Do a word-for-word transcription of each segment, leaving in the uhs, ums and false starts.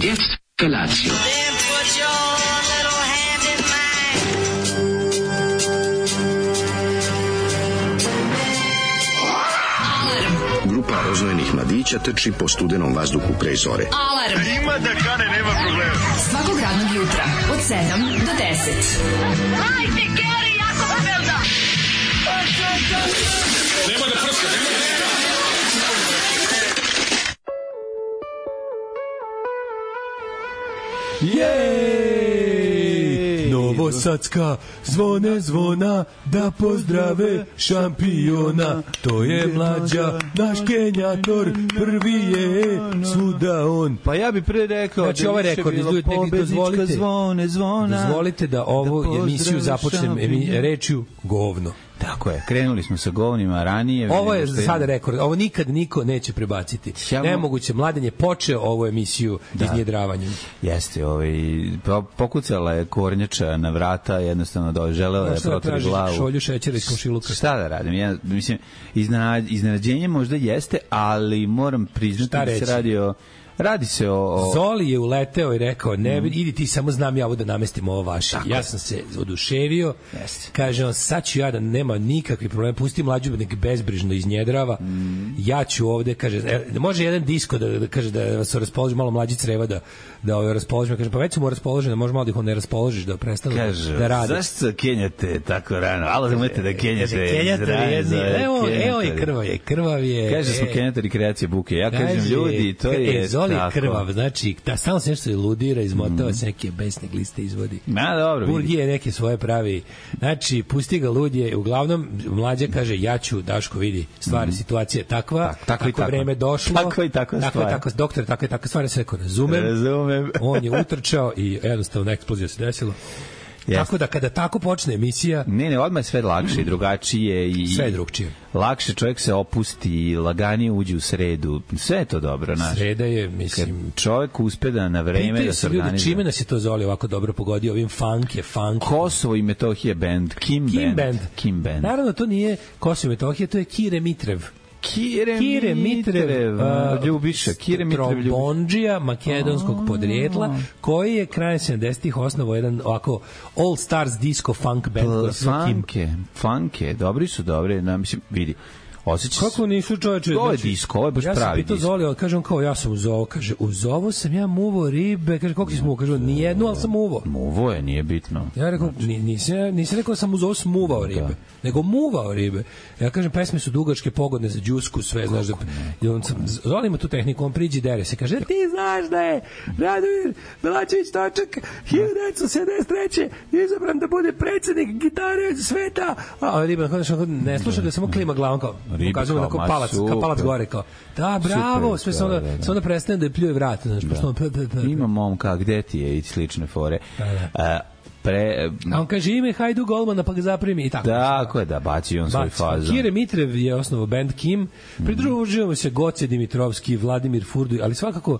Jetzt Felatio. Grupa roznojenih mladića trči po studenom vazduhu pre zore. Alarm! Ima da kane, nema problema. Svakog radnog jutra, od sedam do deset. Hajde, Geri, jako se velda! Nema da prska, nema da prska! Jej! Novosadska zvone zvona da pozdrave šampiona. To je Mlađa, naš Kenjator, prvi je svuda on. Pa ja bih pre rekao znači, da ovaj više rekord, bilo dozvolite, pobednička zvone zvona. Dozvolite da ovu emisiju započnem rečju govno. Tako je, krenuli smo sa govnima ranije. Ovo je za sada rekord, ovo nikad niko neće prebaciti. Ja, nemoguće, Mladen je počeo ovu emisiju da. Iznjedravanjem. Jeste, ovaj, pokucala je kornjača na vrata, jednostavno da želela je protori glavu. Šolju šećera iz komšiluka. Šta da radim? Ja, mislim, iznenađenje možda jeste, ali moram priznati da se radi o... Radi se o, o... Zoli je uleteo i rekao, ne, mm. idi ti, samo znam ja ovo da namestim ovo vaše. Tako. Ja sam se oduševio. Jeste. Kaže on, sad ću ja da nema nikakvih problema, pusti Mlađu nek bezbrižno iznjedrava. Mm. Ja ću ovde, kaže, e, može jedan disko da, da kaže da vas raspoloži, malo Mlađi creva da da ovaj raspoloži. Kaže, pa već smo raspoloženi, može malo da ih on ne raspoložiš da prestanu da radi. Zašto kenjate tako rano? Alo da umete da kenjate. Kenjate, evo, evo je krvav je, krvav je. Kaže, smo kenjatari kreacije buke. Ja kažem, ljudi, to je Zoli krvav, znači, da samo se nešto ludira, izmotava se neke besne gliste izvodi. Ma, dobro. Burgije neke svoje pravi. Znači, pusti ga ludje. Uglavnom, Mlađa kaže, ja ću, Daško vidi, stvari, mm. situacija je takva, tak, tako, tako vreme došlo. Tako i tako stvar. Tako, tako, doktor, tako i tako stvari, sve ko razumem. Razumem. On je utrčao i jednostavno eksplozija se desilo. Yes. Tako da kada tako počne emisija... Ne, ne, odmah je sve lakše i drugačije. I sve je drugčije. Lakše čovjek se opusti, laganije uđe u sredu. Sve je to dobro, znaš. Sreda je, mislim... Kad čovjek uspe da na vreme da se organizuje. Čime nas je to Zoli ovako dobro pogodio? Ovim funk je funk. Kosovo i Metohija band. Kim, Kim band. band. Kim band. Naravno, to nije Kosovo i Metohija, to je Kire Mitrev. Kire, Kire Mitrev, Mitrev uh, Ljubiša, Kire Mitrev Ljubiša. Trombondžija makedonskog oh, podrijetla, koji je krajem sedamdesetih osnovao jedan ovako All Stars disco funk band. Funke, funke, dobri su dobri, na, mislim, vidi. Osjeća kako nisu čoveče? To je disko, ovo je baš ja pravi disko. Ja sam pitao Zoli, kažem kao ja sam uz ovo, kaže, uz ovo sam ja muvo ribe, kaže, koliko si muvo? Kaže, nijednu, ali sam muvo. Muvo je, nije bitno. Ja rekao, nisam, nisam rekao da sam uz ovo smuvao ribe, da. nego muvao ribe. Ja kažem, pesme su dugačke, pogodne za džusku, sve, znaš, da, i on sam, Zoli ima tu tehniku, on priđi dere se, kaže, ti znaš da je Radomir Belačević Točak hiljadu devetsto sedamdeset treće izabran da bude predsednik gitare sveta, a riba, ne sluša da samo klima glavom kao, pokazujemo da kao palac, kao palac gore, kao, da, bravo, sve se onda, da, da. sve onda prestane da je pljuje vrat, znaš, da. Pošto on, p, p, p, ima momka, gde ti je, i slične fore. Da, da. A, pre... A on kaže ime Hajdu Golmana, pa ga zaprimi, i tako. Tako je, da, baci on svoj fazon. Kire Mitrev je osnovao band Kim, pridružujemo se Goce Dimitrovski, Vladimir Furduj, ali svakako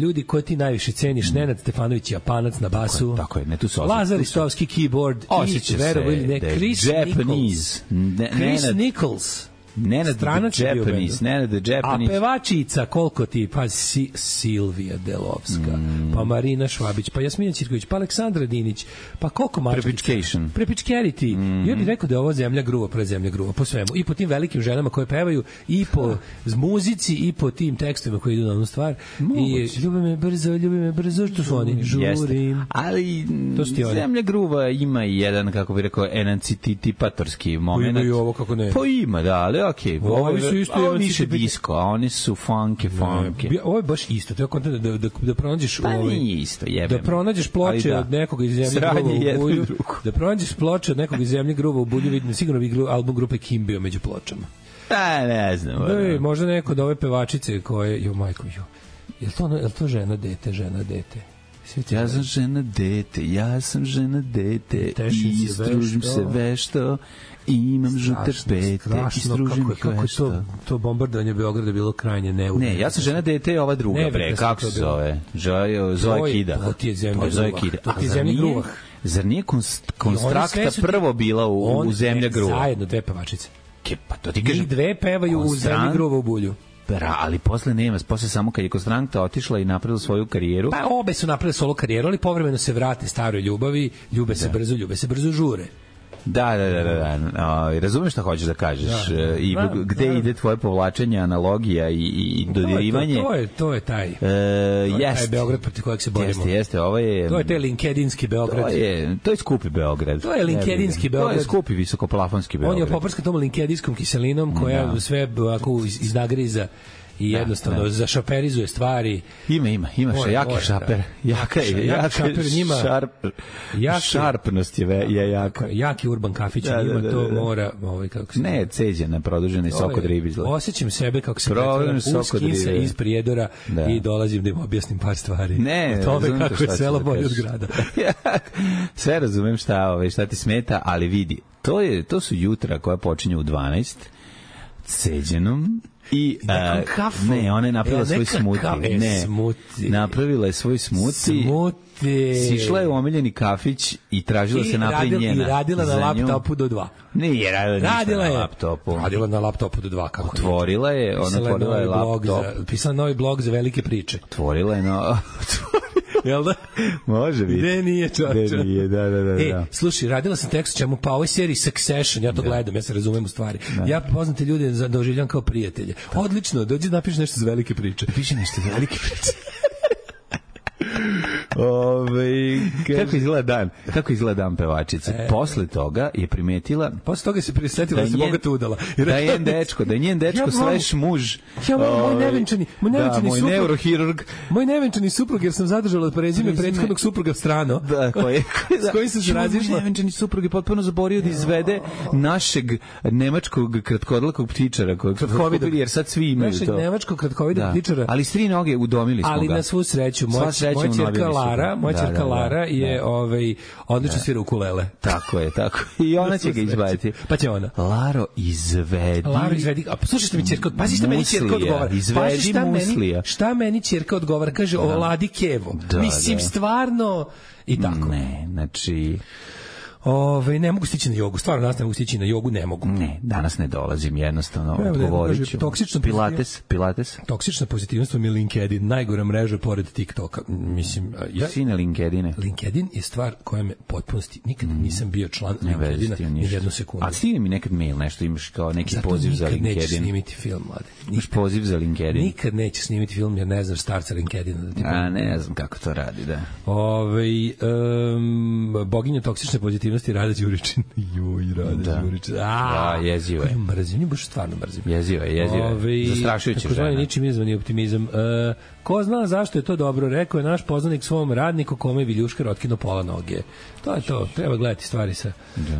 ljudi koje ti najviše ceniš, Nenad Stefanović Japanac na basu, tako je, tako je, ne tu se Lazar Istovski keyboard, osjeća se ne, Chris Nichols, ne, Chris Nichols, Nenad the Japanese, Nenad the Japanese. A pevačica, koliko ti, pa si, Silvija Delovska, mm. pa Marina Švabić, pa Jasmina Ćirković, pa Aleksandra Dinić, pa koliko mačkica. Prepičcation. Prepičkeriti. Mm. Ja bih rekao da je ovo zemlja gruva, pre zemlja gruva, po svemu. I po tim velikim ženama koje pevaju, i po muzici, i po tim tekstovima koji idu na onu stvar. Moguće. I ljubi me brzo, ljubi me brzo, što su oni? Žurim. Ali zemlja gruva ima i jedan, kako bih rekao, enancitipatorski moment. Imaju ovo, kako ne. Pa ima, da, ali okej, okay, ovo su isto ovo više disco, a oni su funky, funky. Ovo je baš isto, to je kontent da, da, da pronađeš pa ovaj, nije isto, jebem. Da pronađeš ploče da. od nekog iz zemlje gruva u Bulju, da pronađeš ploče od nekog iz zemlje gruva u Bulju, vidim, sigurno bi album grupe Kim bio među pločama. A, ne znam. Da, možda neko od ove pevačice koje, jo majko, jo, je to, je to žena, dete, žena, dete? Ja sam žena, dete, ja sam žena, dete, i istružim se vešto, i imam žute pete, i stružim kako, kako to, to bombardovanje Beograda bilo krajnje neudobno. Ne, ja sam žena, dete i ova druga, ne, bre, kako se zove? Zoe Kida. To ti je zemlja gruvah. To ti je zemlja gruvah. Zar nije konstrakta prvo bila u, u zemlja gruva? Zajedno dve pevačice. Ke, pa to ti kažem. Njih dve pevaju u zemlji gruva u Bulju. Bra, ali posle nema, posle samo kad je Kostranta otišla i napravila svoju karijeru. Pa obe su napravile solo karijeru, ali povremeno se vrate staroj ljubavi, ljube se da. brzo, ljube se brzo žure. Da, da, da, da, da. O, razumeš šta hoćeš da kažeš da, da. i da, gde da. ide tvoje povlačenje, analogija i, i dodirivanje. To, to, je, to je taj, e, to je jest, taj Beograd protiv kojeg se borimo. Jeste, jeste, ovo je... To je taj linkedinski Beograd. To je, to je skupi Beograd. To je linkedinski Beograd. To je skupi visokoplafonski Beograd. On je poprska tom linkedinskom kiselinom koja da. sve ako iznagriza i jednostavno da, da. zašaperizuje stvari. Ima, ima, ima še jaki šaper. Jaka je, jaka šaper njima. Šarp, jaki, šarpnost je, je jaka. Jaki urban kafić da, njima, da, da, to da. mora... Ovaj, kako se ne, ceđena, produženi sok od ribi. Osjećam sebe kako se pretvaram u skinsa iz Prijedora da. i dolazim da im objasnim par stvari. Ne, o tome kako je selo bolje od grada. Sve razumem šta, ovaj, šta ti smeta, ali vidi, to, je, to su jutra koja počinju u dvanaest ceđenom i uh, ne, ona je napravila e, svoj smuti. E, ne, smuti. Napravila je svoj smuti. Smuti. Sišla je u omiljeni kafić i tražila I se napravi njena. I radila na laptopu do dva. Nije radila, radila ništa na laptopu. Radila na laptopu do dva. Kako otvorila je, ona otvorila je laptop. Za, pisala novi blog za velike priče. Otvorila je no... Jel da? Može biti. Gde nije, čoče? Gde nije, da, da, da. E, da. slušaj, radila sam tekst čemu, pa ovoj seriji Succession, ja to da. gledam, ja se razumem u stvari. Da. Ja poznate ljude doživljam kao prijatelje. Da. Odlično, dođi napiši nešto za velike priče. Piši nešto za velike priče. Ove, kako izgleda dan? Kako izgleda dan pevačice? E, Posle toga je primetila... Posle toga se prisetila da se bogato udala. Da je njen dečko, da je njen dečko ja, slash muž. Ja, moj, moj nevenčani, moj nevenčani da, moj suprug. Neurohirurg. Moj nevenčani suprug, jer sam zadržala prezime prethodnog supruga strano. Da, koje, s kojim sam se razišla. Moj nevenčani suprug je potpuno zaborio da izvede našeg nemačkog kratkodlakog ptičara. Kratkovidog. Jer sad svi imaju našeg to. Našeg nemačkog kratkovidog da. ptičara. Ali s tri noge udomili smo ali ga. Ali na svu sreću, moj, moj čerka Lara, moj da, čerka da, Lara je da. ovaj odlično da. svira ukulele. Tako je, tako. I ona će ga izbaviti. Pa će ona. Laro izvedi. Laro izvedi. A poslušajte mi ćerka, pazi šta meni ćerka odgovara. Izvedi šta muslija. Meni, šta meni ćerka odgovara? Kaže, da. oladi kevo. Da, Mislim, da. stvarno i tako. Ne, znači... Ove, ne mogu stići na jogu, stvarno danas ne mogu stići na jogu, ne mogu. Ne, danas ne dolazim, jednostavno odgovorit ću. Pilates, Pilates. Toksična pozitivnost mi je LinkedIn, najgora mreža pored TikToka. Mislim, ja... Sine LinkedIne. LinkedIn je stvar koja me potpunosti, nikad mm. nisam bio član ne LinkedIna ni jednu sekundu. A stigni mi nekad mail, nešto imaš kao neki Zato poziv za LinkedIn. Zato nikad neću snimiti film, mlade. Imaš poziv za LinkedIn. Nikad neću snimiti film jer ne znaš starca LinkedIna. Da ti A ne znam kako to radi, da. Ove, um, boginja toksične pozitivnosti Rada Đuričin. Joj, Rada da. Đuričin. Da, jezivo je. Mrzim, nju baš stvarno mrzim. Jezivo je, jezivo je. Zastrašujuće žena. Ničim izvani optimizam. Uh, ko zna zašto je to dobro, rekao je naš poznanik svom radniku kome je Viljuškar otkinuo pola noge. To je to, treba gledati stvari sa.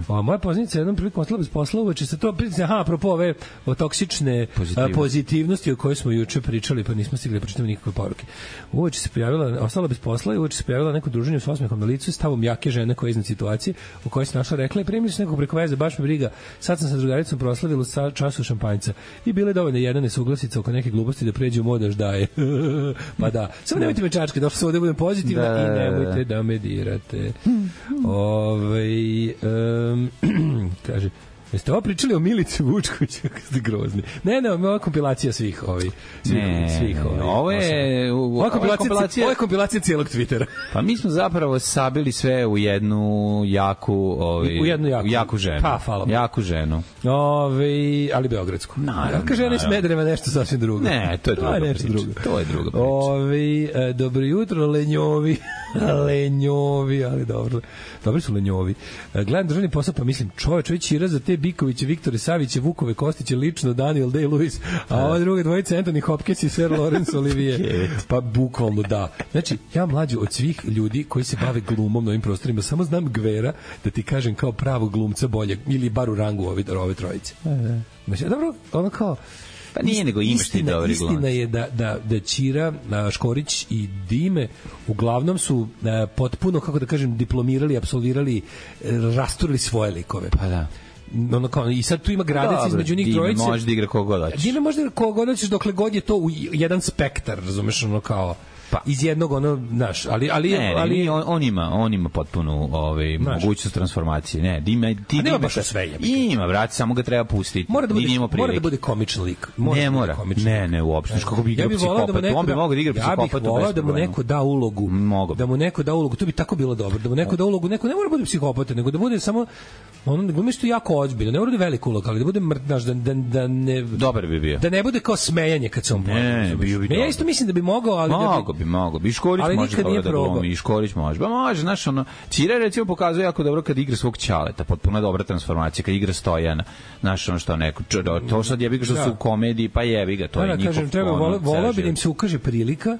O, moja poznanica je jednom prilikom ostala bez posla, uveče se to, aha, apropo ove o toksične Pozitivno. pozitivnosti o kojoj smo juče pričali, pa nismo stigli da pročitamo nikakve poruke. Uveče se pojavila, ostala bez posla i uveče se pojavila neko druženje s osmehom na licu, stavom jake žene koja je iznad situacije u kojoj se našla, rekla je, primili se nekog preko veze, baš me briga, sad sam sa drugaricom proslavila sa času šampanjca i bile dovoljno jedna nesuglasica oko neke gluposti da pređe u modaš daje. Pa da, samo nemojte me čačke, došlo sam ovde budem pozitivna da, i nemojte da me dirate. Ove, um, kaže, jeste ovo pričali o Milici Vučkoviću, kako ste grozni. Ne, ne, ovo je kompilacija svih ovih. Svih, ne, svih ovih. Ovo je, ovo je kompilacija, kompilacija, ovo je kompilacija cijelog Twittera. Pa mi smo zapravo sabili sve u jednu jaku, ovi, u jednu jaku, jaku ženu. Pa, hvala. Jaku ženu. Ove, ali beogradsku. Naravno. Jaka žena iz Smedereva nešto sasvim drugo. Ne, to je druga to je nešto priča. Drugo. To je druga priča. Ove, e, dobro jutro, lenjovi. lenjovi, ali dobro. Dobri su lenjovi. E, gledam državni posao, pa mislim, čoveč, ovaj Ćira za te Bikoviće, Viktore Saviće, Vukove Kostiće, lično Daniel Day-Lewis, a ova druga dvojica Anthony Hopkins i Sir Laurence Olivier. Pa bukvalno da. Znači, ja mlađu od svih ljudi koji se bave glumom na ovim prostorima, samo znam Gvera da ti kažem kao pravog glumca bolje, ili bar u rangu ove, ove trojice. Znači, dobro, ono kao, pa nije, nego imaš ti dobri glumci. Istina je da, da, da Ćira, Škorić i Dime uglavnom su a, potpuno, kako da kažem, diplomirali, apsolvirali, rasturili svoje likove. Pa da. Ono kao, i sad tu ima gradac između njih trojice. Može da igra koga god hoćeš. Dime može da koga god hoćeš dokle god je to u jedan spektar, razumeš, ono kao. pa. iz jednog ono, znaš, ali ali ne, ali ne, on, on ima, on ima potpunu ovaj mogućnost transformacije. Ne, ima ti nema baš sve je. Ima, brate, samo ga treba pustiti. Mora da bude, mora da bude komičan lik. Mora ne mora. Ne, ne, uopšte. Kako bi igrao psihopat? On bi mogao da igra psihopata. Ja bih voleo da mu neko da ulogu. Da mu neko da ulogu, to bi tako bilo dobro. Da mu neko da ulogu, neko ne mora bude psihopata, nego da bude samo ono, glumi što jako ozbiljno, ne mora da velika uloga, ali da bude mrtnaš, da, da, da ne... Dobar bi bio. Da ne bude kao smejanje kad se on pojavi. Ne, bio bi. Ja isto mislim da bi mogao, ali... Mogo bi, mogo bi. Škorić može dobro da glumi, i Škorić može. Ba može, znaš, ono... Ćira recimo pokazuje jako dobro kad igra svog ćaleta, potpuno dobra transformacija, kad igra Stojana, znaš, ono što neko... To sad jebi ga što su u komediji, pa jebi ga, to je njihov... Kažem, treba, volao bi da im se ukaže prilika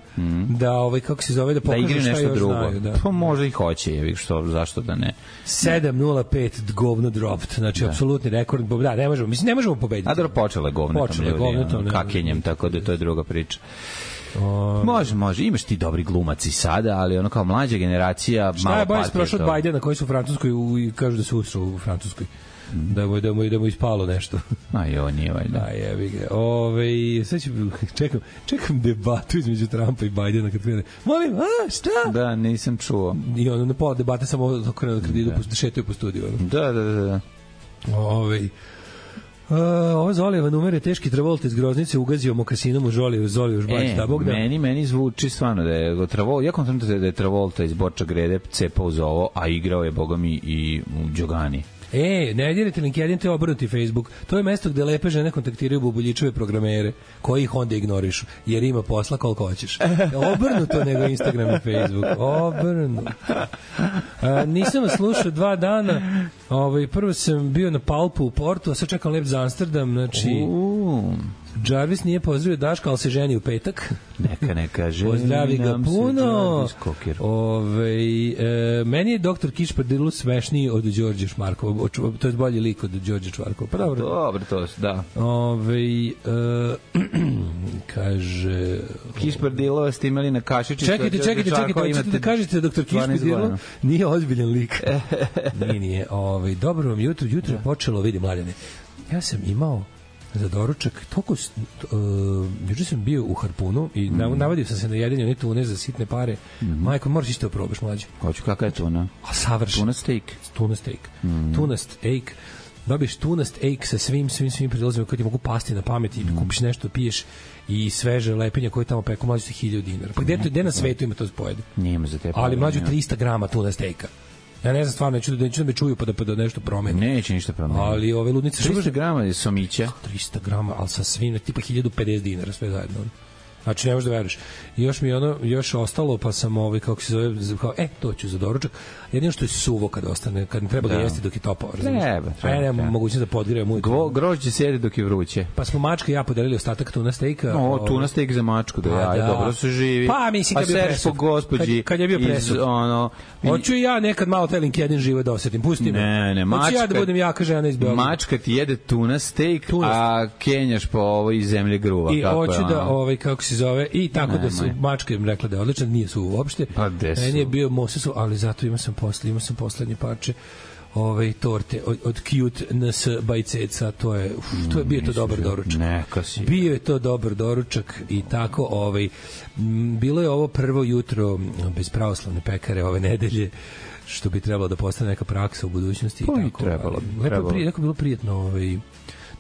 da, ovaj, kako se zove, da pokažu šta još znaju. Pa može i hoće, jebi što, zašto da ne. sedam nula pet govno dropped, znači da. Apsolutni rekord, da, ne možemo, mislim, ne možemo pobediti. A dobro, počela je govnetom ljudi, kakenjem, tako da to je druga priča. O... Može, može, imaš ti dobri glumaci sada, ali ono kao mlađa generacija... Šta je Bajs prošao od Bajdena koji su u Francuskoj i kažu da se usrao u Francuskoj? Mm. Da mu, da, mu, da mu ispalo nešto. A jo, nije valjda. Da, jebi ga. Ove, sad ću, čekam, čekam debatu između Trumpa i Bajdena kad krene. Molim, a, šta? Da, nisam čuo. I ono, na pola debate samo okrenu kad idu, da šetaju po studiju. Ono. Da, da, da. da. Ove, Uh, ovo Zolijeva numer je teški Travolta iz Groznice ugazio mokasinom u Žoliju, Zoliju još baći, da Bog da. Meni, meni zvuči stvarno da je Travolta, ja kontam da je Travolta iz Borča Grede cepao za ovo, a igrao je, boga mi, i u Đogani. E, ne dirite LinkedIn, te obrnuti Facebook. To je mesto gde lepe žene kontaktiraju bubuljičeve programere, koji ih onda ignorišu, jer ima posla koliko hoćeš. Obrnuto nego Instagram i Facebook. Obrnuto. A, nisam vas slušao dva dana. Ovaj, prvo sam bio na Palpu u Portu, a sad čekam let za Amsterdam. Znači, uh. Jarvis nije pozdravio Daška, ali se ženi u petak. Neka, neka, ženi pozdravi ga puno. Ove, e, meni je doktor Kišpardilo svešniji od Đorđe Šmarkova. To je bolji lik od Đorđe Šmarkova. Pa dobro. Dobro, to da. Ove, e, kaže... Kišpardilo ste imali na kašičicu. Čekajte, čekajte, čekajte. Hoćete da kažete da doktor Kišpardilo nije ozbiljan lik. Nije, nije. Ove, dobro vam jutro. Jutro je počelo, vidi mladene. Ja sam imao za doručak, toliko uh, juče sam bio u Harpunu i mm. navadio sam se na jedenje one tune za sitne pare. Mm. Majko, moraš isto probaš, mlađe. Hoću, kakva je tuna? A savršen. Tuna steak. Tuna steak. Mm. Tuna steak. Dobiješ tuna steak sa svim, svim, svim prilazima koji ti mogu pasti na pamet i mm. kupiš nešto, piješ i sveže lepenja koje tamo peku, mlađe su hiljadu dinara. Pa gde, gde na svetu ima to spojede? Nijema za te. Ali mlađe trista grama tuna steaka. Ja ne znam stvarno, neću da, neću da me čuju pa da, pa da nešto promeni. Neće ništa promeni. Ali ove ludnice... trista grama je somića. trista grama, ali sa svim, tipa hiljadu pedeset dinara sve zajedno. Znači, ne možeš da veruješ. I još mi je ono, još ostalo, pa sam ovaj, kako se zove, kao, e, to ću za doručak. Jedino što je suvo kad ostane, kad ne treba da ga jesti dok je topao. Treba, treba. A ja nemam mogućnost da podgrejem moj. Grožđe sjedi dok je vruće. Pa smo mačka i ja podelili ostatak tuna steaka. No, tuna steak za mačku, da ja, da. Dobro se živi. Pa, mislim, kad je bio presud. Gospođi, kad, kad je bio presud. Ono, hoću i ja nekad malo taj LinkedIn život da osetim. Pusti me. Ne, ne, mačka. Hoću ja da budem jaka žena iz Beograda. Mačka ti jede tuna steak, tuna. A kenjaš po ovoj zemlji gruva. I hoću da, ovaj, kako se zove, i tako da su mačke im rekla da je odličan, nije su uopšte. Pa meni je bio mosesu, ali zato imao sam posle, imao sam poslednje parče ove torte od, od Cute N S Bajceca, to je, uf, to je bio to dobar doručak. Neka si. Bio je to dobar doručak i tako, ovaj, m, bilo je ovo prvo jutro bez pravoslavne pekare ove nedelje, što bi trebalo da postane neka praksa u budućnosti. Pa i tako. Trebalo. Lepo trebalo. Prije, bilo prijetno, ovaj,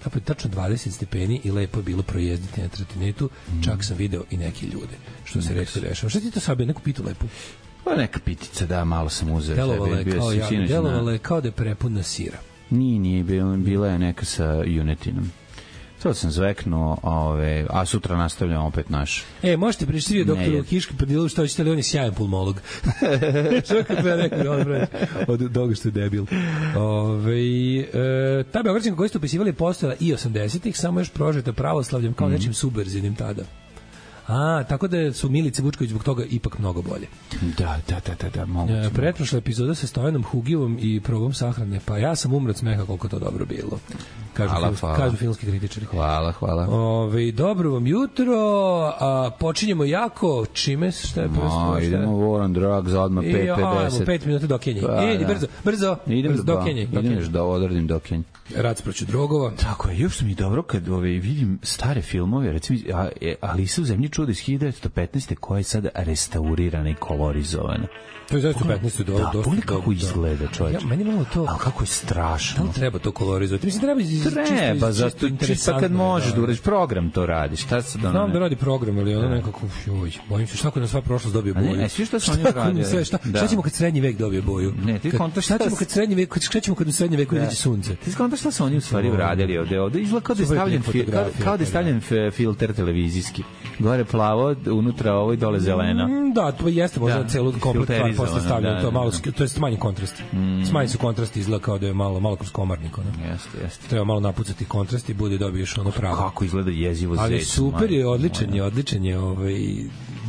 tako je tačno dvadeset stepeni i lepo je bilo projezditi na trotinetu, mm. čak sam video i neke ljude, što se retko dešava. Šta ti to sabio, neku pitu lepu? Pa neka pitica, da, malo sam uzeo. Delovalo je kao, ja, delovalo je kao da je prepuna sira. Nije, nije, bila je neka sa junetinom. To sam zveknuo, ove, a sutra nastavljamo opet naš. E, možete pričati doktoru Kiški Prdilu što hoćete, ali on je sjajan pulmolog. Što kad treba neko od toga što je debil. Ove, e, ta Beogradčanka koju ste upisivali postojala i osamdesetih, samo još prožeta pravoslavljem kao mm. nečim subverzivnim tada. A, tako da su Milice Vučković zbog toga ipak mnogo bolje. Da, da, da, da, da moguće. E, pretprošla epizoda sa Stojanom Hugijevom i probom sahrane, pa ja sam umro od smeha koliko to dobro bilo. kažu, hvala, filmski, hvala. kažu filmski kritičari. Hvala, hvala. Ove, dobro vam jutro, a, počinjemo jako, čime, šta je prvo? No, idemo War on Drugs, odmah pet pedeset. pet minuta do Kenije. Pa, e, da. brzo, brzo, Idem brzo, do, do Kenije. idem još da odradim do Kenije. Rad sproću drogova. Tako je, još mi je dobro kad ove, vidim stare filmove, recimo a, e, Alisa u zemlji čuda iz hiljadu devetsto petnaeste koja je sada restaurirana i kolorizovana. To je zaista u petnaestoj do, da, dosta. Da, kako izgleda, čovječ. Ja, meni malo to... Ali kako je strašno. Da li treba to kolorizovati? Mislim, treba iz, treba, zato čisto kad možeš da uradiš program to radi. Šta sad ono? Znam da radi program, ali ono nekako, joj, bojim se šta kad na sva prošlost dobije boju. Ne, ne, svi što su oni uradili. Šta, šta, da. šta ćemo kad srednji vek dobije boju? Ne, ti kontaš šta ćemo kad srednji vek, šta ćemo kad u srednjem veku izađe sunce? Ti kontaš šta su oni u stvari uradili ovde? Ovde izgleda kao da je stavljen, kao, kao da je stavljen filter televizijski. Gore plavo, unutra ovo i dole zeleno. Da, to jeste možda da, celu komplet stvar posle stavljeno, da, to malo, to je smanjen kontrast. Mm. Smanjen su kontrasti, izgleda kao da je malo, malo kroz komarnik. Ono. Jeste, jeste. Treba malo napucati kontrast i bude dobiješ ono pravo. Kako izgleda jezivo zec. Ali super je, odličan je, odličan je. Ovaj,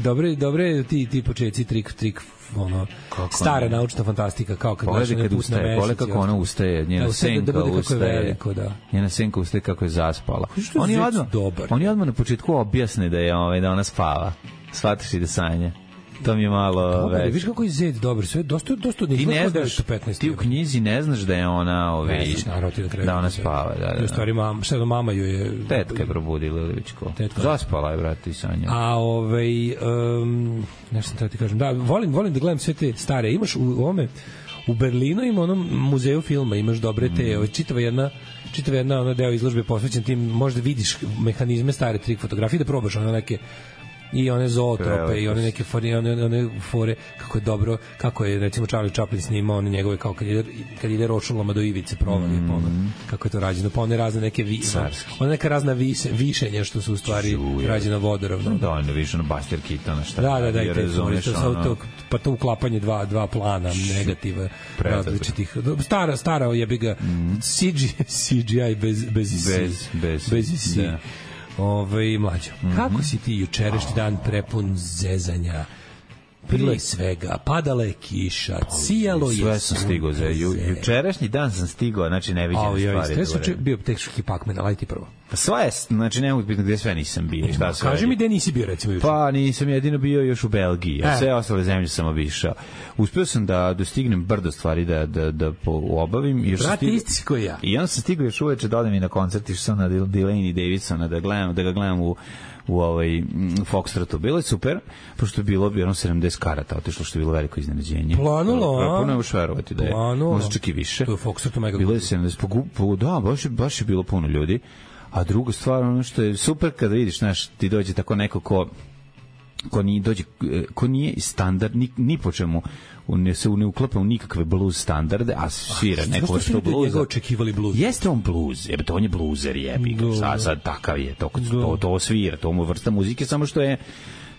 dobre, dobre ti, ti početci, trik, trik, ono, kako stara ne? Naučna fantastika, kao kad gledaš kad ustaje, pogledaj kako ona ustaje, njena da, senka da ustaje, veliko, da. njena senka ustaje kako je zaspala. On je odmah, dobar. On je odmah na početku objasne da je, ovaj, da ona spava. Shvataš i da sanje. To mi je malo već. Viš kako je Zed dobar, sve dosta dosta ti ne znaš, ti u knjizi ne znaš da je ona, ove, ne, naravno, ti da, da ona spava, da, da. U stvari mam, šta da mama ju je tetka je probudila ili već ko. Tetka. Zaspala je, brate, i sanja. A ovaj um, nešto sam treba ti kažem. Da, volim, volim da gledam sve te stare. Imaš u ovome u Berlinu ima onom muzeju filma, imaš dobre te, mm. ovaj, čitava jedna čitava jedna ona deo izložbe posvećen tim, možda vidiš mehanizme stare trik fotografije, da probaš one neke i one zootrope i one neke fore, one, one fore, kako je dobro, kako je recimo Charlie Chaplin snimao one njegove, kao kad ide, kad ide rošulama do ivice provali, mm. ono, kako je to rađeno, pa one razne neke vi, one neka razna vise, višenja što su u stvari Čuje. rađena vodoravno. Da, ono više na Buster Keaton, šta da, da, da, i te fore, to, pa to uklapanje dva, dva plana negativa različitih, stara, stara jebi ga, mm. C G I bez, bez, bez, bez, bez da. Ove, mlađo, mm -hmm. kako si ti jučerašnji dan prepun zezanja? Bilo je svega, padala je kiša, cijalo je sve sam stigao za ju, jučerašnji dan sam stigao, znači neviđene oh, stvari. Sve su bio teški pakmen, ali ti prvo. Pa sve je, znači ne mogu biti gde sve nisam bio. Šta sve kaži mi gde nisi bio, recimo juče. Pa nisam jedino bio još u Belgiji, a sve ostale zemlje sam obišao. Uspeo sam da dostignem brdo stvari da, da, da obavim. Još Brate, isti si koji ja. I onda sam stigao još uveče da odem i na koncert, išao sam na Delaney Davidsona da, gledam, da ga gledam u u ovaj Foxtrotu. Bilo je super, pošto je bilo jedno sedamdeset karata, otišlo što je bilo veliko iznenađenje. Planulo, a? Puno je už verovati da je. Možda čak i više. To je Foxtrotu mega. Bilo je sedamdeset, po, po, da, baš je, baš je bilo puno ljudi. A druga stvar, ono što je super kada vidiš, znaš, ti dođe tako neko ko ko nije dođe, ko nije standard ni, ni po čemu ne se ne uklapa u nikakve blues standarde, a svira ah, neko što bluza. Očekivali blues. Jeste on blues, jebe, to on je bluzer, jebi. Sad, sad takav je, to, to, to svira, to mu vrsta muzike, samo što je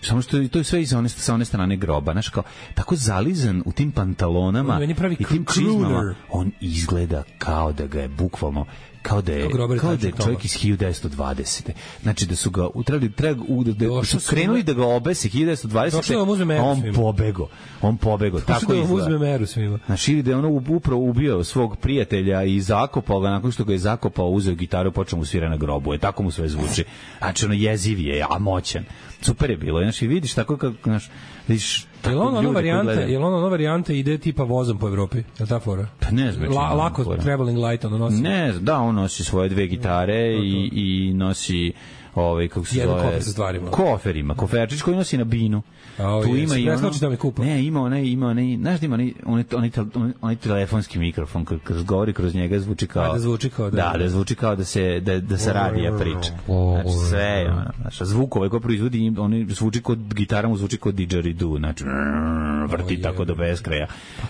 samo što to je sve iz one, sa one strane groba, znaš, kao, tako zalizan u tim pantalonama i tim čizmama, on izgleda kao da ga je bukvalno kao da je, kao da je čovjek iz hiljadu devetsto dvadesete. Znači da su ga utrali, treba, da, da su krenuli da ga obese hiljadu devetsto dvadesete, a on pobego. On pobego, tako izgleda. Uzme meru svima. Znači ili da je ono upravo ubio svog prijatelja i zakopao ga, nakon što ga je zakopao, uzeo gitaru i počeo mu svira na grobu. Je, tako mu sve zvuči. Znači ono jeziv je, a moćan. Super je bilo. Znači vidiš tako kako, znaš, vidiš je li ono varijanta, je li ono varijanta ide tipa vozom po Evropi? Je ta fora? Pa ne znam. La, lako fora. Traveling light ono nosi. Ne, da, on nosi svoje dve gitare no, i, i nosi ovaj kako se jedan zove kofer sa stvarima. Koferima, koferčić koji nosi na binu. Oh, tu ima i ono, da me kupa. Ne, ima onaj, ima onaj, znaš da ima onaj, onaj, onaj, onaj telefonski mikrofon kad govori kroz njega zvuči kao, da zvuči kao da, da, da zvuči kao da se da da sa radija priča. Znači sve, znači zvukove koje proizvodi, oni zvuči kod gitara, mu zvuči kod didgeridoo, znači vrti tako do beskraja.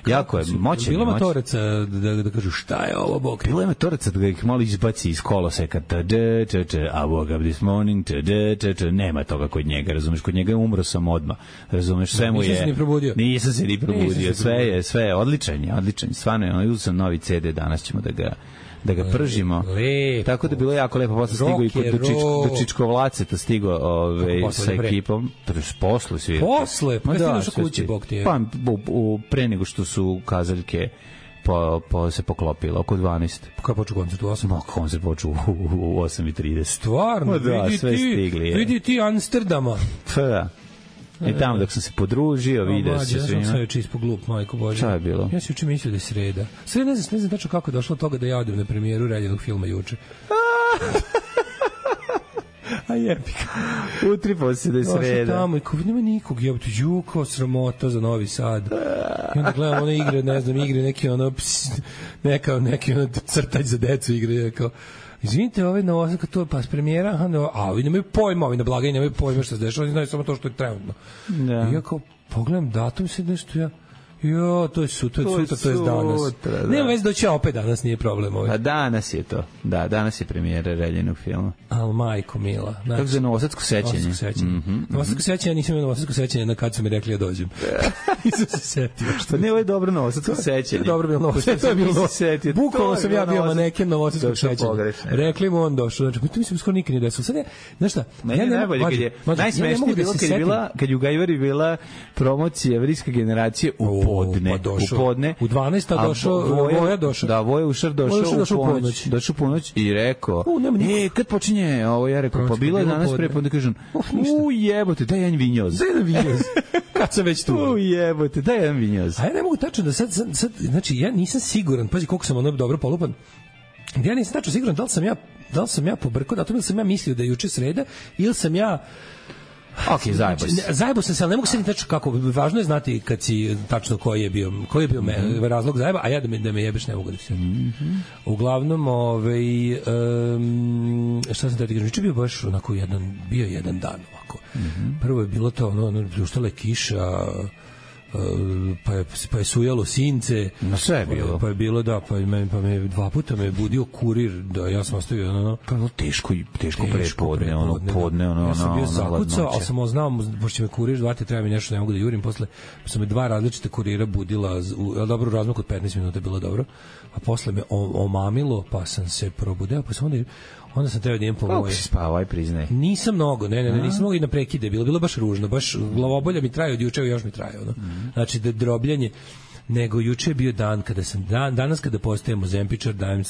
Jako je moćan. Bilo motoraca da da kažu šta je ovo bog. Bilo je motoraca da ih malo izbaci iz koloseka, da da da, a woke up this morning, da da, nema toga kod njega, razumeš, kod njega je umro sam odmah. Razumeš, sve mu je. Nisam se ni probudio. Nisam se ni probudio. Sve je, sve je odličan je, odličan. Stvarno je, ono, uzeo novi ce de, danas ćemo da ga da ga pržimo. Lepo. Tako da je bilo jako lepo, posle stigo i kod do Čičkovlace, to stigo ove sa ekipom, posle svi. Posle, pa da, došao kući bog ti je. Pa pre nego što su kazaljke po, po, se poklopila, oko dvanaest. Kada počeo koncert u osam? No, koncert počeo u, u osam i trideset. Stvarno, da, vidi, sve ti, stigli, vidi ti Amsterdama. Pa da. I tamo dok sam se podružio, video se svima. Ja sam sve juče ispod glup, majko Bože. Šta je bilo? Ja sam juče mislio da je sreda. Sreda, ne znam, ne znam tačno kako je došlo od toga da ja odem na premijeru reljenog filma juče. A jebi ga. Utri posle da je sreda. Došao tamo i kao, nema nikog, jebate, ju, kao sramota za Novi Sad. I onda gledam one igre, ne znam, igre, neki ono, ps, neka, neki ono crtač za decu igre, kao, izvinite, ovaj na osam, to je pas premijera, a, no, a ovi nemaju pojma, ovi na blagaj nemaju pojma šta se dešava, oni znaju samo to što je trenutno. Da. I ja kao, pogledam datum, se nešto ja, jo, to je sutra, to je sutra, to je danas. Da. Nema već doći ja opet danas, nije problem ovaj. A danas je to. Da, danas je premijera reljenog filma. Al majko mila. Znači, kako za Novosadsko sećanje? Novosadsko sećanje. Mm -hmm. Novosadsko sećanje, nisam imao Novosadsko sećanje na kad su mi rekli da dođem. Nisam se setio. Pa ne, ovo je dobro Novosadsko sećanje. Dobro bilo Novosadsko. To je bilo Novosadsko. Bukvalno sam ja bio maneken Novosadskog sećanja. Rekli mu on došao. Znači, to mi se skoro nikad nije desilo. Sad je, znaš šta? Meni je najbolje kad je, najsmešnije bilo kad je bila, kad je u Gajvari bila promocija evrijske generacije u podne. U podne. U dvanaest došao, Voja došao. Da, Voja Ušar došao u ponoć. Došao u ponoć i rekao, e, kad počinje ovo, ja rekao, pa bilo je danas pre, pa onda kažem, u jebote, daj jedan vinjoz. Daj jedan vinjoz. Kad sam već tu. U jebote, daj jedan vinjoz. A ja ne mogu tačno da sad, sad, znači, ja nisam siguran, pazi koliko sam ono dobro polupan, ja nisam tačno siguran da li sam ja, da li sam ja pobrkao, da li sam ja mislio da je juče sreda, ili sam ja Ok, zajebo se. Zajebo sam se, ali ne mogu se ni tačno kako. Važno je znati kad si tačno koji je bio, koji je bio me, mm -hmm. razlog zajeba, a ja da me, da me jebeš ne mogu da se. Mm -hmm. Uglavnom, ovaj, um, šta sam da ti kažem, juče bio baš onako jedan, bio jedan dan ovako. Mm -hmm. Prvo je bilo to, ono, ono pljuštala je kiša, pa je, pa je sujalo since, na sve je bilo. Pa je bilo, da, pa me, pa me dva puta me budio kurir, da ja sam ostavio, ono, pa ono teško, teško, teško prepodne, ono, podne, ono, ja sam bio zakucao, ali sam znao, pošto me kurir zvati, treba mi nešto, ne mogu da jurim, posle sam me dva različite kurira budila, u dobro razmaku od petnaest minuta je bilo dobro, a posle me omamilo, pa sam se probudeo, pa sam onda onda sam trebao da idem po moje. Kako si spavao, aj priznaj? Nisam mnogo, ne, ne, ne, nisam mnogo i na prekide, bilo, bilo baš ružno, baš glavobolja mi traje od juče, još mi traje, ono. Mm. Znači, da drobljanje, nego juče je bio dan kada sam, dan, danas kada postajem ozempičar, dajem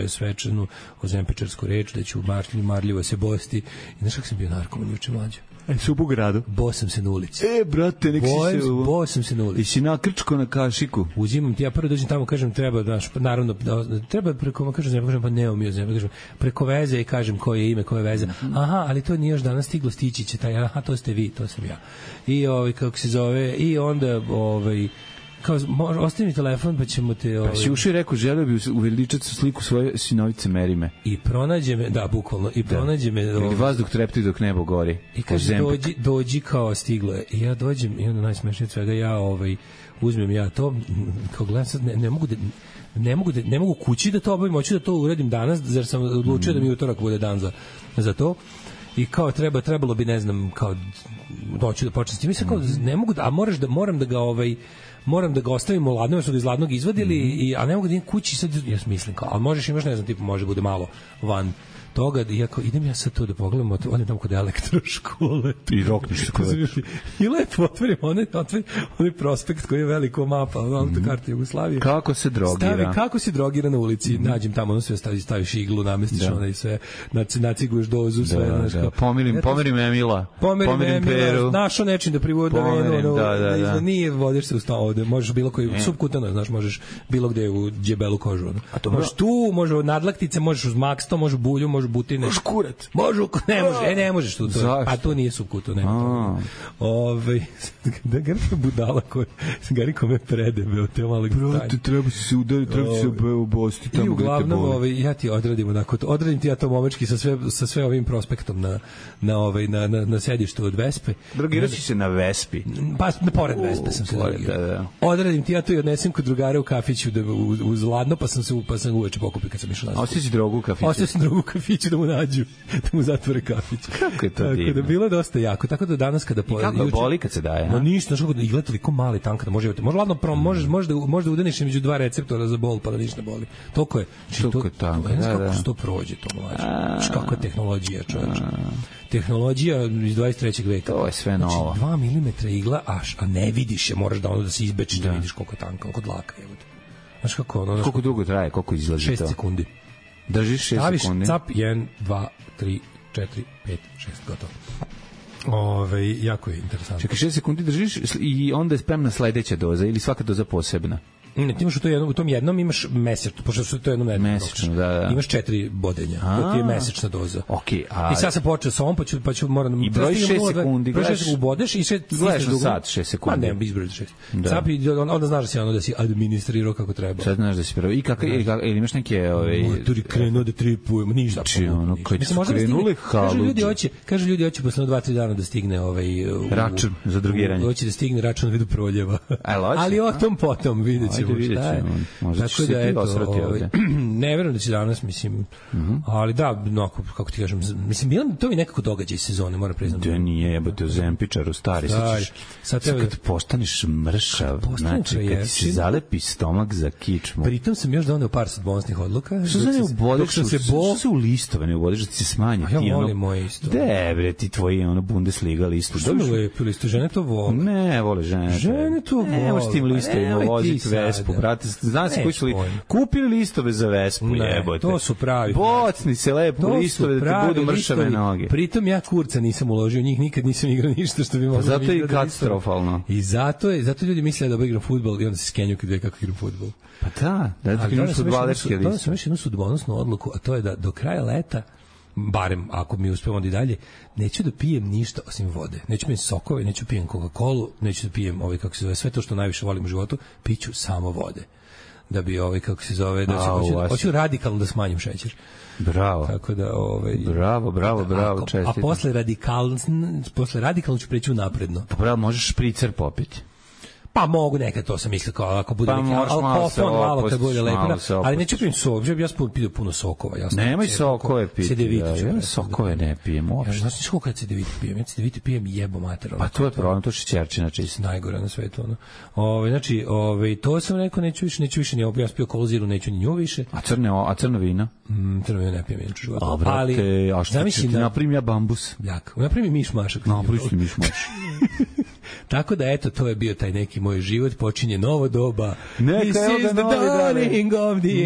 svečanu ozempičarsku reč, da ću marljivo, marljivo se bosti. I znaš kako sam bio narkoman juče, mlađo? E, su u gradu. Bo sam se na ulici. E, brate, nek si se... Bo sam se na ulici. I si nakrčko na kašiku. Uzimam ti, ja prvo dođem tamo, kažem, treba, znaš, naravno, treba preko, kažem, ja kažem, pa ne umio zemlje, kažem, preko veze i kažem koje je ime, koje veze. Aha, ali to nije još danas stiglo, stići će taj, aha, to ste vi, to sam ja. I, ovaj, kako se zove, i onda, ovaj, kao, ostavi mi telefon, pa ćemo te... Ovaj... Pa si uši rekao, želeo bi uveličati sliku svoje sinovice Merime. I pronađe me, da, bukvalno, i pronađe me... Ili vazduh trepti dok nebo gori. I kaže, dođi, dođi kao stiglo je. I ja dođem, i onda najsmešnije od svega, ja ovaj, uzmem ja to, kao gledam sad, ne, ne mogu da... Ne mogu, da, ne mogu kući da to obavim, hoću da to uradim danas, jer sam odlučio mm. da mi utorak bude dan za, za to. I kao treba, trebalo bi, ne znam, kao doći da počnem s tim. Mislim, kao, ne mogu da, a moraš da, moram da ga, ovaj, moram da ga ostavim u ladno, jer su ga iz ladnog izvadili, mm -hmm. i, a ne mogu da idem kući, sad, ja mislim, kao, ali možeš imaš, ne znam, tipu, može bude malo van toga, iako idem ja sad to da pogledam, odem tamo kod elektroškole. I rokniš se kod. I lepo otvorim onaj, otvorim onaj prospekt koji je veliko mapa, autokarta Jugoslavije. Kako se drogira? Stavi, kako se drogira na ulici, mm -hmm. nađem tamo, ono sve staviš, staviš iglu, namestiš da. Onaj sve, naciguješ dozu, sve. Da, znaš, da. Pomirim, pomirim Emila. Pomirim, pomirim Peru. Našo nečim da privodu da venu, da, da, da. Nije, vodiš se u sto ovde, možeš bilo koji, e. subkutano, znaš, možeš bilo gde u djebelu kožu. Ono. A to možeš tu, može od nadlaktice, možeš uz maksto, može bulju, može butine. Možeš kurat. Može, ne može, e ne možeš tu to. A to nije subkuto, nema. Ovaj da Garika budala koji Gariko me predebe od te malog stanja. Brate, treba se udariti, treba se obosti tamo. I uglavnom, ovaj ja ti odradim onako, odradim ti ja to momečki sa sve sa sve ovim prospektom na na ovaj na na, na sedištu od Vespe. Drogiraš se na Vespi. Pa na pored Vespe sam se drogirao. Odradim ti ja to i odnesem kod drugara u kafiću da uz ladno, pa sam se pa sam uveče pokupio kad sam išao nazad. A ostaviš drogu u kafiću? Ostavio sam drogu u kafiću da mu nađu, da mu zatvore kafić. Kako je to tako divno? Da bilo dosta jako. Tako da danas kada po kako juče, boli kad se daje? No ništa, znači kako izgleda toliko mali tank da može imati. Može ladno prom, možeš možda možda udaniš među dva receptora za bol pa da ništa ne boli. Toliko je. Znači to je tank. Da, da. Kako to prođe to mlađe. Znači kakva je tehnologija, čoveče. Tehnologija iz dvadeset trećeg veka. To je sve znači, novo. dva milimetra igla, a, a ne vidiš je, moraš da ono da se izbečiš da, da vidiš koliko je tanka, koliko dlaka je. Znaš kako ono... Koliko dugo traje, koliko izlazi to? šest sekundi. Držiš šest Staviš sekundi? Staviš cap, jedan, dva, tri, četiri, pet, šest, gotovo. Ove, jako je interesantno. Čekaj, šest sekundi držiš i onda je spremna sledeća doza ili svaka doza posebna? Ne, ti imaš u, to jednom, u tom jednom imaš mesečno, pošto su to jednom nedeljno. Mesečno, da, da. Imaš četiri bodenja, to ti je mesečna doza. Okay, a... I sad sam počeo sa ovom, pa ću, pa ću moram... I broj šest sekundi, gledaš... Ubodeš i šest... Gledaš na sat šest sekundi. Pa ne, izbrojiti šest. Cap i onda znaš da si ono da si administrirao kako treba. Sad znaš da si prvo. I kako, ili, ili imaš neke... Ove... Maturi krenuo da tripujem, ništa. Či ono, koji su krenuli haluđe. Kažu ljudi hoće, kažu ljudi hoće posle dva tri dana da stigne ovaj... Račun za drugiranje. Hoće da stigne račun u vidu proljeva. Ali o tom potom vidjet ćemo šta je. Možda ćeš se ti osvrati ovdje. Ne verujem da će danas, mislim, mm-hmm. ali da, no, kako ti kažem, mislim, bilo, to mi nekako događaj sezone, moram priznati. Da nije, jebote, u Zempičaru, stari, sad ćeš, sad treba... kad postaneš mršav, znači, kad ti se zalepi stomak za kičmu. Pritom sam još doneo par sudbonosnih odluka. Što se ne ubodeš, što se u listove ne ubodeš, da ti se smanje. A ja volim moje isto. De, bre, ti tvoji, ono, Bundesliga listu. Što mi lepi listu, žene to vole. Ne, vole žene. Žene to vole. Ne, možeš tim listovima voziti Vespu, brate, znaš se koji su li, kupili listove za Vespu, ne, jebote. To su pravi. Bocni se lepo to listove da ti budu mršave listovi. Noge. Pritom ja kurca nisam uložio, njih nikad nisam igrao ništa što bi moglo. Zato je i katastrofalno. I zato je, zato ljudi misle da igram fudbal i onda se skenju kad vide kako igram fudbal. Pa da, da ti igram fudbalerske liste. To sam još jednu sudbonosnu odluku, a to je da do kraja leta, barem ako mi uspemo onda i dalje, neću da pijem ništa osim vode. Neću pijem sokove, neću pijem Coca-Colu, neću da pijem ovaj, kako se zove, sve to što najviše volim u životu, piću samo vode. Da bi ovaj, kako se zove, da se hoću, hoću radikalno da smanjim šećer. Bravo. Tako da, ovaj, bravo, bravo, bravo, čestitam. A posle radikalno, posle radikalno ću preći u napredno. Pa bravo, možeš špricer popiti. Pa mogu nekad, to sam mislio, kao ako bude pa neki alkofon, malo kad bude lepo, ali neću pijem sok, ja sam pijem puno sokova. Ja nemoj sokove piti, ja, ja sokove ne pijem uopšte. Ja, znaš koliko ja cedevite pijem, ja cedevite pijem jebo mater. Pa to je problem, to šećerčina čista. Najgore na svetu, ono. Ove, znači, ove, to sam rekao, neću više, neću više, ja sam pio koloziru, neću ni nju više. A crne, a crno vino? Mm, crno vino ne pijem, neću životu. A brate, a što ću ti napravim ja bambus? Jak, napravim miš mašak. Napravim miš mašak. Tako da, eto, to je bio taj neki moj život, počinje novo doba. Neka je ovdje novi dale.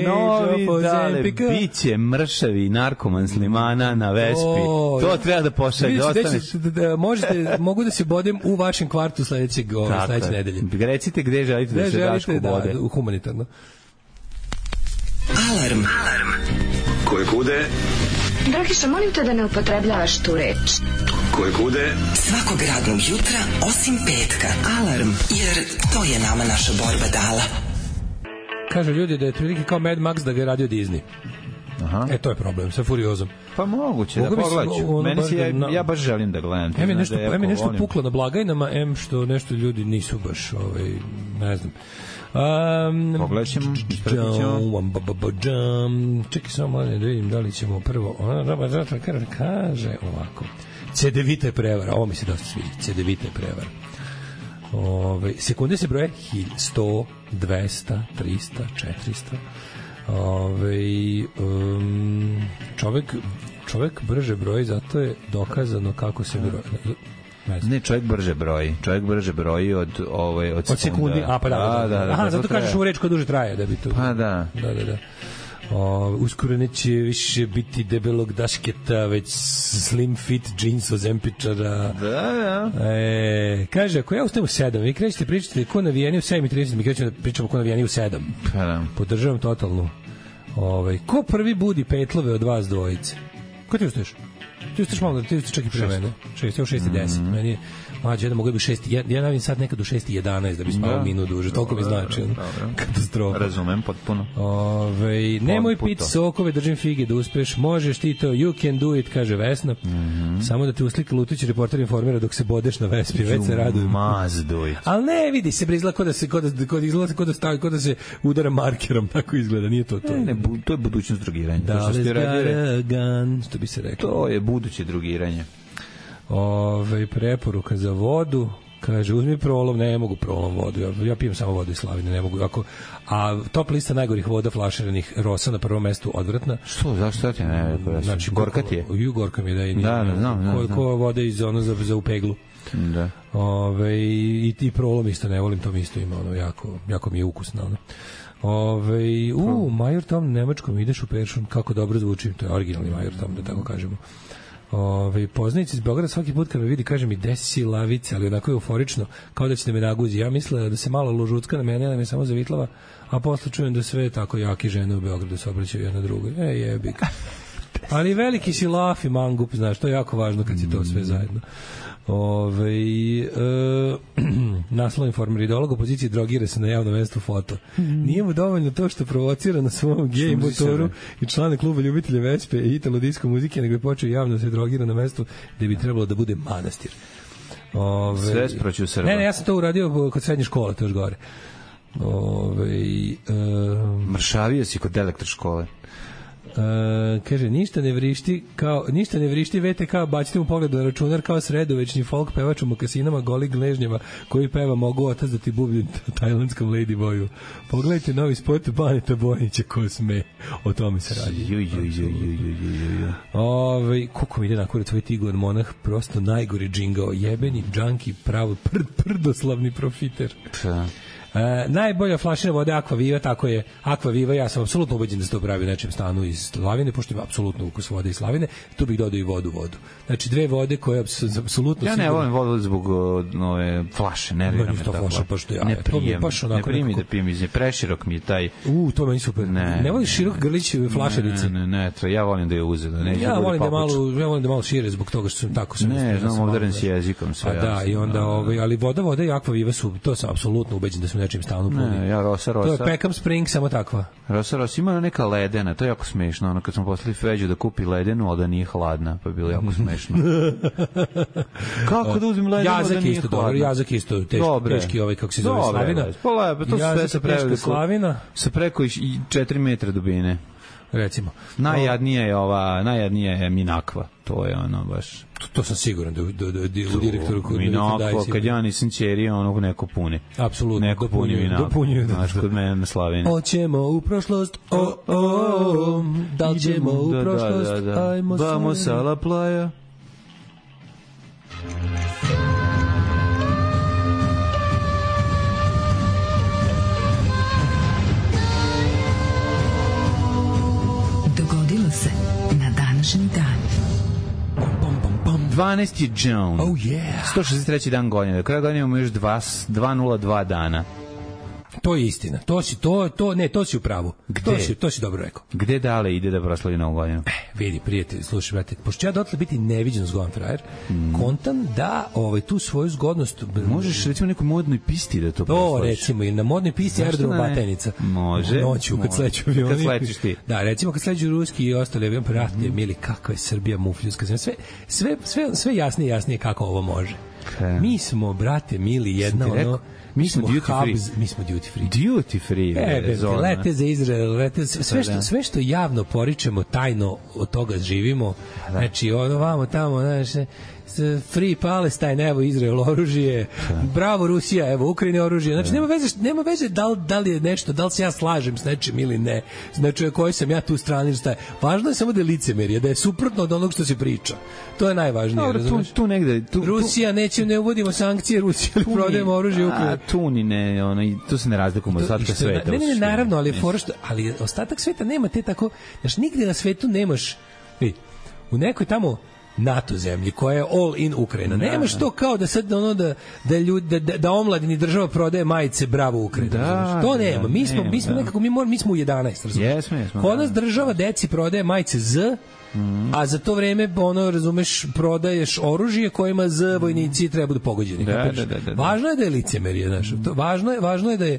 Novi dale, biće mršavi narkoman Slimana na Vespi. O, to treba da pošalje, da ostaneš. Da, da, možete, mogu da se bodem u vašem kvartu sledećeg, sledeće nedelje. Recite gde želite gde da se Daško bode. Da, u humanitarno. Alarm. Alarm. Koje kude? Dragiša, molim te da ne upotrebljavaš tu reč. Koje kude? Svakog radnog jutra, osim petka. Alarm, jer to je nama naša borba dala. Kaže ljudi da je prilike kao Mad Max da ga je radio Disney. Aha. E, to je problem, sa Furiozom. Pa moguće, Mogu da pogledaću. Meni si, ja, ja baš želim da gledam. Em je nešto, em je nešto puklo na blagajnama, em što nešto ljudi nisu baš, ovaj, ne znam. Um, Pogledat ćemo, ispratit ćemo. Čekaj samo da vidim da li ćemo prvo. Kaže ovako. Cedevita je prevara, ovo mi se dosta sviđa. Cedevita je prevara. Ove, sekunde se broje sto, dvesta, trista, četiristo. Ove, um, čovek, čovek brže broji, zato je dokazano kako se broji. Ne, ne, čovjek brže broji. Čovjek brže broji od ovaj od, od sekundi. A pa da. da, da, da Aha, da, zato kažeš u reč koja duže traje da bi to. Pa da. Da, da, da. O, uskoro neće više biti debelog dašketa, već slim fit džins od Zempičara. Da, da. E, kaže, ako ja ustajem u sedam, vi krećete pričati ko navijani u sedam i trideset, mi krećemo da pričamo ko navijani u sedam. Pa da. Podržavam totalnu. Ove, ko prvi budi petlove od vas dvojice? Ko ti ustaješ? Ti ustaješ malo, ti ustaješ čak i pre mene. šest, evo šest i deset. Mm -hmm. Meni je mlađe, jedan mogu bi šest, ja, ja navim sad nekad do šest i jedanaest da bi spavao da. minut duže, toliko mi znači. Katastrofa. Razumem, potpuno. Ove, nemoj piti sokove, držim fige da uspeš, možeš ti to, you can do it, kaže Vesna. Mm -hmm. Samo da te uslika lutići reporter informira dok se bodeš na Vespi, već se radujem. Must do it. Ali ne, vidi se, izgleda kod da se, kod da, kod izgleda kod da stavi, kod da se udara markerom, tako izgleda, nije to to. Ne, ne, bu, to je budućnost drugiranja. Da, gun, što bi se reklo. To je buduće drugiranje. Ove, preporuka za vodu, kaže, uzmi prolom, ne mogu prolom vodu, ja, ja pijem samo vodu iz Slavine, ne mogu, ako, a top lista najgorih voda flaširanih Rosa na prvom mestu odvratna. Što, zašto ti ne? Znači, gorka ti je? Ju, gorka mi je da je. Da, da, znam, znam. Koliko vode iz ono za, za upeglu. Da. Ove, i ti prolom isto ne volim, to mi isto ima, ono, jako, jako mi je ukusno, ono. Ove, u, Major Tom nemačkom ideš u Peršun, kako dobro zvuči, to je originalni Major Tom, da tako kažemo. Ove, poznanici iz Beograda svaki put kad me vidi kaže mi desi lavice, ali onako je euforično, kao da ćete me naguzi. Ja mislila da se malo ložucka na mene, da me samo zavitlava, a posle čujem da sve tako jaki žene u Beogradu se obraćaju jedna drugoj. E, jebik. Ali veliki si laf i mangup, znaš, to je jako važno kad si to sve zajedno. Ove, e, naslov Informer, ideolog opozicije drogira se na javnom mestu foto. Nije mu dovoljno to što provocira na svom gej motoru i člane kluba ljubitelja Vespe i italo disko muzike, nego je počeo javno se drogira na mestu gde bi trebalo da bude manastir. Ove, sve sproću Srba. Ne, ne, ja sam to uradio kod srednje škole, to još gore. Ove, e, Mršavio si kod elektroškole. Uh, kaže, ništa ne vrišti kao, ništa ne vrišti V T K, bacite mu pogled na računar kao sredovečni folk pevač u mokasinama, goli gležnjama koji peva mogu otac da ti bublju tajlandskom ladyboyu. Pogledajte novi spot Baneta Bojnića ko sme, o tome se radi. Ju, ju, ju, ju, ju, ju, ju. Ove, koliko mi ide na kurac ovaj Tigor Monah, prosto najgori džingao, jebeni džanki, pravo prd, prdoslavni profiter. Pa. Uh, najbolja flašina vode Aqua Viva, tako je Aqua Viva, ja sam apsolutno ubeđen da se to pravi u nečem stanu iz Slavine, pošto ima apsolutno ukus vode iz Slavine, tu bih dodao i vodu vodu. Znači dve vode koje apsolutno... Ja ne volim vodu zbog nove flaše, ne vjerujem me tako. Ja, ne prijem, ne prijem mi da pijem iz nje, preširok mi je taj... U, to meni super. Ne, ne voliš širok grlić flašerice? Ne, ne, ne, ja volim da je uze. Da ne, ja, volim da malo, ja volim da malo šire zbog toga što sam tako... Ne, znam, ovdaren si jezikom sve. A da, i onda, ovaj, ali voda, voda i Aqua Viva su, to sam apsolutno ubeđen da su u nečem stanu puni. Ja, Rosa, Rosa. To je Peckham Spring, samo takva. Rosa, Rosa, ima neka ledena, to je jako smešno. Ono, kad smo poslali Feđu da kupi ledenu, ali da nije hladna, pa je bilo jako smešno. Kako da uzim ledenu, jazak da nije isto, hladna? Dobro, jazak isto, teški, dobre. teški ovaj, kako se zove, dobre, Slavina. Pa lepo, to sve sa preko, Slavina. Sa preko i četiri metra dubine. Recimo. Najjadnija je ova, najjadnija je Minakva. To je ono baš... To, to sam siguran da, da, da, da u direktoru... Minakva, kad ja nisam ćerija, ono neko puni. Apsolutno. Neko puni Minakva. Dopunjuju. Znaš, kod mene na Slavini. Oćemo u prošlost, o, o, o, da li ćemo u prošlost, da, da, da. ajmo se... Vamos a la playa. Dogodilo se na današnji dan. dvanaesti June. Oh yeah. sto šezdeset treći dan godine. Do kraja godine imamo još dva nula dva dana. To je istina. To si to to ne, to si u pravu. To si to si dobro rekao. Gde dale ide da proslavi Novu godinu? Eh, vidi prijatelj, slušaj brate, pošto ja dotle biti neviđen zgodan frajer, mm. kontam da ovaj tu svoju zgodnost možeš recimo nekoj modnoj pisti da to proslaviš. To recimo i na modnoj pisti aerodrom Batajnica. Može. Noću kad sleću avion. Kad slećeš ti. Da, recimo kad sleću ruski i ostali avion, brate, mm. mili kakva je Srbija mufljuska zemlja. Sve sve sve sve jasnije jasnije kako ovo može. Okay. Mi smo brate mili jedna ono Mi smo duty free. Hubs, mi smo duty free. Duty free. E, zona. Lete za Izrael, lete, sve što, sve što javno poričemo, tajno od toga živimo. Da. Znači, ono vamo tamo, znaš, Free Palestine, evo Izrael oružje, bravo Rusija, evo Ukrajina oružje. Znači, nema veze, nema veze da li, da li je nešto, da li se ja slažem s nečim ili ne. Znači, koji sam ja tu strani, šta je. Važno je samo da je licemerje, da je suprotno od onog što se priča. To je najvažnije. Dobro, tu, tu negde... Tu, Rusija, neće, ne uvodimo sankcije Rusije, ali prodajemo oružje Ukrajini. A, tu ni ne, ono, tu se ne razlikujemo od ostatka sveta. Ne, ne, ne, naravno, ali, for, ali ostatak sveta nema te tako... Znaš, nigde na svetu nemaš... Vidi, u nekoj tamo NATO zemlji koja je all in Ukrajina. Nemaš to kao da sad ono da da ljudi da, da omladini država prodaje majice bravo Ukrajina. Da, to nema. Da, mi smo nema, mi smo da. nekako mi moramo mi smo u jedanaest, razumiješ? Jesmo, jesmo. Kod nas država deci prodaje majice Z, mm. a za to vreme ono razumeš prodaješ oružje kojima Z vojnici treba da pogođeni. Da, da, da, da, da. Važno je da je licemerje, znaš. To važno je, važno je da je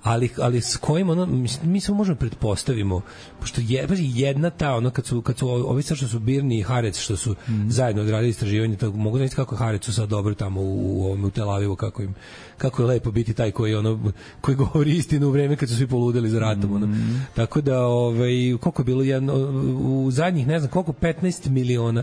ali ali s kojim ono mi, mi samo možemo pretpostavimo pošto je jedna ta ono kad su kad su ovi što su Birni i Harec što su mm. zajedno odradili istraživanje, to mogu reći kako Harecu sad dobro tamo u u, u Tel Avivu, kako im kako je lepo biti taj koji ono koji govori istinu u vreme kad su svi poludeli za ratom, ono. Mm. Tako da ovaj koliko je bilo jedno u zadnjih ne znam koliko petnaest miliona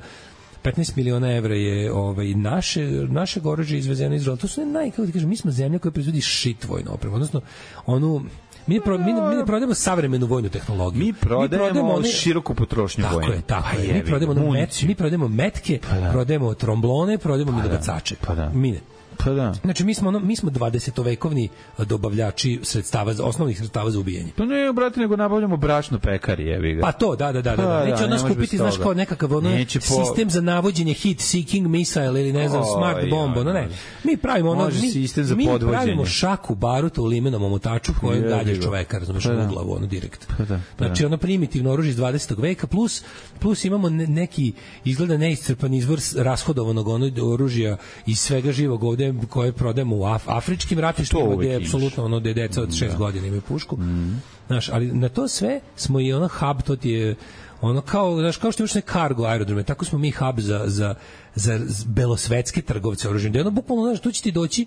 petnaest miliona evra je ovaj naše naše oružje izvezeno iz Izraela. To su naj kako ti kažem, mi smo zemlja koja proizvodi shit vojnu opremu, odnosno onu mi ne, pro, mi, ne, mi ne prodajemo savremenu vojnu tehnologiju. Mi prodajemo, mi prodajemo one, široku potrošnju tako vojnu. Je, tako je. Mi prodajemo met, mi prodajemo metke, pa da. Prodajemo tromblone, prodajemo pa milogacače. Pa da. Mi ne. Pa da. Znači mi smo ono, mi smo dvadesetovekovni dobavljači sredstava, osnovnih sredstava za ubijanje. Pa ne, brate, nego nabavljamo brašno pekari, jebi ga. Pa to, da, da, da, da. da. Neće od nas kupiti, znaš, kao nekakav ono po... sistem za navođenje hit seeking missile ili ne znam, o, smart bombo, no ne. Mi pravimo ono, mi, mi pravimo šaku baruta u limenom omotaču koju dalje čoveka, razumeš, u glavu, ono direkt. Pa da, pa znači ono primitivno oružje iz dvadesetog veka, plus, plus imamo ne, neki, izgleda neiscrpan izvor rashodovanog ono oružja iz svega živog ovde koje prodajemo u af, afričkim ratištima gde je apsolutno ono da je deca od šest godina imaju pušku. Mm. Znaš, ali na to sve smo i ono hub, to ti je ono kao, znaš, kao što imaš ne cargo aerodrome, tako smo mi hub za, za, za belosvetske trgovce oružjem. Da je ono bukvalno, znaš, tu će ti doći,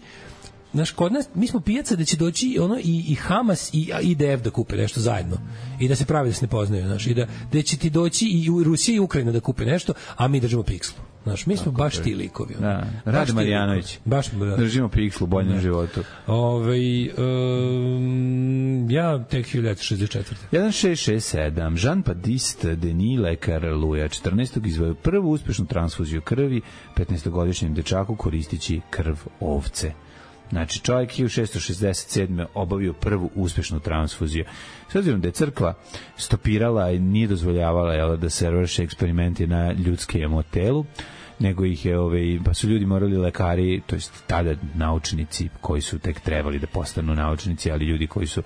znaš, kod nas, mi smo pijaca da će doći ono i, i Hamas i I D F da kupe nešto zajedno i da se pravi da se ne poznaju, znaš, i da, da će ti doći i Rusija i Ukrajina da kupe nešto, a mi držimo pikslu. Znaš, mi smo tako baš ti likovi. Da, Rade Marijanović. Baš držimo pikslu u boljem životu. Ove, um, ja tek hiljadu šezdeset četvrte. jedan šest šest sedam. Jean-Baptiste Denis, lekar Luja četrnaestog izvojio prvu uspešnu transfuziju krvi petnaestogodišnjem dečaku koristići krv ovce. Znači, čovjek hiljadu šessto šezdeset sedme obavio prvu uspešnu transfuziju. S obzirom da je crkva stopirala i nije dozvoljavala jel, da se vrše eksperimenti na ljudskem telu, nego ih je, ove, pa su ljudi morali, lekari, to jest tada naučnici koji su tek trebali da postanu naučnici, ali ljudi koji su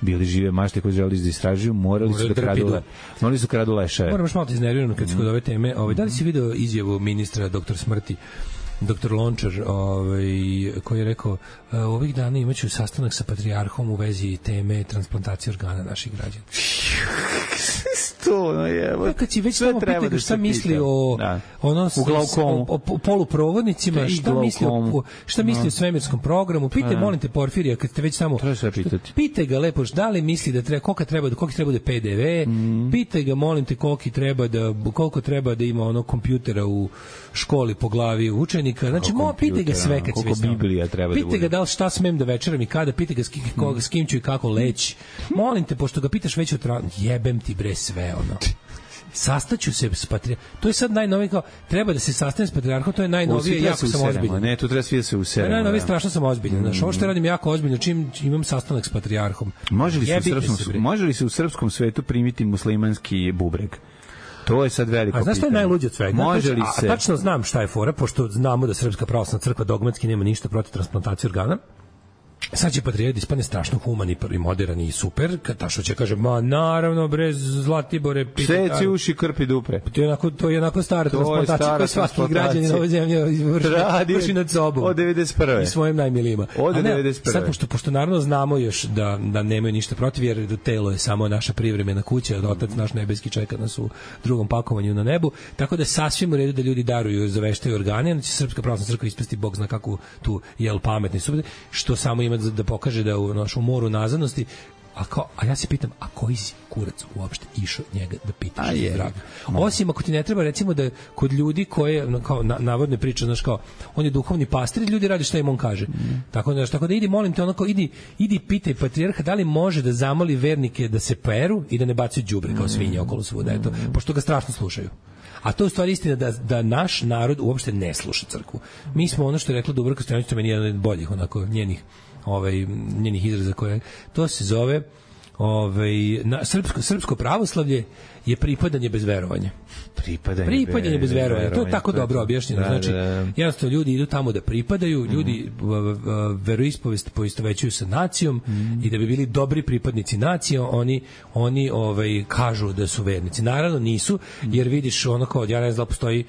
bili žive mašte koji želi da istražuju, morali su da kradu, le, morali su kradu leševe. Moram još malo te iznervirano kad se kod ove teme. Ove, da li si video izjavu ministra doktor smrti doktor Lončar, ovaj, koji je rekao ovih dana imaću sastanak sa patrijarhom u vezi teme transplantacije organa naših građana. To, no je. Kad si već tamo pitao da šta misli o, da. ono, o, o, o poluprovodnicima, šta misli, o, šta misli no. o svemirskom programu, pitaj, molim te, Porfirija, kad ste već samo... Pitaj ga lepo, da li misli da treba, koliko treba da, koliko treba da P D V, mm. pitaj ga, molim te, koliko treba da, koliko treba da ima ono kompjutera u školi po glavi učenika. Znači, mo, pitaj ga sve kad si već tamo. Pitaj ga da li šta smem da večeram i kada, pitaj ga s kim, koga, s kim ću i kako leći. Molim te, pošto ga pitaš već o tra... jebem ti bre sve, ono. Sastaću se s patrijarhom. To je sad najnovije, kao, treba da se sastane s patrijarhom, to je najnovije, jako sam ozbiljan. Ne, tu treba svi da se useremo. Najnovije, strašno sam ozbiljan. Znaš, ovo što radim jako ozbiljno, čim imam sastanak s patrijarhom. Može li se, u srpskom, može li se u srpskom svetu primiti muslimanski bubreg? To je sad veliko pitanje. A znaš što je najluđe od svega? Može li se... A tačno znam šta je fora, pošto znamo da Srpska pravoslavna crkva dogmatski nema ništa protiv transplantacije organa. Sad će patrijarh ispane strašno humani i moderan i super, kad Tašo će kaže, ma naravno bre, Zlatibore, seci uši, krpi dupe. To je onako, to je onako stara transplantacija koja svaki građanin ove zemlje vrši, vrši nad sobom. Od devedeset prve. I svojim najmilijima. Od devedeset prve. Sad, pošto, pošto naravno znamo još da, da nemaju ništa protiv, jer telo je samo naša privremena kuća, da otac naš nebeski čeka nas u drugom pakovanju na nebu, tako da sasvim u redu da ljudi daruju, zaveštaju organe, onda će Srpska pravoslavna crkva ispasti Bog zna kakvu tu jel pametni su, što samo ima da pokaže da u našom moru nazadnosti, a, kao, a ja se pitam, a koji si kurac uopšte išao njega da pitaš je zdravlje? Osim ako ti ne treba, recimo da kod ljudi koje, kao na, navodne priče, znaš kao, on je duhovni pastir, ljudi radi šta im on kaže. Mm. Tako, da, tako da idi, molim te, onako, idi, idi pitaj patrijarha da li može da zamoli vernike da se peru i da ne bacaju đubre kao svinje okolo svuda, eto, pošto ga strašno slušaju. A to je u stvari istina da, da naš narod uopšte ne sluša crkvu. Mi smo ono što je rekla Dubravka Stojanović, to meni je jedan od boljih onako njenih ovaj njenih izraza koje to se zove ovaj na srpsko srpsko pravoslavlje je pripadanje bez verovanja. Pripadanje, pripadanje bez verovanja. To je tako to dobro objašnjeno. Da, znači, da, da. jednostavno ljudi idu tamo da pripadaju, ljudi mm. veroispovest poistovećuju sa nacijom mm. i da bi bili dobri pripadnici nacije, oni oni ovaj kažu da su vernici. Naravno nisu, jer vidiš ono kao ja ne znam da postoji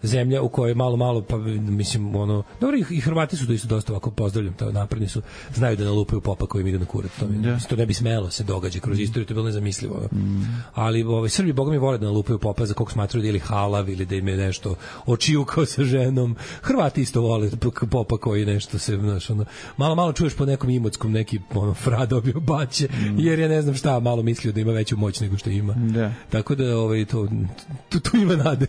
zemlja u kojoj malo malo pa mislim ono dobro i Hrvati su isto dosta ovako pozdravljam, to napredni su, znaju da nalupaju popa koji im ide na kurac, to, mi, to ne bi smelo se događa kroz istoriju, to je bilo nezamislivo. Mm. Ali ovaj Srbi boga mi vole da nalupaju popa za kog smatraju da ili halav ili da im je nešto očijukao sa ženom. Hrvati isto vole popa koji nešto se znaš, ono, malo malo čuješ po nekom Imotskom neki ono fra dobio baće mm. jer ja ne znam šta malo mislio da ima veću moć nego što ima. Da. Tako da ovaj to tu, tu ima nade.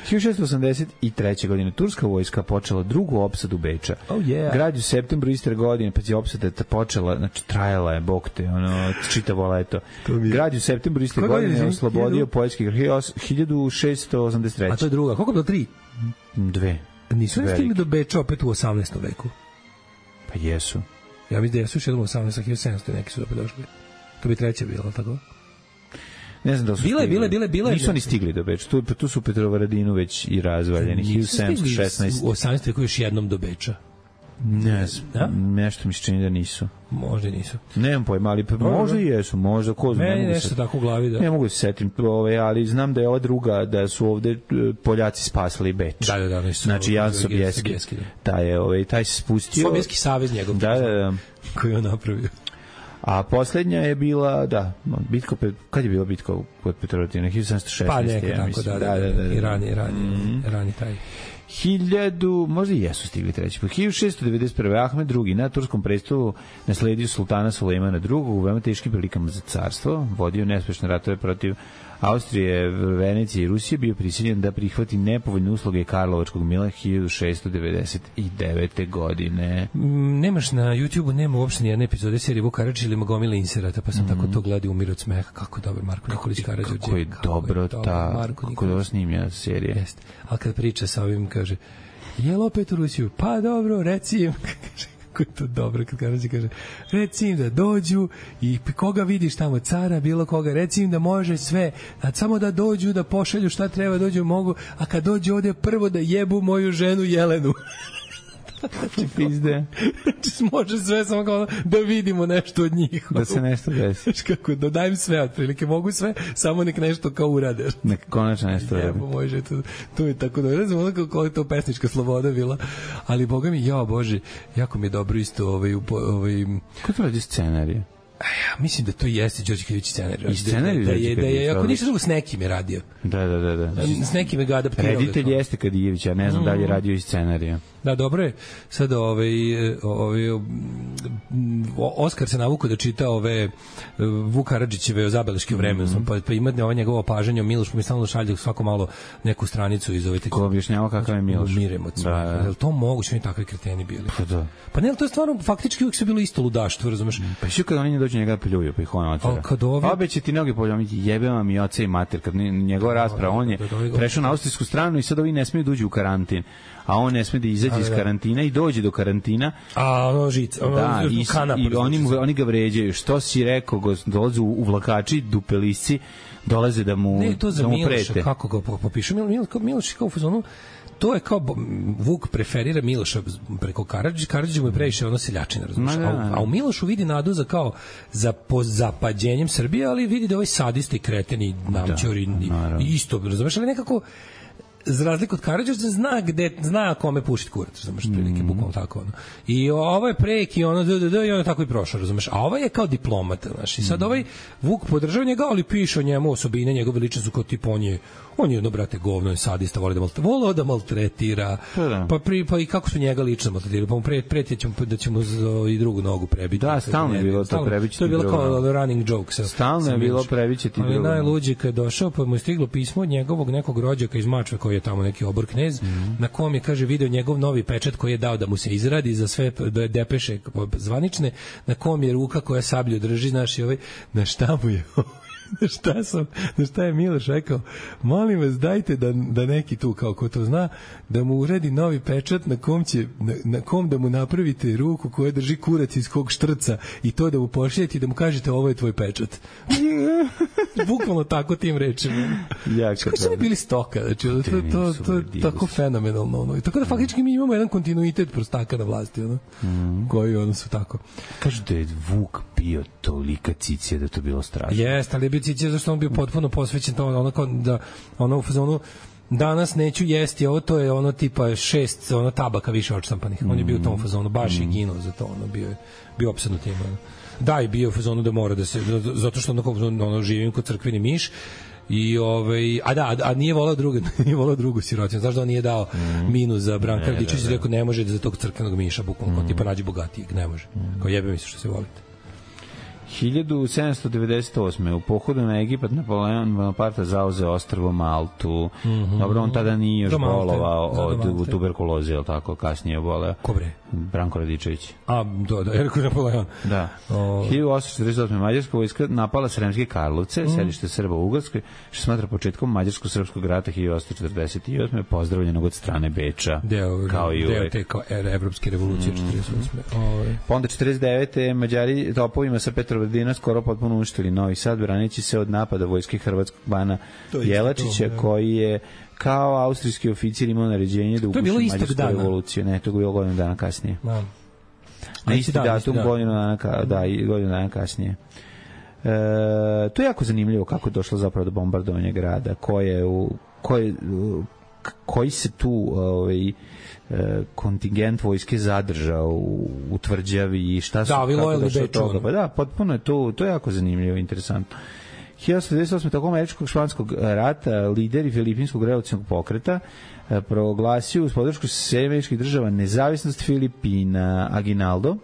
hiljadu šessto osamdeset treće. godine turska vojska počela drugu opsadu Beča. Oh yeah. Grad u septembru iste godine, pa je opsada počela, znači trajala je, bog te, ono, čitavo leto. Grad u septembru iste Koje godine je oslobodio poljski grad hiljadu šessto osamdeset treće. A to je druga, koliko je bilo tri? Dve. Nisu li stigli do Beča opet u osamnaestom veku? Pa jesu. Ja mislim da jesu još jednom u osamnaestom, hiljadu sedamsto neki su opet došli. To bi treće bilo, tako? Ne znam da su bile, stigli. Bile, bile, bile. Nisu oni stigli do Beča. Tu, tu su u Petrovaradinu već i razvaljeni. hiljadu sedamsto šesnaeste. U osamnaestom veku još jednom do Beča. Ne znam, nešto mi se čini da nisu. Možda nisu. Nemam pojma, ali pa, možda i jesu, možda, ko zna. Meni nešto se, tako u glavi da... Ne mogu se setim, ove, ali znam da je ova druga, da su ovde Poljaci spasali Beč. Da, da, da. Nisu, znači, Jan Sobieski, taj, je, ove, taj se spustio... Sobieski savez njegov. Da, da, da. Koji je on napravio. A poslednja je bila, da, bitka, kad je bila bitka kod Petrovaradina? hiljadu sedamsto šesnaeste. Pa neka, tako, da, da, da, da. I rani, rani, mm. rani taj. Hiljadu, možda i jesu stigli treći. Po hiljadu šessto devedeset prve. Ahmed drugi. na turskom prestolu nasledio sultana Sulejmana drugog u veoma teškim prilikama za carstvo. Vodio neuspešne ratove protiv Austrije, Venecije i Rusije. Bio prisiljen da prihvati nepovoljne usluge Karlovačkog mila hiljadu šessto devedeset devete. godine. Mm, nemaš na YouTubeu, nema uopšte ni jedne epizode serije Vuk Karadžić ili Magomila inserata, pa sam mm. tako to gledao umir od smeha. Kako dobar Marko Nikolić Karadžić. Kako je kako dobro je ta, kako je dobro snimljena serija. Jeste. Ali kad priča sa ovim, kaže, jel opet u Rusiju? Pa dobro, reci im. Kako je to dobro kad Karadžić kaže, reci im da dođu i koga vidiš tamo, cara, bilo koga, reci im da može sve, a samo da dođu, da pošalju šta treba, dođu mogu, a kad dođu ovde prvo da jebu moju ženu Jelenu. Znači, pizde. Znači, može sve, samo kao da vidimo nešto od njih. Da se nešto desi. Znači, kako, da dajem sve, otprilike, mogu sve, samo nek nešto kao urade. Nek konačno nešto urade. Jebo, može, to, to je tako da, ne znam, ono kako je to pesnička sloboda bila, ali, boga mi, jao, Bože, jako mi je dobro isto, ovaj, ovaj... Kako to radi scenarije? Ja mislim da to jeste Đorđe Kavić scenarij. I scenarij da, da, je, da je, ako ništa drugo, s nekim je radio. Da, da, da. da. S nekim je ga adaptirao. Reditelj jeste Kadijević, ja ne znam mm. da li je radio i scenarija. Da, dobro je. Sad ovaj, ovaj, Oskar se navukao da čita ove Vuk Karadžićeve o zabeleške u vremenu, mm-hmm. pa, pa imate ovo njegovo opažanje o Milošu, pa mi stalno šalje svako malo neku stranicu iz ove... Ko objašnjava kakav je Miloš. Umiremo od svega. Da, da. Je li to moguće, oni takvi kreteni bili? Pa da. Pa ne, ali to je stvarno, faktički uvijek se bilo isto ludaštvo, razumeš? Pa što kad oni ne dođu njega pljuju, pa ih on otvara. Kad ovi... Obe će ti noge poljomiti, jebe vam i oca i mater, kad njegova rasprava, on je prešao na austrijsku stranu i sad ovi ne smiju da uđu u karantin, a on ne sme da izađe iz karantina i dođe do karantina. A ono žica, ono da, i, kanap, i oni, mu, oni ga vređaju. Što si rekao, go, dolaze u, u vlakači, dupelisci, dolaze da mu, ne, to za da mu Miloša, prete. kako ga popišu? Mil, Mil, Miloš kao u fazonu, to je kao Vuk preferira Miloša preko Karadžića, Karadžić mu je previše ono seljačina, razumiješ? A, a u Milošu vidi nadu za kao za pozapađenjem Srbije, ali vidi da ovaj sadista i kreten i namćor i, i isto, razumiješ? Ali nekako za razliku od Karadžića zna gde zna kome pušiti kurac, razumeš, prilike mm. bukvalno tako ono. I ovo je preki ono d d d i ono tako i prošao, razumeš. A ovaj je kao diplomata, znači. I sad ovaj Vuk podržava njega, ali piše o njemu osobine, njegove ličnosti kao tip on je on je jedno brate govno, je sadista, voli da maltretira, voli da maltretira. Da. Pa pri pa i kako su njega lično maltretirali, pa mu pre pretjećemo da ćemo i drugu nogu prebiti. Da, stalno je bilo to prebići. To je bilo kao running joke sa. Stalno je bilo prebići ti drugo. Ali najluđe kad je došao, pa mu je stiglo pismo od njegovog nekog rođaka iz Mačve koji je tamo neki obor knez, mm-hmm. na kom je, kaže, video njegov novi pečat koji je dao da mu se izradi za sve depeše zvanične, na kom je ruka koja sablju drži, znaš, i ovaj, na šta mu je na šta sam, na šta je Miloš rekao, molim vas dajte da, da neki tu kao ko to zna, da mu uredi novi pečat na kom će, na, na kom da mu napravite ruku koja drži kurac iz kog štrca i to da mu pošaljete i da mu kažete ovo je tvoj pečat. Bukvalno tako tim rečima. Kako su ne bili stoka, znači to, to, to, to, to tako fenomenalno. Ono. I tako da faktički mi imamo jedan kontinuitet prostaka na vlasti, ono, mm. koji ono su tako. Kažu da je Vuk bio tolika cicija da to bilo strašno. Jeste, ali je bio cicija zašto on bio potpuno posvećen to, ono, da ono u fazonu danas neću jesti, ovo to je ono tipa šest ono tabaka više odštampanih. On je bio u tom fazonu, baš je ginuo za to, ono, bio je bio opsednut tim. Ono. Da, i bio u fazonu da mora da se, zato što ono, ono živim kod crkveni miš, i ovaj a da a nije voleo drugu nije voleo drugu sirotinu, znaš da on nije dao mm. minus za Branka Radičević, rekao ne može da za tog crkvenog miša bukvalno mm. tipa nađi bogatijeg, ne može, mm. kao jebe mi se što se volite. hiljadu sedamsto devedeset osme u pohodu na Egipat Napoleon Bonaparte zauzeo ostrvo Maltu. Mm -hmm. Dobro, on tada nije još bolovao od tuberkuloze, je li tako? Kasnije je boleo. Ko bre? Branko Radičević. A, da, da, Erko Napoleon. Da. O... hiljadu osamsto četrdeset osme Mađarska vojska napala Sremske Karlovce, mm. sedište Srba u Ugarskoj, što smatra početkom Mađarsko-srpskog rata hiljadu osamsto četrdeset osme pozdravljenog od strane Beča. Deo, kao i deo te kao evropske revolucije mm. četrdeset osme Ove. Pa onda četrdeset devete Mađari topovima sa Petrovaradina skoro potpuno uništili Novi Sad, branići se od napada vojske hrvatskog bana Jelačića, to, koji je kao austrijski oficir imao naređenje da uguši Mađarsku revoluciju. Ne, to je bilo godinu dana kasnije. Da. Na isti da, datum, da. godinu dana, da, i godinu dana kasnije. E, to je jako zanimljivo kako je došlo zapravo do bombardovanja grada, koje u, koje, koji se tu ovaj, kontingent vojske zadržao u, u tvrđavi i šta su... Da, vi lojali Beču. Pa da, potpuno je to, to je jako zanimljivo, interesantno. hiljadu osamsto devedeset osme tokom američkog španskog rata lideri filipinskog revolucionarnog pokreta proglasio uz podršku američkih država nezavisnost Filipina. Aguinaldo.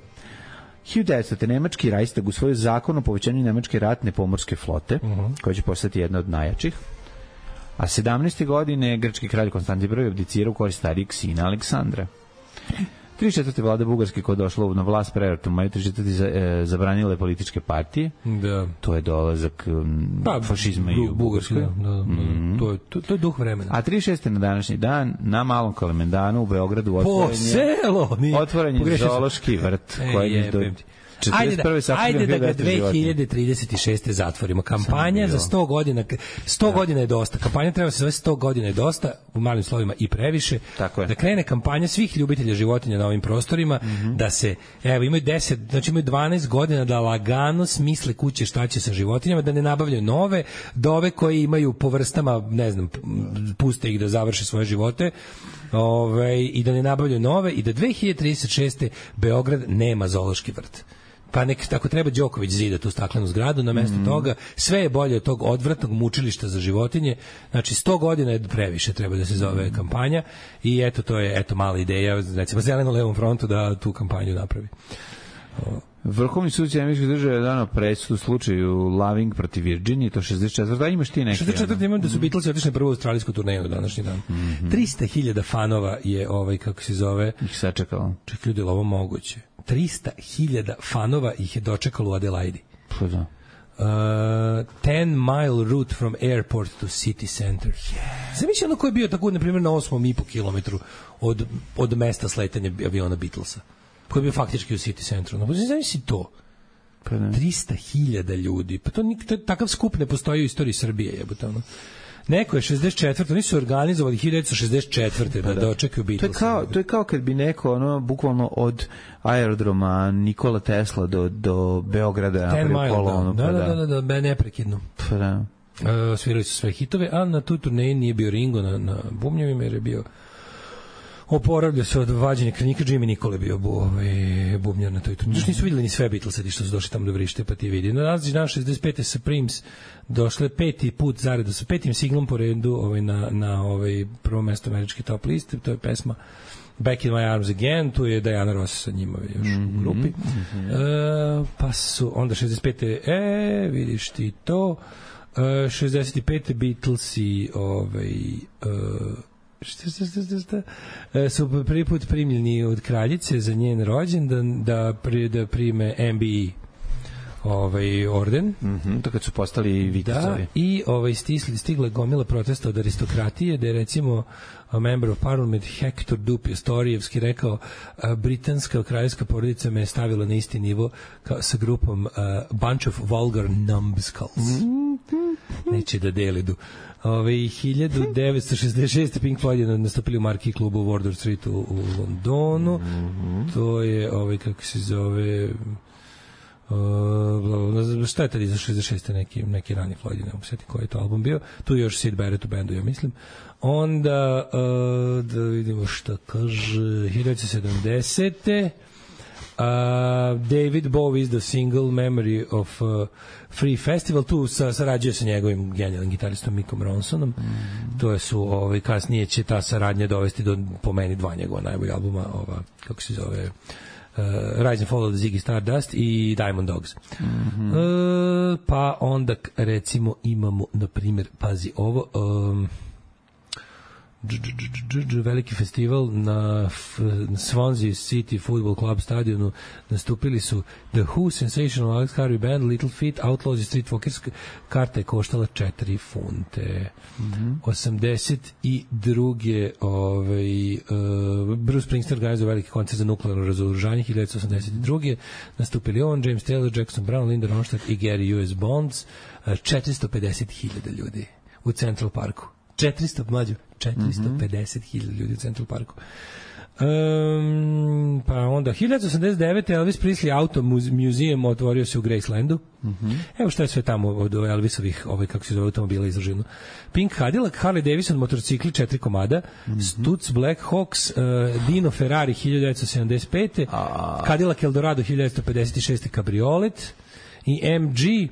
hiljadu devetsto nemački Reichstag usvojio zakon o povećanju nemačke ratne pomorske flote, uh -huh. koja će postati jedna od najjačih. A sedamnaeste godine grčki kralj Konstantin prvi abdicirao u korist starijeg sina Aleksandra. trideset četvrte vlada Bugarske koja je došla na vlast preratom maju trideset četvrte za, e, zabranile političke partije. Da. To je dolazak um, pa, fašizma bu, i u Bugarskoj. Da, da, da. Mm. To, je, to, to je duh vremena. A trideset šeste na današnji dan na Malom Kalemendanu u Beogradu otvoren je, otvoren je zoološki vrt e, koji je do... Ajde da, ajde da ga dve hiljade trideset šeste zatvorimo. Kampanja za sto godina, sto da. godina je dosta. Kampanja treba se zove sto godina je dosta, u malim slovima i previše. Da krene kampanja svih ljubitelja životinja na ovim prostorima, mm -hmm. da se, evo, imaju deset, znači imaju dvanaest godina da lagano smisle kuće šta će sa životinjama, da ne nabavljaju nove, da ove koji imaju po vrstama, ne znam, puste ih da završe svoje živote, ove, i da ne nabavljaju nove, i da dve hiljade trideset šeste Beograd nema zoološki vrt. Pa nek tako treba Đoković zida tu staklenu zgradu na mesto mm. toga, sve je bolje od tog odvratnog mučilišta za životinje. Znači sto godina je previše, treba da se zove mm. kampanja, i eto to je eto mala ideja, recimo Zeleno-levom frontu da tu kampanju napravi. O. Vrhovni sud američkih država je dano presudu u slučaju Loving protiv Virginije, to šezdeset četvrte. A imaš ti neki? šezdeset četvrte imam da su Beatlesi otišli prvu australijsku turneju na današnji dan. Mm -hmm. trista hiljada fanova je ovaj, kako se zove... Ih sačekalo. Ček, ljudi, ovo moguće. trista hiljada fanova ih je dočekalo u Adelaidi. Pa da. Uh, ten mile route from airport to city center. Yeah. Zamisli ono ko je bio tako, na primjer, na osmom i po kilometru od, od mesta sletanja aviona Beatlesa. Koji je bio faktički u city centru. No, zamisli to. trista hiljada ljudi. Pa to, to takav skup ne postoji u istoriji Srbije, jebote ono. Neko je šezdeset četvrte oni su organizovali hiljadu devetsto šezdeset četvrte da dočekaju Beatlesa. To je kao to je kao kad bi neko ono bukvalno od aerodroma Nikola Tesla do do Beograda napravio kolonu. Da, da, da, da, da, neprekidno. Pa da. Uh, svirali su sve hitove, a na tu turneji nije bio Ringo na, na bubnjevima, jer je bio oporavlja se od vađenja kranika. Jimmy Nicole bio bu, ovaj, bubnjar na toj turneji. Još nisu vidjeli ni sve Beatlesedi što su došli tamo do vrište, pa ti vidi. Na različit dan šezdeset pete Supremes došle peti put zaredom sa petim singlom po redu ovaj, na, na ovaj, prvo mesto američke top liste. To je pesma Back in my arms again, tu je Diana Ross sa njima još mm-hmm, u grupi. Mm-hmm. E, pa su onda šezdeset pete e, vidiš ti to. E, šezdeset pete Beatlesi ovaj, e, Šta, šta, šta, šta, e, su prvi put primljeni od kraljice za njen rođendan da, pri, da prime M B E ovaj orden. Mhm, to kad su postali vitezovi. Da, i ovaj stisli stigla gomila protesta od aristokratije, da je recimo a member of parliament Hector Dupe Storijevski rekao a, britanska kraljevska porodica me je stavila na isti nivo kao sa grupom a, bunch of vulgar numbskulls. Neće da delidu. Ove, hiljadu devetsto šezdeset šeste Pink Floyd je nastupili u marki klubu u Wardour Street u, u Londonu. Mm-hmm. To je, ovaj, kako se zove... Uh, šta je tada za šezdeset šeste neki, neki rani Floyd, ne mogu sjeti koji je to album bio. Tu je još Sid Barrett u bendu, ja mislim. Onda, uh, da vidimo šta kaže, hiljadu devetsto sedamdesete Uh, David Bowie is the single Memory of uh, Free Festival, tu sa, sarađuje sa njegovim genijalnim gitaristom Mickom Ronsonom. Mm. To je su, ovaj, kasnije će ta saradnja dovesti do, po meni, dva njegova najbolja albuma, ova, kako se zove, Rise and Fall of the Ziggy Stardust i Diamond Dogs. Mm-hmm. Uh, pa onda recimo imamo na primjer, pazi ovo, um, dž, dž, dž, dž, veliki festival na, na Swansea City Football Club stadionu nastupili su The Who, Sensational Alex Harvey Band, Little Feat, Outlaws i Streetwalkers. Karta je koštala četiri funte. Mm-hmm. osamdeset druge ovaj, uh, Bruce Springsteen organizuje veliki koncert za nuklearno razoružanje hiljadu devetsto osamdeset druge. Nastupili on, James Taylor, Jackson Brown, Linda Ronstadt i Gary U S. Bonds. Uh, četiristo pedeset hiljada ljudi u Central Parku. četiristo, mlađo, četiristo pedeset hiljada ljudi u Central Parku. Um, pa onda hiljadu osamdeset devete. Elvis Presley Auto Museum otvorio se u Gracelandu. Mm-hmm. Evo što je sve tamo od Elvisovih, ovaj, kako se zove, automobila izraženo. Pink Cadillac, Harley Davidson motorcikli četiri komada, mm-hmm. Stutz Black Hawks, uh, Dino Ferrari hiljadu devetsto sedamdeset pete. A... Cadillac Eldorado hiljadu devetsto pedeset šeste kabriolet i M G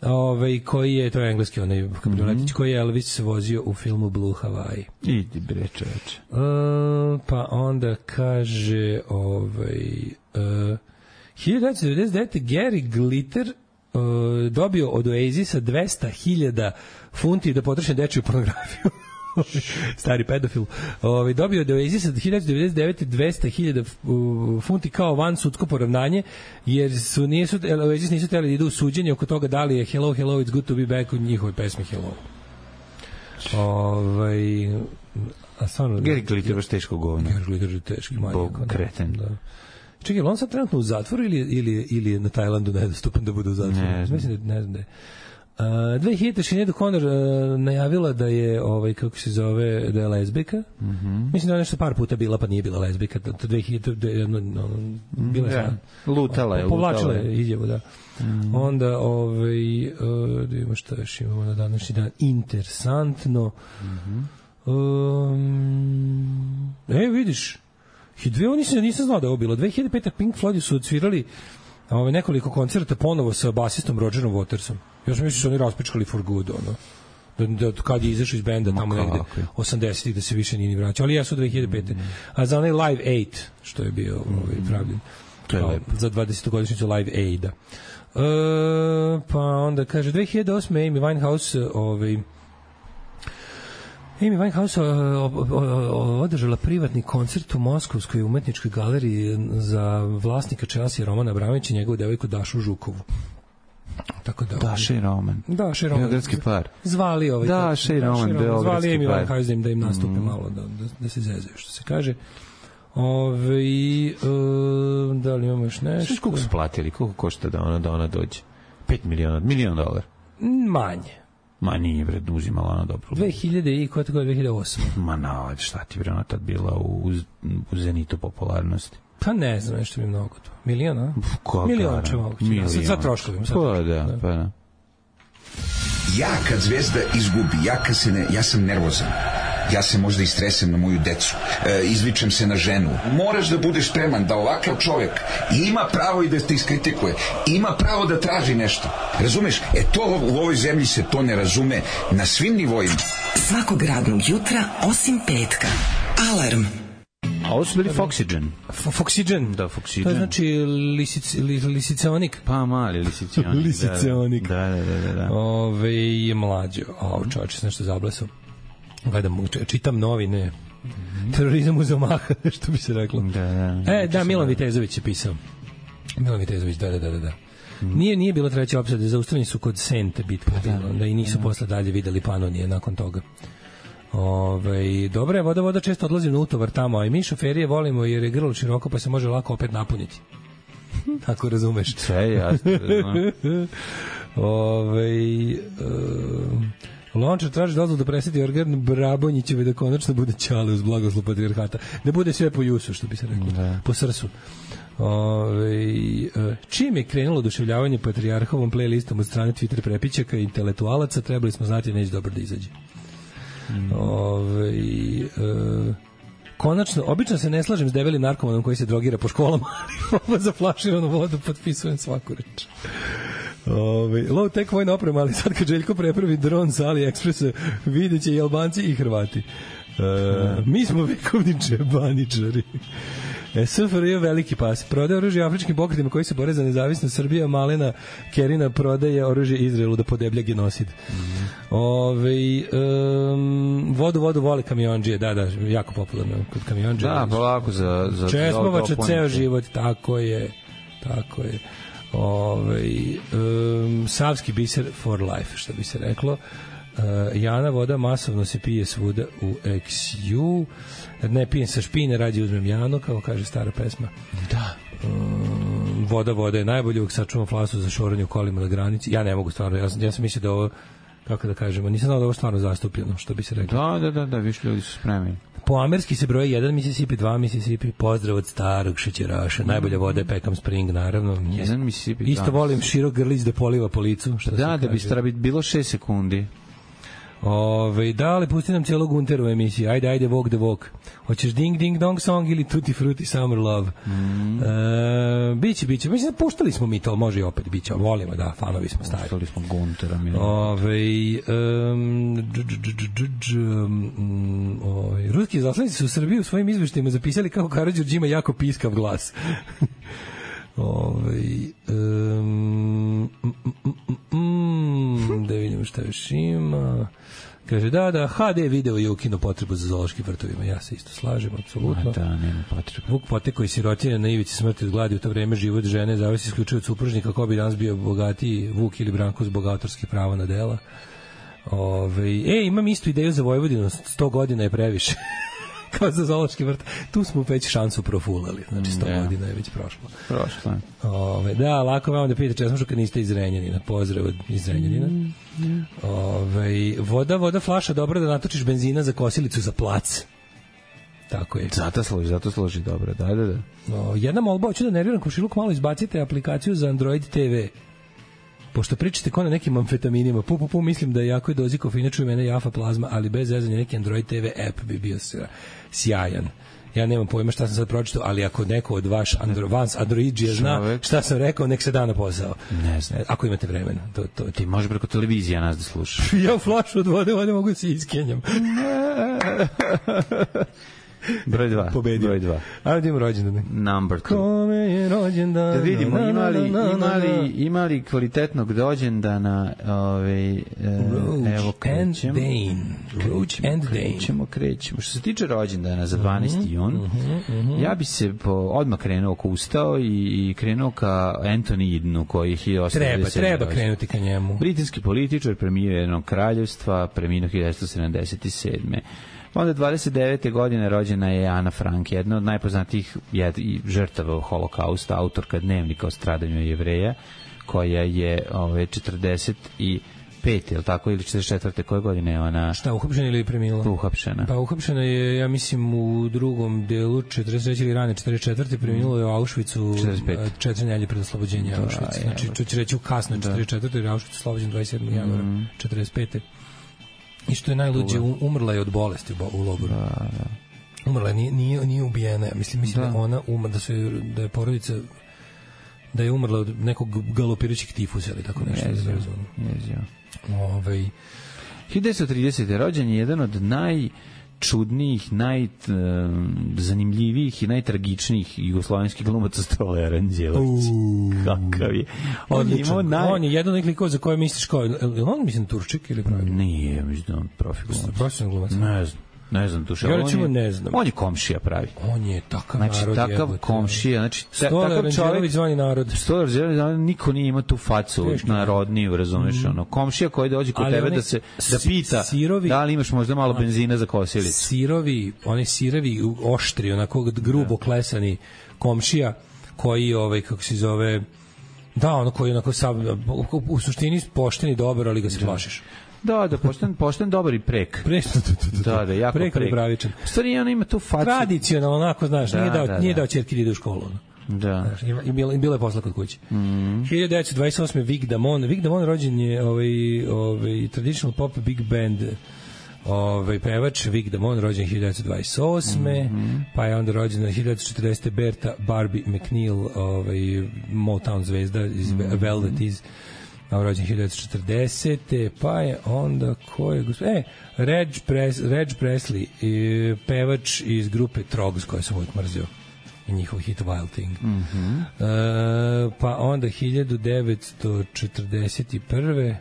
ovaj, koji je, to je engleski onaj kabrioletić, mm-hmm. koji je Elvis vozio u filmu Blue Hawaii. Idi bre čoveče. Uh, pa onda kaže ovaj, uh, hiljadu devetsto devedeset devete. Gary Glitter uh, dobio od Oasisa dvesta hiljada funti da potroši dečiju pornografiju. Stari pedofil. Ovaj, dobio od Oasisa hiljadu devetsto devedeset devete. dvesta hiljada funti kao van sudsko poravnanje, jer su nisu Oasis nisu hteli da idu u suđenje oko toga da li je Hello Hello It's Good to Be Back u njihovoj pesmi Hello. Ovaj, a stvarno Gary Glitter baš teško govno. Gary Glitter je teški manijak. Kreten. Da. Čekaj, on sad trenutno u zatvoru ili, ili, ili na Tajlandu nedostupan da bude u zatvoru? Ne, mislim da ne znam da je. Uh, dve hiljade Sinead O'Connor uh, najavila da je ovaj kako se zove, da je lezbijka. Mm-hmm. Mislim da je nešto par puta bila pa nije bila lezbijka. To dve hiljade no, no, bila je ja. lutala je, povlačila je izjavu, da. Mm. Onda ovaj uh, da imamo šta još imamo na današnji dan interesantno. Mm-hmm. Um, e, vidiš. I dve oni se nisam znao da je ovo bilo. dve hiljade pete. Pink Floyd su odsvirali ovaj nekoliko koncerta ponovo sa basistom Rogerom Watersom. Ja sam mislio da su oni raspičkali for good, ono. Da, da kad je izašao iz benda tamo negde osamdesetih da se više nije ni vraćao, ali ja su dve hiljade pete. A za onaj Live Aid, što je bio ovaj, pravljen. To je lepo. Za dvadesetogodišnjicu Live Aida. E, pa onda kaže, dve hiljade osme. Amy Winehouse ovaj, Amy Winehouse održala privatni koncert u Moskovskoj umetničkoj galeriji za vlasnika Chelsea Romana Abramovića i njegovu devojku Dašu Žukovu. Tako da Daša i Roman. Daša i Roman. Beogradski par. Zvali ovaj. Daša i Roman, beogradski par. Zvali Amy Winehouse da im, da im nastupe mm. malo, da, da, da se zezaju, što se kaže. Ove, uh, da li imamo još nešto? Sve koliko su platili? Koliko košta da ona, da ona dođe? pet miliona, milion dolara? Manje. Ma nije, bre, uzimala ona dobro. dve hiljade i koja tako je dve hiljade osme. Ma na, šta ti, bre, ona tad bila u, u zenitu popularnosti. Pa ne znam, nešto mi je mnogo to. Milion, a? Koga? Milion će moguće. Milion. Sad, sad troškovim. Pa da, da, pa da. Ja kad Zvezda izgubi, ja kad se ne, ja sam nervozan. Ja se možda istresem na moju decu, e, izvičem se na ženu. Moraš da budeš spreman da ovakav čovjek ima pravo i da te iskritikuje, ima pravo da traži nešto. Razumeš? E to u ovoj zemlji se to ne razume na svim nivoima. Svakog radnog jutra osim petka. Alarm. A ovo su bili Foxygen. Foxygen? Da, Foxygen. To je znači lisic, lisicionik. Pa mali lisicionik. Lisicionik. Da, da, da, da, da. Ove je mlađo. A čovječe, sam nešto zablesao. Gledam, čitam novine. Mm-hmm. Terorizam uz omaha, što bi se reklo. Da, da, e, da, Milan Vitezović je pisao. Milan Vitezović, da, da, da, da. Mm. Nije, nije bilo treće opsade, zaustavljeni su kod Sente bitka, da, da, da i nisu da. Posle dalje videli Panonije nakon toga. Ove, dobro je, voda, voda često odlazim na utovar tamo, a i mi šoferije volimo jer je grlo široko pa se može lako opet napuniti. Ako razumeš. Sve jasno. Ove, um, Lončar traži dozvolu da preseti organ Brabonjićeve da konačno bude ćale uz blagoslov patrijarhata. Da bude sve po jusu, što bi se reklo. Da. Po srsu. Ove, čim je krenulo oduševljavanje patrijarhovom playlistom od strane Twitter prepičaka i intelektualaca, trebali smo znati da neće dobro da izađe. Mm. Ove, e, konačno, obično se ne slažem s debelim narkomanom koji se drogira po školama, ali za flaširanu vodu potpisujem svaku reč. Ove, low tech vojna oprema, ali sad kad Željko prepravi dron sa AliExpressa, vidjet će i Albanci i Hrvati. E, mi smo vekovni džebaničari. S F R J veliki pas. Prodaje oružje afričkim pokretima koji se bore za nezavisnost. Srbija, Malena Kerina prodaje oružje Izraelu da podeblja genocid. Mm. Ove, um, vodu, vodu voli kamionđije. Da, da, jako popularno kod kamionđije. Da, polako za... za Česmovača ceo život. Tako je. Tako je. Ove, um, savski biser for life, što bi se reklo. Uh, Jana voda masovno se pije svuda u X U. Ne pijem sa špine, rađe uzmem Janu, kao kaže stara pesma. Da. Um, voda, voda je najbolje, uvijek sačuvam flasu za šoranje u kolima na granici. Ja ne mogu stvarno, ja sam, ja sam mislio da ovo, kako da kažemo, nisam znao da ovo stvarno zastupljeno, što bi se reklo. Da, da, da, da, više ljudi su spremni. Po amerski se broje jedan Mississippi, dva Mississippi, pozdrav od starog šećeraša, najbolja voda je Peckham Spring, naravno. Jedan Mississippi. Isto volim širok grlić da poliva po licu. Što da, da bi stara bilo šest sekundi. Ove, da, ali pusti nam cijelo Gunteru emisiju. Ajde, ajde, walk the walk. Hoćeš Ding Ding Dong Song ili Tutti Frutti Summer Love? Mm. E, biće, biće. Mislim, puštali smo mi to, može i opet biće. Volimo, da, fanovi smo stari. Puštali smo Guntera. Ove, um, dž, dž, dž, dž, dž, um, ove, ruski izaslanici su u Srbiji u svojim izveštajima zapisali kako Karađorđe ima jako piskav glas. Ove, um, mm, mm, mm, da vidimo šta još ima. Kaže, da, da, H D video je ukinuo potrebu za zoološkim vrtovima. Ja se isto slažem, apsolutno. Da, nema potrebe. Vuk Poteko i sirotinja na ivici smrti od gladi u to vreme život žene zavisi isključivo od supružnika, ko bi danas bio bogatiji, Vuk ili Branko zbog autorskih prava na dela. Ove, e, imam istu ideju za Vojvodinu, sto godina je previše. Kao za zoološki vrt. Tu smo već šansu profulali. Znači, sto yeah. godina je već prošlo. Prošlo. Ove, da, lako vam da pitate česmošu kad niste iz Renjanina. Pozdrav iz Renjanina. Mm, mm. Ove, voda, voda, flaša, dobro da natočiš benzina za kosilicu za plac. Tako je. Zato složi, zato složi dobro. Da, da, da. O, jedna molba, hoću da nerviram komšiluk, malo izbacite aplikaciju za Android T V. Pošto pričate kao na nekim amfetaminima, pu, pu, pu, mislim da je jako dozi kofeina, čuju mene jafa plazma, ali bez zezanja neki Android T V app bi bio sjajan. Ja nemam pojma šta sam sad pročitao, ali ako neko od vaš Andro, vans Androidžija zna šta sam rekao, nek se da na posao. Ne znam. Ako imate vremena. To, to, ti može preko televizije nas da slušaš. Ja u flašu od vode, vode mogu da se iskenjam. Broj dva. Pobedio. Broj dva. Ajde imamo rođendan. Number two. Kome je rođendan? Da vidimo, imali, imali, imali kvalitetnog rođendana, ovaj, evo krećemo. Roach and Dane. Krećemo, krećemo. Što se tiče rođendana za dvanaesti jun, mm-hmm, mm-hmm. ja bi se po, odmah krenuo ko ustao i, i krenuo ka Anthony Idenu, koji je hiljadu osamsto devedeset sedme. Treba, treba krenuti ka njemu. Britanski političar, premijer jednog kraljevstva, preminuo hiljadu devetsto sedamdeset sedme. Onda dvadeset devete godine rođena je Ana Frank, jedna od najpoznatijih žrtava holokausta, autorka dnevnika o stradanju Jevreja, koja je ove, četrdeset pete, ili tako, ili četrdeset četvrte koje godine je ona... Šta, uhapšena ili premila? Uhapšena. Pa uhapšena je, ja mislim, u drugom delu četrdeset treće ili rane četrdeset četvrte preminulo je u Auschwitzu četiri nelje pred oslobođenje Auschwitza. Znači, to će reći u kasno četrdeset četvrte jer je Auschwitz oslobođen dvadeset sedmog januara četrdeset pete. I što je najluđe, umrla je od bolesti u logoru. Da, da. Umrla je, nije, nije, nije ubijena. Mislim, mislim da. da ona umrla, da, su, da je porodica, da je umrla od nekog galopirajućeg tifusa ili tako nešto. Jezio, jezio. Ovaj. hiljadu devetsto tridesete rođen je jedan od najčudnijih, najzanimljivijih i najtragičnijih jugoslovenskih glumaca Stole Aranđelović. Kakav je. On, on, naj... on je jedan od likova za koje misliš kao, je on mislim Turčik ili pravi? Nije, mislim da on profi glumac. Profesionalni glumac. Ne znam. Ne znam, duša. Ja recimo ne znam. On je komšija pravi. On je takav znači, narod. Znači, takav jebote. komšija. Znači, Stolar Anđelović zvani narod. Stolar Anđelović, niko nije ima tu facu narodniju, razumeš, mm. ono. Komšija koji dođe kod ali tebe da se da pita sirovi, da li imaš možda malo benzina za kosilicu. Sirovi, oni sirovi, oštri, onako grubo klesani komšija koji, ovaj, kako se zove, da, ono koji onako sav, u, u suštini pošten i dobar, ali ga se plašiš. Da, da, pošten, pošten dobar i prek. Prek, da, da, jako prek. Prek, pravičan. Stvari, ona ima tu facu. Tradicionalno, onako, znaš, da, nije dao, da, nije da. dao ćerki da ide u školu. Da. Znaš, i bilo, bilo je posla kod kuće. Mm. hiljadu devetsto dvadeset osme. Vic Damone. Vic Damone rođen je ovaj, ovaj, traditional pop big band ovaj, pevač. Vic Damone rođen hiljadu devetsto dvadeset osme. Mm-hmm. Pa je onda rođena hiljadu devetsto četrdesete. Berta Barbie McNeil, ovaj, Motown zvezda iz mm-hmm. Velvet iz rođen hiljadu devetsto četrdesete. Pa je onda ko je gospod... E, Reg, Pres, Reg Presley, pevač iz grupe Trogs, koju sam uvijek mrzio. i njihov hit Wild Thing. Mhm. Uh, pa onda hiljadu devetsto četrdeset prve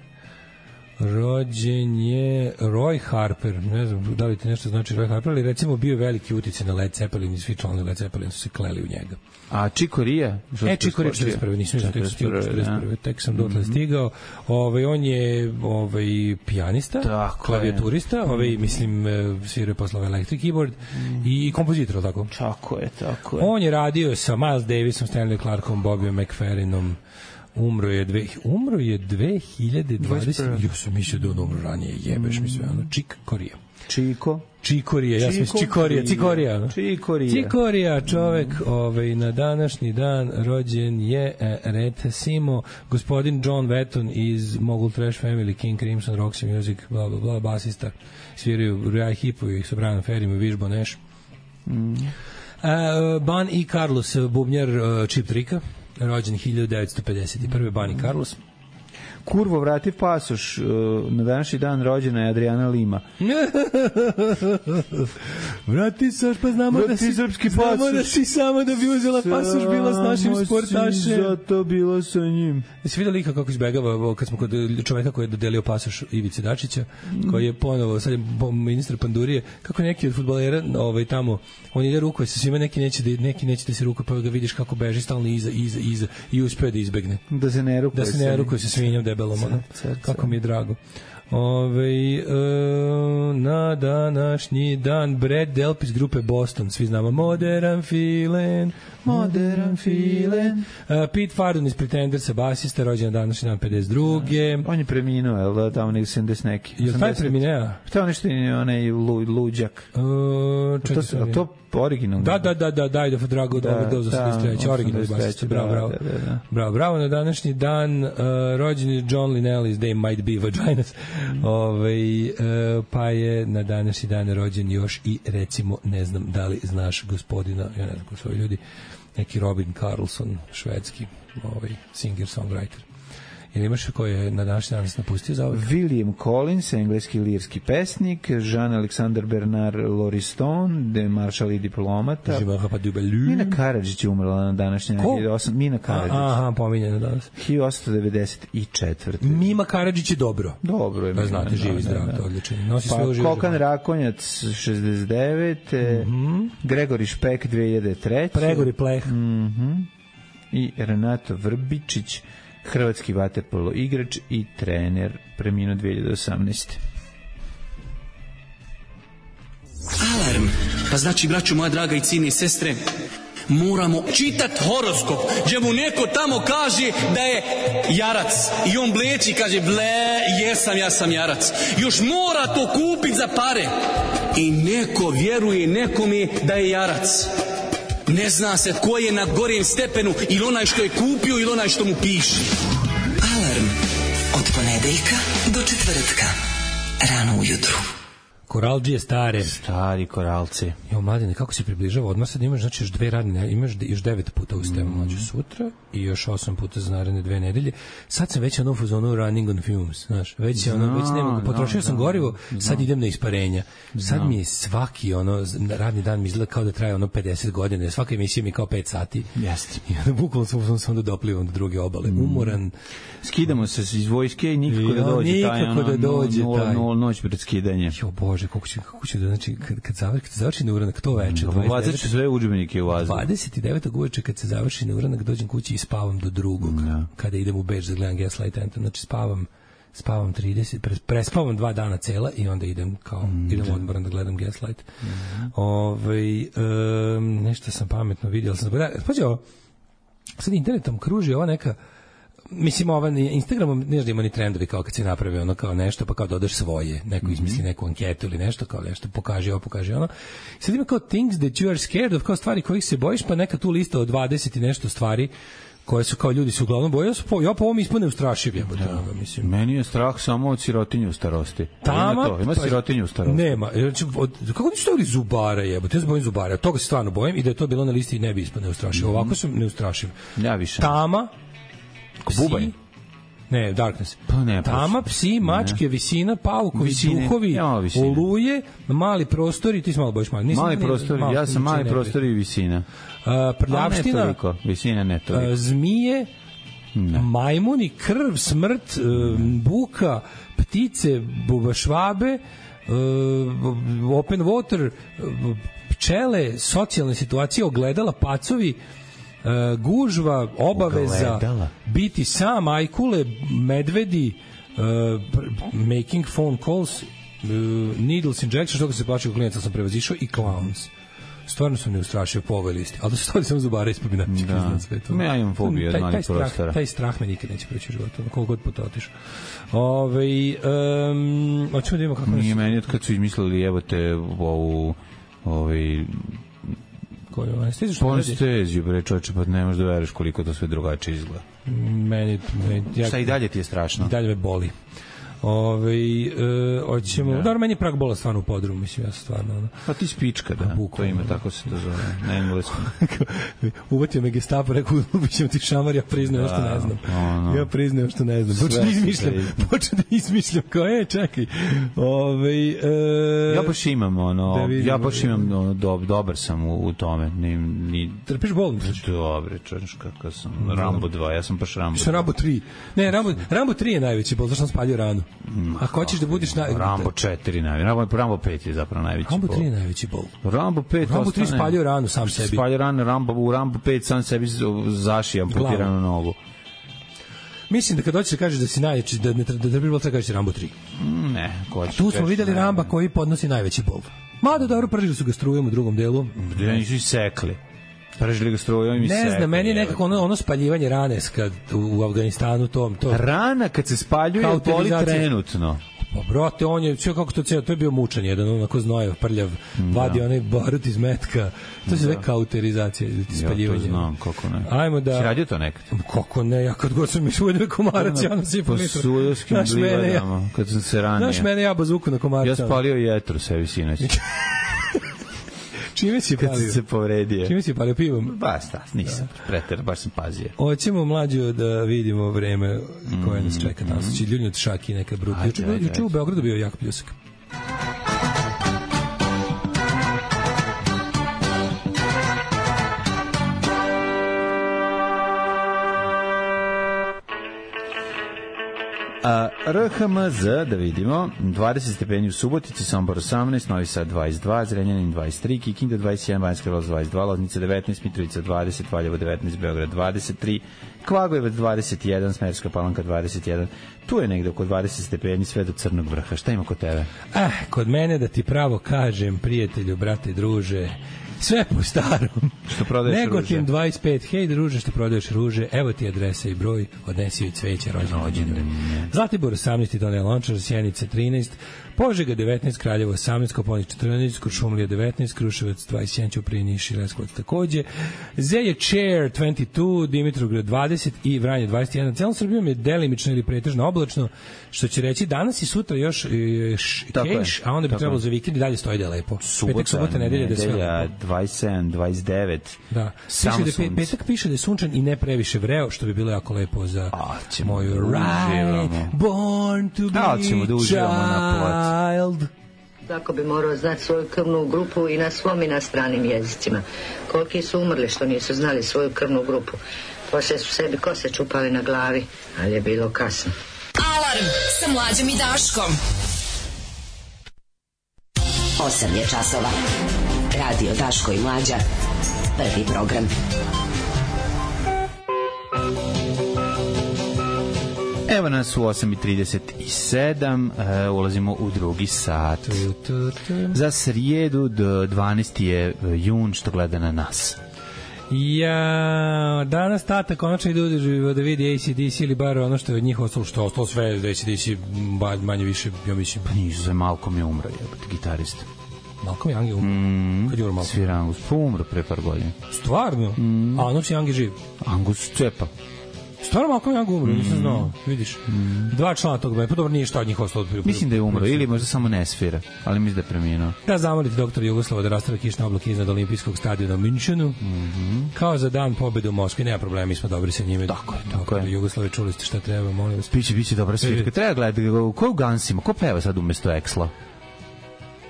rođen je Roy Harper, ne znam da li ti nešto znači Roy Harper, ali recimo bio veliki uticaj na Led Zeppelin i svi članovi Led Zeppelin su se kleli u njega. A Chick Corea? E, Chick Corea četrdeset prve nisam tek stigao četrdeset prve tek sam dotle stigao. Ovaj, on je ovaj, pijanista, tako klavijaturista, ovaj, mislim, svirao je posle Electric Keyboard mm. i kompozitor, tako? Tako je, tako je. On je radio sa Miles Davisom, Stanley Clarkom, Bobbyom McFerrinom. Umro je dve, umro je dve hiljade dvadesete. Ja sam mislio da on umro ranije, jebeš mi sve, ono, Chick Corea. Čiko? Čikorija, ja sam mislio Čikorija, Cikorija. Čikorija. Cikorija, čovek, ovaj, na današnji dan rođen je e, recimo gospodin John Wetton iz Mogul Trash Family, King Crimson, Roxy Music, bla, bla, bla, basista, sviraju Rai Hipovi sa Brianom Ferrym i Viš Boneš. Mm. Uh, Ban i Carlos, bubnjar uh, Chip Tricka, rođen hiljadu devetsto pedeset prve. Ban i Carlos. Kurvo, vrati pasoš. Na današnji dan rođena je Adriana Lima. Vrati saš, pa znamo vrati da si srpski znamo pasoš. Da si samo da bi uzela pasoš bila s našim sportašem. Zato bila sa njim. Jesi vidio lika kako izbegava kad smo kod čoveka koji je dodelio pasoš Ivici Dačića, koji je ponovo, sad je ministar Pandurije, kako neki od fudbalera ovaj, tamo, on ide rukuje sa svima, neki neće da, neki neće da se rukuje, pa ga vidiš kako beži stalno iza, iza, iza i uspeo da izbegne. Da se ne rukuje. Da se ne rukuje sa svinjom debelom, ono. Kako mi je drago. Ove, e, na današnji dan Brad Delp iz grupe Boston, svi znamo Modern Feeling, Modern Feeling. uh, Pete Fardon iz Pretendersa, basista, rođen na današnji dan pedeset druge. On je preminuo, je li da, tamo nek sedamdeset neki? Je li taj premineo? Šta nešto je onaj lu, luđak? Uh, to, to, to originalno? Da, da, da, da, daj da Drago da, do osamdeset treće originalni basista, bravo, bravo. Da, da, da. Bravo, bravo, na današnji dan uh, rođen je John Linnell iz They Might Be Vaginas. Mm. Ove, uh, pa je na današnji dan rođen još i recimo, ne znam da li znaš gospodina, ja ne znam ko su ovi ljudi, neki Robin Carlson, švedski ovaj, singer-songwriter. Ili imaš ko je na današnji dan napustio za ovog? William Collins, engleski lirski pesnik, Jean-Alexandre Bernard Lauriston, de maršal i diplomata. Mina Karadžić je umrla na današnji dan. Mina Karadžić. Aha, pominjena danas. hiljadu osamsto devedeset četvrte. Mima Karadžić je dobro. Dobro je. Da znate, živi zdrav, to odličan. Nosi pa, svoju živu. Kokan Rakonjac, šezdeset devete. Mm-hmm. Gregori Špek, dve hiljade treće. Gregori Pleh. Mhm. I Renato Vrbičić, hrvatski vaterpolo igrač i trener, preminuo dve hiljade osamnaeste. Alarm. Pa znači, braćo moja draga i cijene sestre, moramo čitat horoskop, gdje mu neko tamo kaže da je jarac i on bleči, kaže ble, jesam, ja sam jarac. Još mora to kupit za pare i neko vjeruje nekome da je jarac. Ne zna se tko je na gorijem stepenu, ili onaj što je kupio ili onaj što mu piše. Alarm od ponedeljka do četvrtka rano ujutru. Koralđije stare. Stari koralci. Jo, mladine, kako se približava odmah, sad imaš, znači, još dve radne, imaš još devet puta u stemu mlađu mm. sutra i još osam puta za naredne dve nedelje. Sad sam već ono u fazonu running on fumes, znaš, već je ono, no, već nema, potrošio no, sam no, gorivo, no. sad idem na isparenja. Sad no. mi je svaki, ono, radni dan mi izgleda kao da traje ono pedeset godina, svaka emisija mi kao pet sati. Jeste. I onda bukvalno sam sam da doplivam do druge obale. Mm. Umoran. Skidamo se iz vojske i nikako da dođe nikako taj, ono, da dođe nula, taj. Nula, noć pred skidanje. Jo, Bože, kako će, kako će da, znači, kad, kad završi, kad završi neuranak, to veče. Bacit ću sve udžbenike u vazduh. dvadeset devetog uveče kad se završi neuranak, dođem kući i spavam do drugog. No. Kada idem u Beč da gledam Gaslight Anthem, znači spavam spavam trideset, prespavam dva dana cela i onda idem kao, mm, idem odmoran da gledam Gaslight. Mm. Ove, um, nešto sam pametno vidio, sam zaboravio. Pađe ovo, sad internetom kruži ova neka, mislim, ova Instagramom ne znam, ima ni trendovi kao kad se napravi ono kao nešto, pa kao dodaš svoje, neko izmisli neku anketu ili nešto, kao nešto, pokaži ovo, pokaži ono. Sad ima kao things that you are scared of, kao stvari kojih se bojiš, pa neka tu lista od dvadeset i nešto stvari koje su kao ljudi su uglavnom boje, ja, po, ja po ovom ispane ustrašiv, ja, da, mislim. Meni je strah samo od sirotinje u starosti. Tama, ima to, ima pa, sirotinje u starosti. Nema, znači, od, kako nisu stavili zubara, jebote, ja se bojim zubara, toga se stvarno bojim i da je to bilo na listi ne bi ispane ustrašiv. Mm-hmm. Ovako sam neustrašiv. Ja više. Tama, Bubanj. Ne, Darkness. Pa ne, Tama, psi, mačke, ne. Visina, paukovi, visine. Duhovi, ja, oluje, mali prostori, ti si malo bojiš mali. Nisam, mali prostori, ja sam mali prostori i visina. Uh, prljavština, ne toliko, visina ne toliko. Uh, zmije, ne. Majmuni, krv, smrt, uh, buka, ptice, bubašvabe, uh, open water, uh, pčele, socijalne situacije, ogledala, pacovi, uh, gužva, obaveza, ogledala. Biti sam, ajkule, medvedi, uh, making phone calls, uh, needles injection, što ga se plaća klijenca sam prevazišao, i clowns. Stvarno sam ne ustrašio po ovoj listi, ali da se stavili samo zubara ispod binačke iznad sve to. Ja imam fobiju od malih prostora. Taj strah me nikad neće preći u životu, koliko god puta otišao. Ove, um, hoćemo da imamo kako... Nije meni od kad su izmislili, evo te, ovu, ovaj... Koju, anesteziju što radi? Anesteziju, bre, čovječe, pa ne možeš da veriš koliko to sve drugačije izgleda. Meni... meni ja, šta i dalje ti je strašno? I dalje me boli. Ove, e, hoćemo, da. Dobro, meni je prag bola stvarno u podrumu, mislim, ja sam stvarno ono. Pa ti spička, da, bukom, to ima, tako se to zove, na engleskom. Uvatio me Gestapo, rekao, ubićemo ti šamar, ja priznajem što ne znam. Ono. Ja priznajem što ne znam. Počeo da izmišljam, počeo da izmišljam, kao, e, čekaj. Ove, e, ja baš imam, ono, da vidimo, ja baš imam, ono, do, dobar sam u, u tome. Ni, ni, Trpiš bol? Dobre, čovješ, kako sam, Rambo dva, ja sam baš Rambo dva. Sam Rambo tri. Ne, Rambo, Rambo tri je najveći bol, zašto sam spalio ranu. Ako hoćeš da budeš na Rambo četiri najveći, Rambo Rambo pet je zapravo najveći. Rambo tri je najveći bol. Rambo pet, Rambo tri spalio ranu sam sebi. Spalio ranu, Rambo u Rambo pet sam sebi zaši amputiranu nogu. Mislim da kad hoćeš da kažeš da si najveći, da ne da da bi bilo treba kažeš Rambo tri. Ne, ko će. Tu smo videli Ramba koji podnosi najveći bol. Mada dobro, pržili su ga strujom u drugom delu. Da nisu sekli. Pržili ga strujom i sekli. Ne znam, meni je nekako ono, ono spaljivanje rane kad u Afganistanu tom to. Rana kad se spaljuje boli trenutno. Pa brate, on je sve kako to ceo, to je bio mučan jedan, onako znojev, prljav, da. Vadi onaj barut iz metka. To se zove da. Kauterizacija ili spaljivanje. Ja to znam, kako ne. Ajmo da... Si radio to nekad? Kako ne, ja kad god sam išao u komarac, ja nas i po litru. Po sudovskim blivadama, kad sam se ranio. Znaš mene, ja bazuku na komarca. Ja spalio jetru sebi sinoć. Čime si palio? Kad se povredio. Čime si palio pivom? Ba, sta, nisam, da. Preter, baš sam pazio. Hoćemo mlađu da vidimo vreme koje nas čeka tamo. Znači, ljudi od Šaki neka bruta. Juče, juče u Beogradu bio jak pljusak. A, R H M Z, da vidimo, dvadeset stepeni u Subotici, Sombor osamnaest, Novi Sad dvadeset dva, Zrenjanin dvadeset tri, Kikinda dvadeset jedan, Banjska Karlovac dvadeset dva, Loznica devetnaest, Mitrovica dvadeset, Valjevo devetnaest, Beograd dvadeset tri, Kvagojevac dvadeset jedan, Smederevska Palanka dvadeset jedan. Tu je negde oko dvadeset stepeni sve do Crnog vrha. Šta ima kod tebe? Ah, kod mene da ti pravo kažem, prijatelju, brate, druže, sve po starom. Što prodaješ ruže? Negotin dvadeset pet, hej druže, što prodaješ ruže, evo ti adresa i broj, odnesi joj cveće, rođendan. Zlatibor osamnaest, Donja Lončar, Sjenica trinaest, Požega devetnaest, Kraljevo osamnaest, Koponik četrnaest, Kuršumlija devetnaest, Kruševac dvadeset jedan, Ćuprija, Niš i Leskovac takođe, Zeje Chair dvadeset dva, Dimitrovgrad dvadeset i Vranje dvadeset jedan. Celom Srbijom je delimično ili pretežno oblačno, što će reći danas i sutra još e, keš, a onda bi trebalo za vikend i dalje stoji da je lepo. Subota, petak, subota, nedelja, da sve lepo. dvadeset sedam, dvadeset devet. Da. Piše da pe, petak piše da je sunčan i ne previše vreo, što bi bilo jako lepo za a, moju right, born to be a, ćemo da uživamo na child. Tako bi morao znati svoju krvnu grupu i na svom i na stranim jezicima. Koliki su umrli što nisu znali svoju krvnu grupu. Poslije su sebi kose čupali na glavi, ali je bilo kasno. Alarm sa Mlađom i Daškom. osam je časova. Radio Daško i Mlađa. Prvi program. Evo nas u osam i trideset sedam, uh, ulazimo u drugi sat. Za srijedu do dvanaesti je jun, što gleda na nas. Ja, danas tata konačno ide uživo da vidi A C D C ili bar ono što je od njih ostalo, što je ostalo sve A C D C manje više, ja mislim. Pa nisu se, Malcolm je umro, jebate, gitarista. Malcolm Young je umro? Mm, kad je umro Malcolm? Svira Angus, pa umro pre par godina. Stvarno? Mm. A Angus Young je živ? Angus cepa. Stvarno Malcolm Young umro, nisam znao, vidiš. Dva člana tog benda, pa dobro nije šta od njih ostalo. Mislim da je umro, ili možda samo ne svira, ali mislim da je preminuo. Da zamolite doktora Jugoslava da rastave kišne oblake iznad olimpijskog stadiona u Minchenu. Mm -hmm. Kao za dan pobede u Moskvi, nema problema, mi smo dobri sa njime. Tako je, tako je. Jugoslave, čuli ste šta treba, molim vas. Biće, biće dobra svirka. Treba gledati, ko je u Gansima, ko peva sad umesto Eksla?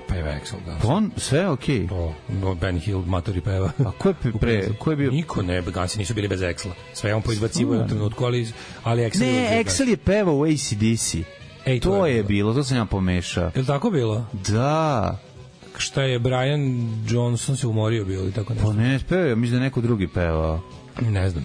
Peva Axl, da. On sve okej. Okay. To Ben Hill matori peva. A ko je pre, ko je bio? Niko ne, Gansi nisu bili bez Axla. Sve on poizbacivo u jednom trenutku, ali ali Axl ne, Axl je pevao u A C D C. Ej, to, to je bilo, to sam ja pomešao. Je li tako bilo? Da. Šta je Brian Johnson se umorio bio ili tako nešto? Pa ne, pevao, mislim da neko drugi pevao. Ne znam.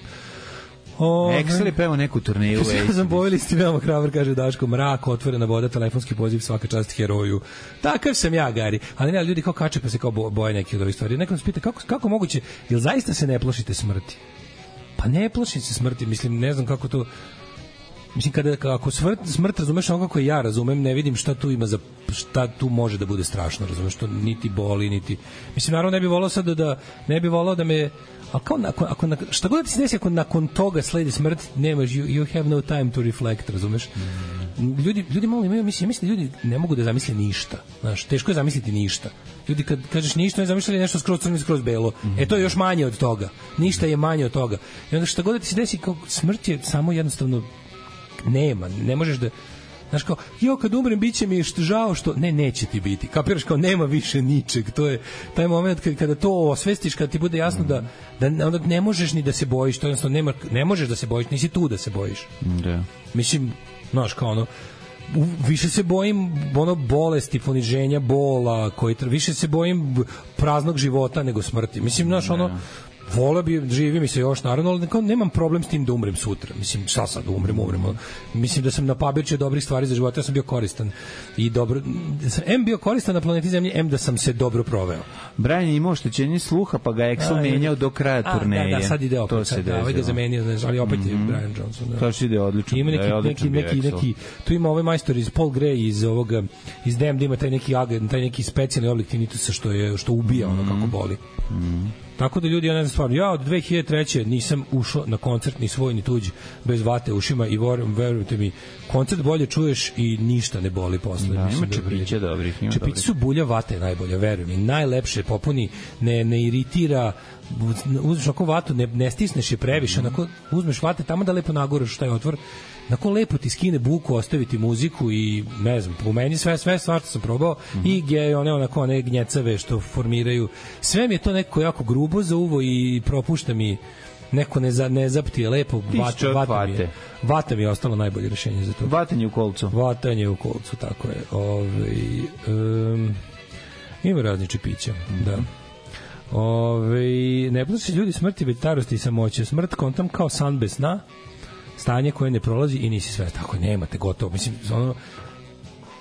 Excel je pevao neku turneju. Ja sam poveli ste veoma hrabar, kaže Daško, mrak, otvorena voda, telefonski poziv, svaka čast heroju. Takav sam ja, Gari. Ali ne, ljudi kao kače pa se kao boje neki od ovih stvari. Neko nas pita kako, kako moguće, jel zaista se ne plašite smrti? Pa ne plašim se smrti, mislim, ne znam kako to... Mislim, kada, ako smrt, smrt razumeš ono kako ja razumem, ne vidim šta tu ima za, šta tu može da bude strašno, razumeš, što niti boli, niti... Mislim, naravno ne bi volao sad da, da ne bi volao da me... Ali kao, nakon, ako, šta god da ti se desi, ako nakon toga sledi smrt, nemaš, you, you have no time to reflect, razumeš? Ljudi, ljudi malo imaju, mislim, mislim da ljudi ne mogu da zamisle ništa, znaš, teško je zamisliti ništa. Ljudi kad kažeš ništa, ne zamišljaju nešto skroz crno i skroz belo. Mm-hmm. E, to je još manje od toga. Ništa je manje od toga. I onda šta god da ti se desi, kao smrt je samo jednostavno nema, ne možeš da... Znaš kao, jo, kad umrem, bit će mi žao što... Ne, neće ti biti. Kapiraš kao, nema više ničeg. To je taj moment kada, kada to osvestiš, kada ti bude jasno da, da onda ne možeš ni da se bojiš. To jednostavno nema, ne možeš da se bojiš, nisi tu da se bojiš. Da. Mislim, znaš, kao ono... više se bojim ono bolesti, poniženja, bola, koji više se bojim praznog života nego smrti. Mislim, znaš, ono... Vola bi, živi mi se još naravno, ali kao, nemam problem s tim da umrem sutra. Mislim, šta sad, umrem, umrem. Mislim da sam napabirčio dobrih stvari za život, ja sam bio koristan. I dobro, em bio koristan na planeti Zemlji, em da sam se dobro proveo. Brian je imao oštećenje sluha, pa ga Axl menjao do kraja turneje. Da, da, sad ide opet. To se da, ovaj ga zamenio, znaš, ali opet je mm-hmm. Brian Johnson. Da. To što ide odlično. Ima neki, neki, neki, neki, tu ima ovaj majstor iz Paul Gray, iz ovoga, iz D M D, ima taj neki agent, taj neki specijalni oblik tinitusa što, je, što ubija ono kako boli. Mm-hmm. Tako da ljudi, ja ne znam stvarno, ja od dve hiljade treće nisam ušao na koncert ni svoj ni tuđi bez vate u ušima i verujte mi, koncert bolje čuješ i ništa ne boli posle. Da, ima čepiće dobrih. Čepići su bulja, vate najbolja, veruj mi, najlepše, popuni, ne, ne iritira, uzmeš ako vatu, ne, ne stisneš je previše, mm-hmm. onako uzmeš vate tamo da lepo naguraš taj otvor, onako lepo ti skine buku, ostaviti muziku i ne znam, po meni sve, sve stvar što sam probao mm-hmm. i gdje one onako one gnjecave što formiraju, sve mi je to neko jako grubo za uvo i propušta mi neko ne, za, ne zapti lepo, vata, vata, mi je, vata mi je ostalo najbolje rešenje za to. Vatanje u kolcu. Vatanje u kolcu, tako je. Ove, um, ima razni čipića, mm-hmm. da. Ove, ne plaši ljudi smrti, već starosti i samoće. Smrt kontam kao san bez sna, stanje koje ne prolazi i nisi sve tako, nemate gotovo. Mislim, ono,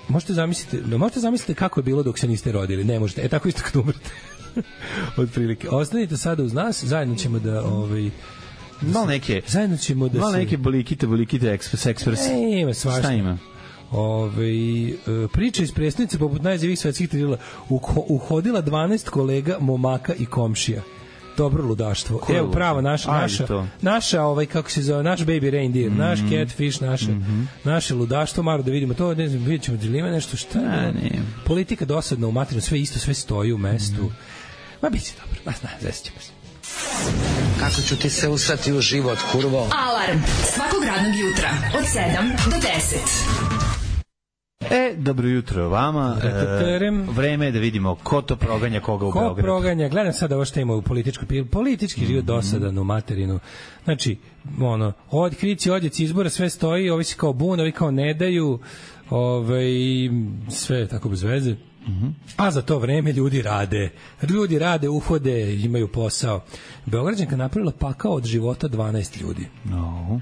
možete zamisliti, možete zamisliti kako je bilo dok se niste rodili, ne možete. E tako isto kad umrete. Od prilike. Ostanite sada uz nas, zajedno ćemo da ovaj malo neke zajedno ćemo da malo se... neke bolikite, bolikite ekspres ekspres. E, ima svašta. Šta ima? Ove, priča iz prestonice poput najzivih svetskih trilera, uhodila dvanaest kolega, momaka i komšija. Dobro ludaštvo. Ko Evo pravo naša naša naša ovaj kako se zove, naš baby reindeer, mm-hmm. naš catfish, naše mm-hmm. naše ludaštvo, maro da vidimo to, ne znam, videćemo da li ima nešto šta. Ne, ne. Politika dosadna u materinu, sve isto, sve stoji u mestu. Mm-hmm. Ma biće dobro. Ma zna, zasićemo se. Kako ću ti se usrati u život, kurvo? Alarm svakog radnog jutra od sedam do deset. E, dobro jutro vama. E, vreme je da vidimo ko to proganja koga u ko Beogradu. Ko proganja, gledam sada ovo što ima u političkoj, politički mm-hmm. život dosadan u materinu. Znači, ono, od krici, odjeci izbora, sve stoji, ovi se kao bun, ovi kao ne daju, ovaj, sve tako bez veze. Mm-hmm. A za to vreme ljudi rade. Ljudi rade, uhode, imaju posao. Beograđanka napravila pakao od života dvanaest ljudi. No.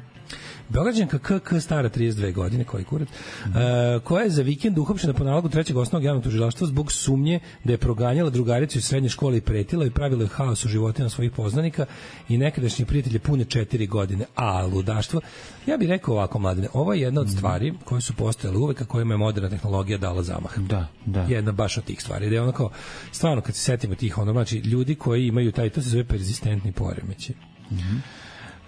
Beograđanka K K stara trideset dve godine, koji kurac, mm. uh, koja je za vikend uhapšena po nalogu trećeg osnovnog javnog tužilaštva zbog sumnje da je proganjala drugaricu iz srednje škole i pretila i pravila haos u životima svojih poznanika i nekadašnji prijatelje pune četiri godine. A ludaštvo, ja bih rekao ovako, mladine, ovo je jedna od stvari koje su postojale uvek, a kojima je moderna tehnologija dala zamah. Da, da. Jedna baš od tih stvari. Da je ono kao, stvarno, kad se setimo tih, ono, znači, ljudi koji imaju taj, to se zove perzistentni poremeći. Mhm.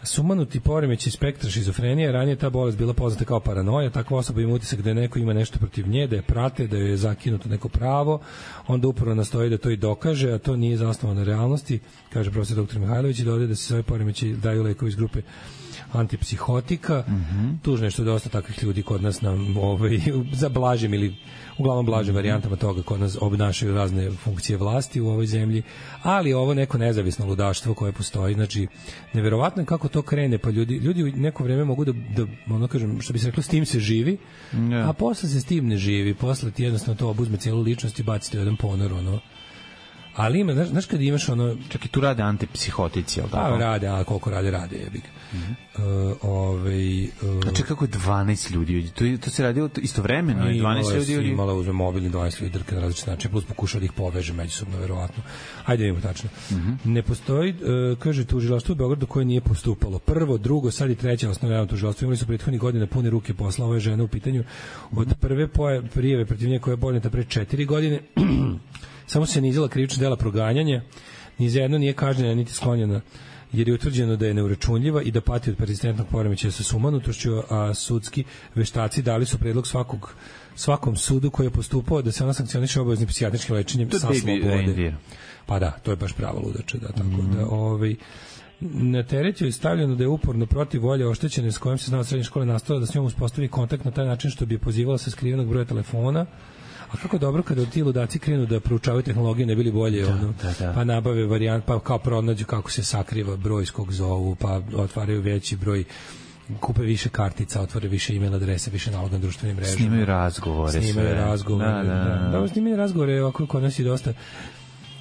Sumanuti poremećaj spektra šizofrenije, ranije ta bolest bila poznata kao paranoja, takva osoba ima utisak da neko ima nešto protiv nje, da je prate, da joj je zakinuto neko pravo, onda upravo nastoji da to i dokaže, a to nije zasnovano na realnosti, kaže profesor doktor Mihajlović, i dodaje da se sve poremećaj daju lekovi iz grupe antipsihotika. Mm-hmm. Tužno je što je dosta takvih ljudi kod nas nam ovaj, za blažim ili uglavnom blažim mm-hmm. varijantama toga kod nas obnašaju razne funkcije vlasti u ovoj zemlji, ali ovo neko nezavisno ludaštvo koje postoji, znači neverovatno je kako to krene, pa ljudi, ljudi u neko vreme mogu da, da ono kažem, što bi se reklo, s tim se živi, yeah. a posle se s tim ne živi, posle ti jednostavno to obuzme cijelu ličnost i bacite u jedan ponor, ono. Ali ima, znaš, znaš kad imaš ono... Čak i tu rade antipsihotici, ali tako? Pa rade, a koliko rade, rade, jebik. Mm-hmm. Uh, ovaj, uh, znači kako je dvanaest ljudi? To, to se radi istovremeno? I dvanaest ljudi? Imala, imala uzme mobilni dvanaest ljudi drke na različite načine, plus pokušao da ih poveže međusobno, verovatno. Ajde vidimo tačno. Mm-hmm. Ne postoji, uh, kaže, tužilaštvo u Beogradu koje nije postupalo. Prvo, drugo, sad i treće osnovno tužilaštvo. Imali su prethodnih godina pune ruke posla ove žene u pitanju. Od prve poje, prijeve protiv nje koja je podneta pre četiri godine samo se nizila krivična dela proganjanja, ni za jedno nije kažnjena niti sklonjena, jer je utvrđeno da je neuračunljiva i da pati od persistentnog poremećaja sa sumanutošću, a sudski veštaci dali su predlog svakog, svakom sudu koji je postupao da se ona sankcioniše obaveznim psihijatričkim lečenjem sa slobode. Pa da, to je baš prava ludača, da, tako mm-hmm. da, ovaj, na teret je stavljeno da je uporno protiv volje oštećene s kojom se zna od srednje škole nastavila da s njom uspostavi kontakt na taj način što bi je pozivala sa skrivenog broja telefona. A kako dobro kada ti ludaci krenu da proučavaju tehnologije, ne bili bolje, da, ono, da, da. Pa nabave varijant, pa kao pronađu kako se sakriva broj s kog zovu, pa otvaraju veći broj, kupe više kartica, otvore više e-mail adrese, više naloga na društvenim mrežama. Snimaju razgovore. Snimaju sve. razgovore, da. da, da. da. da snimaju razgovore, ovako kod nas je dosta...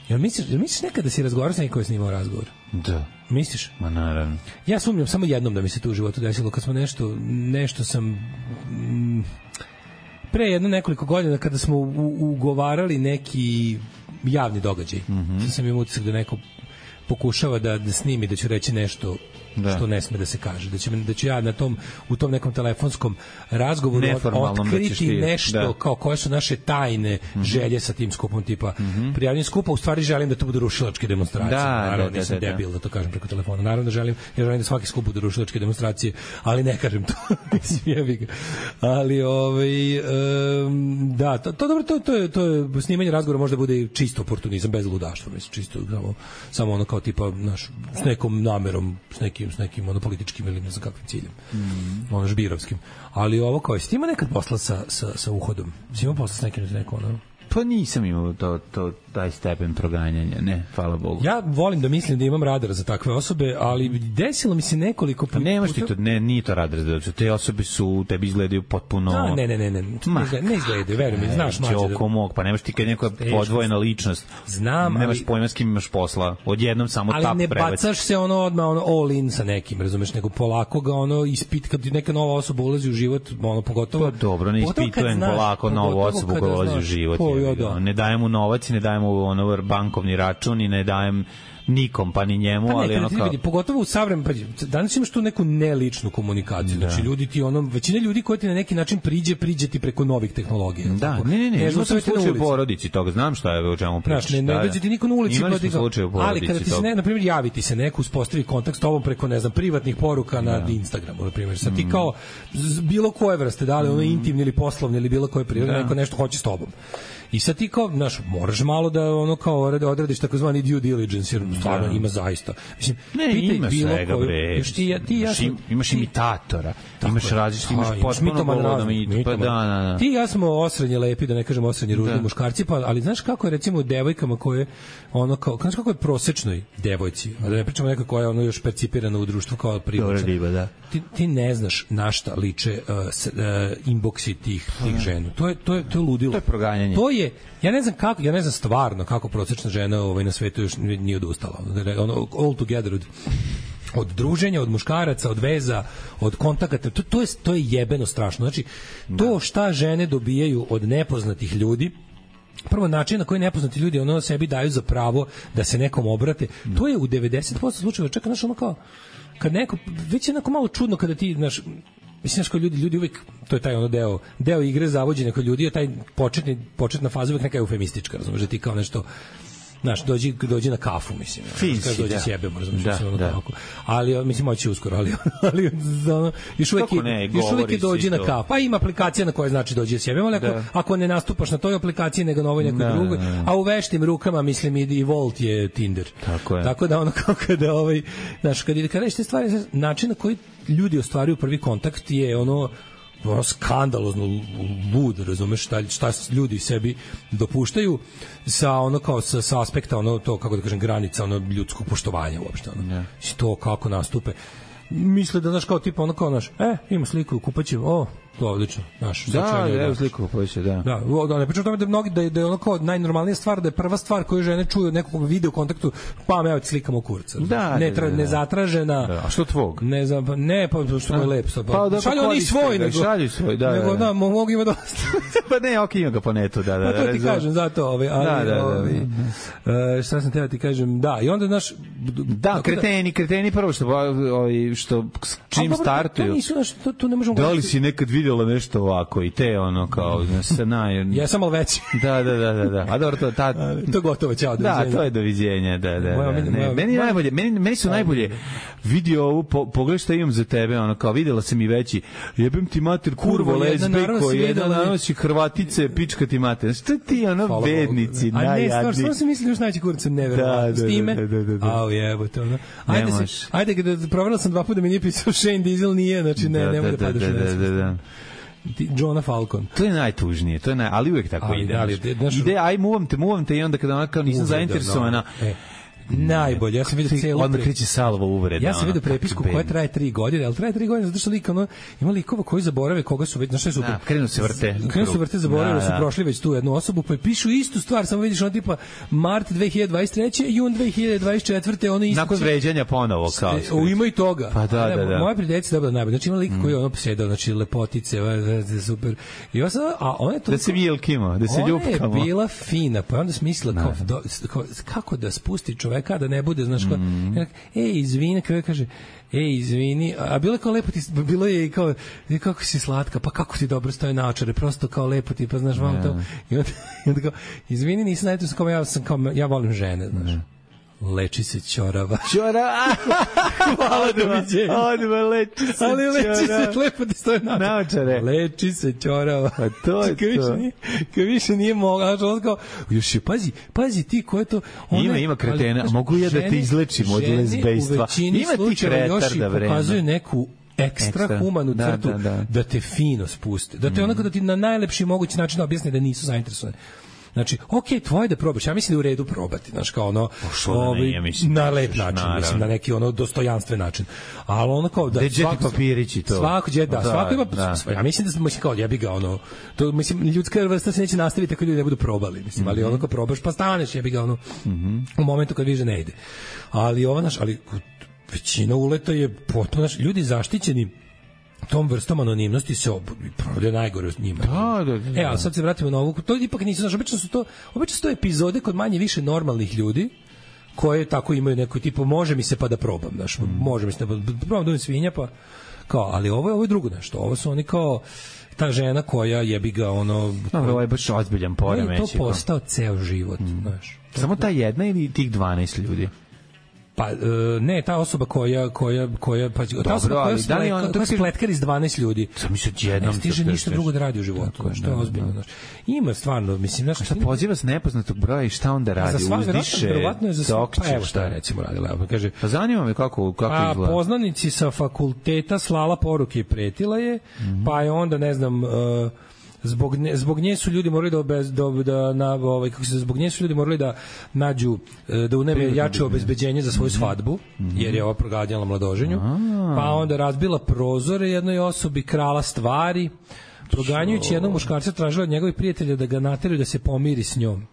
Jel misliš, jel misliš nekada da si razgovarao sa nekim koji je snimao razgovor? Da. Misliš? Ma naravno. Ja sumnjam samo jednom da mi se to u životu desilo, kad smo nešto, nešto sam... Mm, pre jedno nekoliko godina kada smo u, ugovarali neki javni događaj. Mm-hmm. Sam imao utisak da neko pokušava da, da snimi, da ću reći nešto da. Što ne sme da se kaže. Da, će, da ću ja na tom, u tom nekom telefonskom razgovoru otkriti da nešto da. Kao koje su naše tajne mm-hmm. želje sa tim skupom, tipa mm-hmm. prijavljenje skupa, u stvari želim da to budu rušilačke demonstracije. Da, naravno, da, nisam da, da, debil da to kažem preko telefona. Naravno da želim, jer želim da svaki skup bude rušilačke demonstracije, ali ne kažem to. ali ovaj um, da, to, to dobro, to, to, je, to je snimanje razgovora možda bude čisto oportunizam, bez ludaštva, mislim, čisto samo, samo ono kao tipa naš, s nekom namerom, s nekim s nekim ono političkim ili ne znam kakvim ciljem. Mm. Ono žbirovskim. Ali ovo kao, jesi ti ima nekad posla sa, sa, sa uhodom? Si ima posla s nekim neko ono? Pa nisam imao to, to, taj stepen proganjanja, ne, hvala Bogu. Ja volim da mislim da imam radar za takve osobe, ali desilo mi se nekoliko... Pa nemaš ti to, ne, nije to radar, da te osobe su, tebi izgledaju potpuno... A, ne, ne, ne, ne, ne, izgled, ne izgledaju, veruj mi, znaš mlađe. Čoko mog, pa nemaš ti kad neko podvojena ličnost. Znam, nemaš ali... pojma s kim imaš posla, odjednom samo tap prebaci. Ali ne bacaš se ono odmah ono all in sa nekim, razumeš, nego polako ga ono ispit, kad neka nova osoba ulazi u život, ono pogotovo... Pa dobro, ne ispitujem polako novu osobu koja ulazi u život. Ne dajem mu novac i ne dajem mu ono bankovni račun i ne dajem nikom, pa ni njemu, pa ne, ali ono kao... Vidi, pogotovo u savremenom, pa danas imaš tu neku neličnu komunikaciju, da. Znači ljudi ti ono, većina ljudi koji ti na neki način priđe, priđe ti preko novih tehnologija. Da, tako? ne, ne, ne, imao sam slučaj u porodici toga, znam šta je o čemu pričaš. Ne, ne, ne dođe ti niko na ulici. Imali smo slučaj u porodici. Ali kada ti se, ne, na primjer, javi ti se neko, uspostavi kontakt s tobom preko, ne znam, privatnih poruka na da. Instagramu, na primjer, sad ti kao bilo koje vrste, da li ono intimni ili poslovni ili bilo koje prirode, neko nešto hoće s tobom. I sad ti kao, znaš, moraš malo da ono kao odradiš takozvani due diligence, jer stvarno ima zaista. Mislim, ne, ima svega, koju, bre. Ti, ti, ja sam, imaš ti, imitatora, imaš različiti, imaš potpuno govorom i pa da, da, da. Ti ja smo osrednje lepi, da ne kažem osrednje ružni muškarci, pa, ali znaš kako je recimo devojkama koje, ono kao, znaš kako je prosečnoj devojci, a da ne pričamo neka koja je ono još percipirana u društvu kao privlačna. Da. Ti, ti ne znaš na šta liče uh, s, uh, inboxi tih, tih žena. To je, to, je, to je ludilo. To je proganjanje. To je, ja ne znam kako, ja ne znam stvarno kako prosečna žena ovaj, na svetu još nije odustala. Ono, all together od, od druženja, od muškaraca, od veza, od kontakata, to, to, je, to je jebeno strašno. Znači, to šta žene dobijaju od nepoznatih ljudi, prvo način na koji nepoznati ljudi ono sebi daju za pravo da se nekom obrate, to je u devedeset posto slučajeva, čeka, znaš, ono kao, kad neko, već je onako malo čudno kada ti, znaš, mislim, znaš, kao ljudi, ljudi uvijek, to je taj ono deo, deo igre zavođenja kod ljudi, je taj početni, početna faza uvijek neka eufemistička, razumiješ, da ti kao nešto, znaš, dođi, dođi na kafu, mislim. Finsi, dođi da. sjebe, razumiješ, da, ono da. tako. Ali, mislim, moći uskoro, ali, ali ono, još uvijek, ne, još uvijek je dođi na kafu. Pa ima aplikacija na kojoj znači dođi sjebe, ali ako, ako ne nastupaš na toj aplikaciji, nego na ovoj nekoj da, drugoj, da. A u veštim rukama, mislim, i Volt je Tinder. Tako je. Tako da ono kao kada, ovaj, znaš, kada, kada te stvari, način na koji ljudi ostvaruju prvi kontakt je ono, ono skandalozno lud, razumeš, šta, šta ljudi sebi dopuštaju sa ono kao sa, sa aspekta ono to, kako da kažem, granica ono ljudskog poštovanja uopšte ono. Yeah. To kako nastupe. Misle da, znaš, kao tipa ono kao, znaš, e, ima sliku u kupaći, o, to odlično, znaš. Da, da, evo sliku u kupaći, da. Da, da, ne pričam o tome da, mnogi, da, je, da je ono kao najnormalnija stvar, da je prva stvar koju žene čuju od nekog video kontaktu, pa me evo ti slikamo kurca. Da, ne, da, da, da. Nezatražena. Da. A što tvog? Ne znam, ne, pa što je lep. Pa, pa da, šalju oni svoj, nego. Šalju svoj, da, nego, da. da, mogu ima dosta. Pa ne, ok, ima ga po netu, da, da. Pa to ti da, kažem, zato, ovaj, ali, da, da, da, ovaj, da. Uh, šta sam teo ti kažem, da, i onda, znaš, da, kreteni, kreteni prvo što, ovaj, što čim a, startuju. To nisu, znaš, to, to ne možemo... Da li si nekad vidjela nešto ovako i te, ono, kao, se naj... Ja sam malo veći. Da, da, da, da, da. A dobro, to, ta... to je gotovo, ćao, doviđenja. Da, to je doviđenja, da, da, moja, da. Ne, moja, meni, moja, najbolje, meni, meni su najbolje vidio ovu, po, pogledaj šta imam za tebe, ono, kao, vidjela sam i veći, jebem ti mater, kurvo, lesbejko, jedna nanosi Hrvatice, pička ti mater. Što ti, ono, hvala bednici, Bogu. najjadni. A ne, stvar, stvar sam mislio još najći kurca, neverovatno. Da, s time, da, da, da, da. Au, jebote, ono. Ajde, se, ajde, kada proverila sam dva puta da mi nije pisao Shane Diesel, nije, znači, ne, da, ne mogu da, da padaš da, da, da, da, da. Johna Falcon. To je najtužnije, to je naj, ali uvek tako ali, ide. Ali, znaš, ide, aj muvam te, muvam te i onda kada ona kao nisam zainteresovana. No, e. Najbolje, ja sam vidio celu odmah kreće salva uvreda. Ja sam vidio prepisku koja traje tri godine, al traje tri godine zato što lik ono ima likova koji zaborave koga su već, znaš šta je super. Da, krenu se vrte. Krenu se vrte, zaboravili da, da. su prošli već tu jednu osobu, pa pišu istu stvar, samo vidiš ono tipa mart dve hiljade dvadeset treće jun dve hiljade dvadeset četvrte ono isto. Nakon vređanja ponovo kao. U ima i toga. Pa da, da, da. Moja prijateljica dobila najbolje. Znači ima lik koji je ono sedeo, znači lepotice, super. I onda a ona je to da se vilkimo, da se ljupkamo. Ona je bila fina, pa onda smislila kao, do, kao kako da spusti čoveka da ne bude, znaš, kao, mm. ej, izvini, kao kaže, ej, izvini, a bilo je kao lepo ti, bilo je i kao, kako si slatka, pa kako ti dobro stoje naočare, prosto kao lepo ti, pa znaš, vam to, i onda, i onda kao, izvini, nisam najto, kao, ja sam kao, ja volim žene, znaš. Mm. Leči se ćorava. Ćorava. Hvala, doviđenja. Odmah leči se ali leči ćorava. se, lepo ti stoje naočare. Leči se ćorava. Pa to je ka više to. Nije, ka više nije mogla. Znači, on kao, još je, pazi, pazi ti ko je to... Ona, ima, ima kretena. Ali, mogu ja da te izlečim od lezbejstva. Ima ti kretar da vreme. Pokazuju neku ekstra, ekstra humanu da, crtu da, da. da te fino spuste. Da te mm. onako da ti na najlepši mogući način objasne da nisu zainteresovani. Znači, okej, okay, tvoje da probaš. Ja mislim da je u redu probati, znaš, kao ono, ovaj, ne, mislim, na lep način, naravno. Mislim, na neki ono dostojanstven način. Ali ono kao da svako papirići to. Svako je da, da, svako ima da. Ja mislim da smo kao jebi ga ono. To mislim ljudska vrsta se neće nastaviti ako ljudi ne budu probali, mislim, ali mm -hmm. ono kao probaš pa staneš, jebi ga ono. Mm -hmm. U momentu kad vidiš da ne ide. Ali ova naš, ali većina uleta je potpuno naš ljudi zaštićeni tom vrstom anonimnosti se provode najgore s njima. Da, da, da. E, a sad se vratimo na ovu. To ipak nisu, znaš, obično su to, obično su to epizode kod manje više normalnih ljudi koje tako imaju neko tipu, može mi se pa da probam, znaš, mm. može mi se da probam da budem svinja, pa kao, ali ovo je, ovo je drugo nešto. Ovo su oni kao ta žena koja jebi ga ono... No, ovo je baš ozbiljan poremeć. To postao ceo život, mm. znaš. Samo ta jedna ili tih dvanaest ljudi? Pa ne, ta osoba koja koja koja pa Dobro, ta osoba koja, da li on koja spletkar iz dvanaest ljudi. Sam se jednom ne stiže ništa drugo da radi u životu, što je ozbiljno, znači. Ima stvarno, mislim, znači šta poziva s nepoznatog broja i šta onda radi? Uzdiše, verovatno je za sve, pa evo šta je recimo radila, pa kaže. Pa zanima me kako kako izgleda. A poznanici sa fakulteta slala poruke i pretila je, mm-hmm. pa je onda ne znam uh, zbog ne, zbog nje su ljudi morali da obez, da, da na ovaj kako se zbog nje su ljudi morali da nađu da uneme jače obezbeđenje za svoju svadbu, mm-hmm. jer je ova proganjala mladoženju. A-a. Pa onda razbila prozore jednoj osobi, krala stvari, proganjajući jednog muškarca, tražila od njegovih prijatelja da ga nateraju da se pomiri s njom.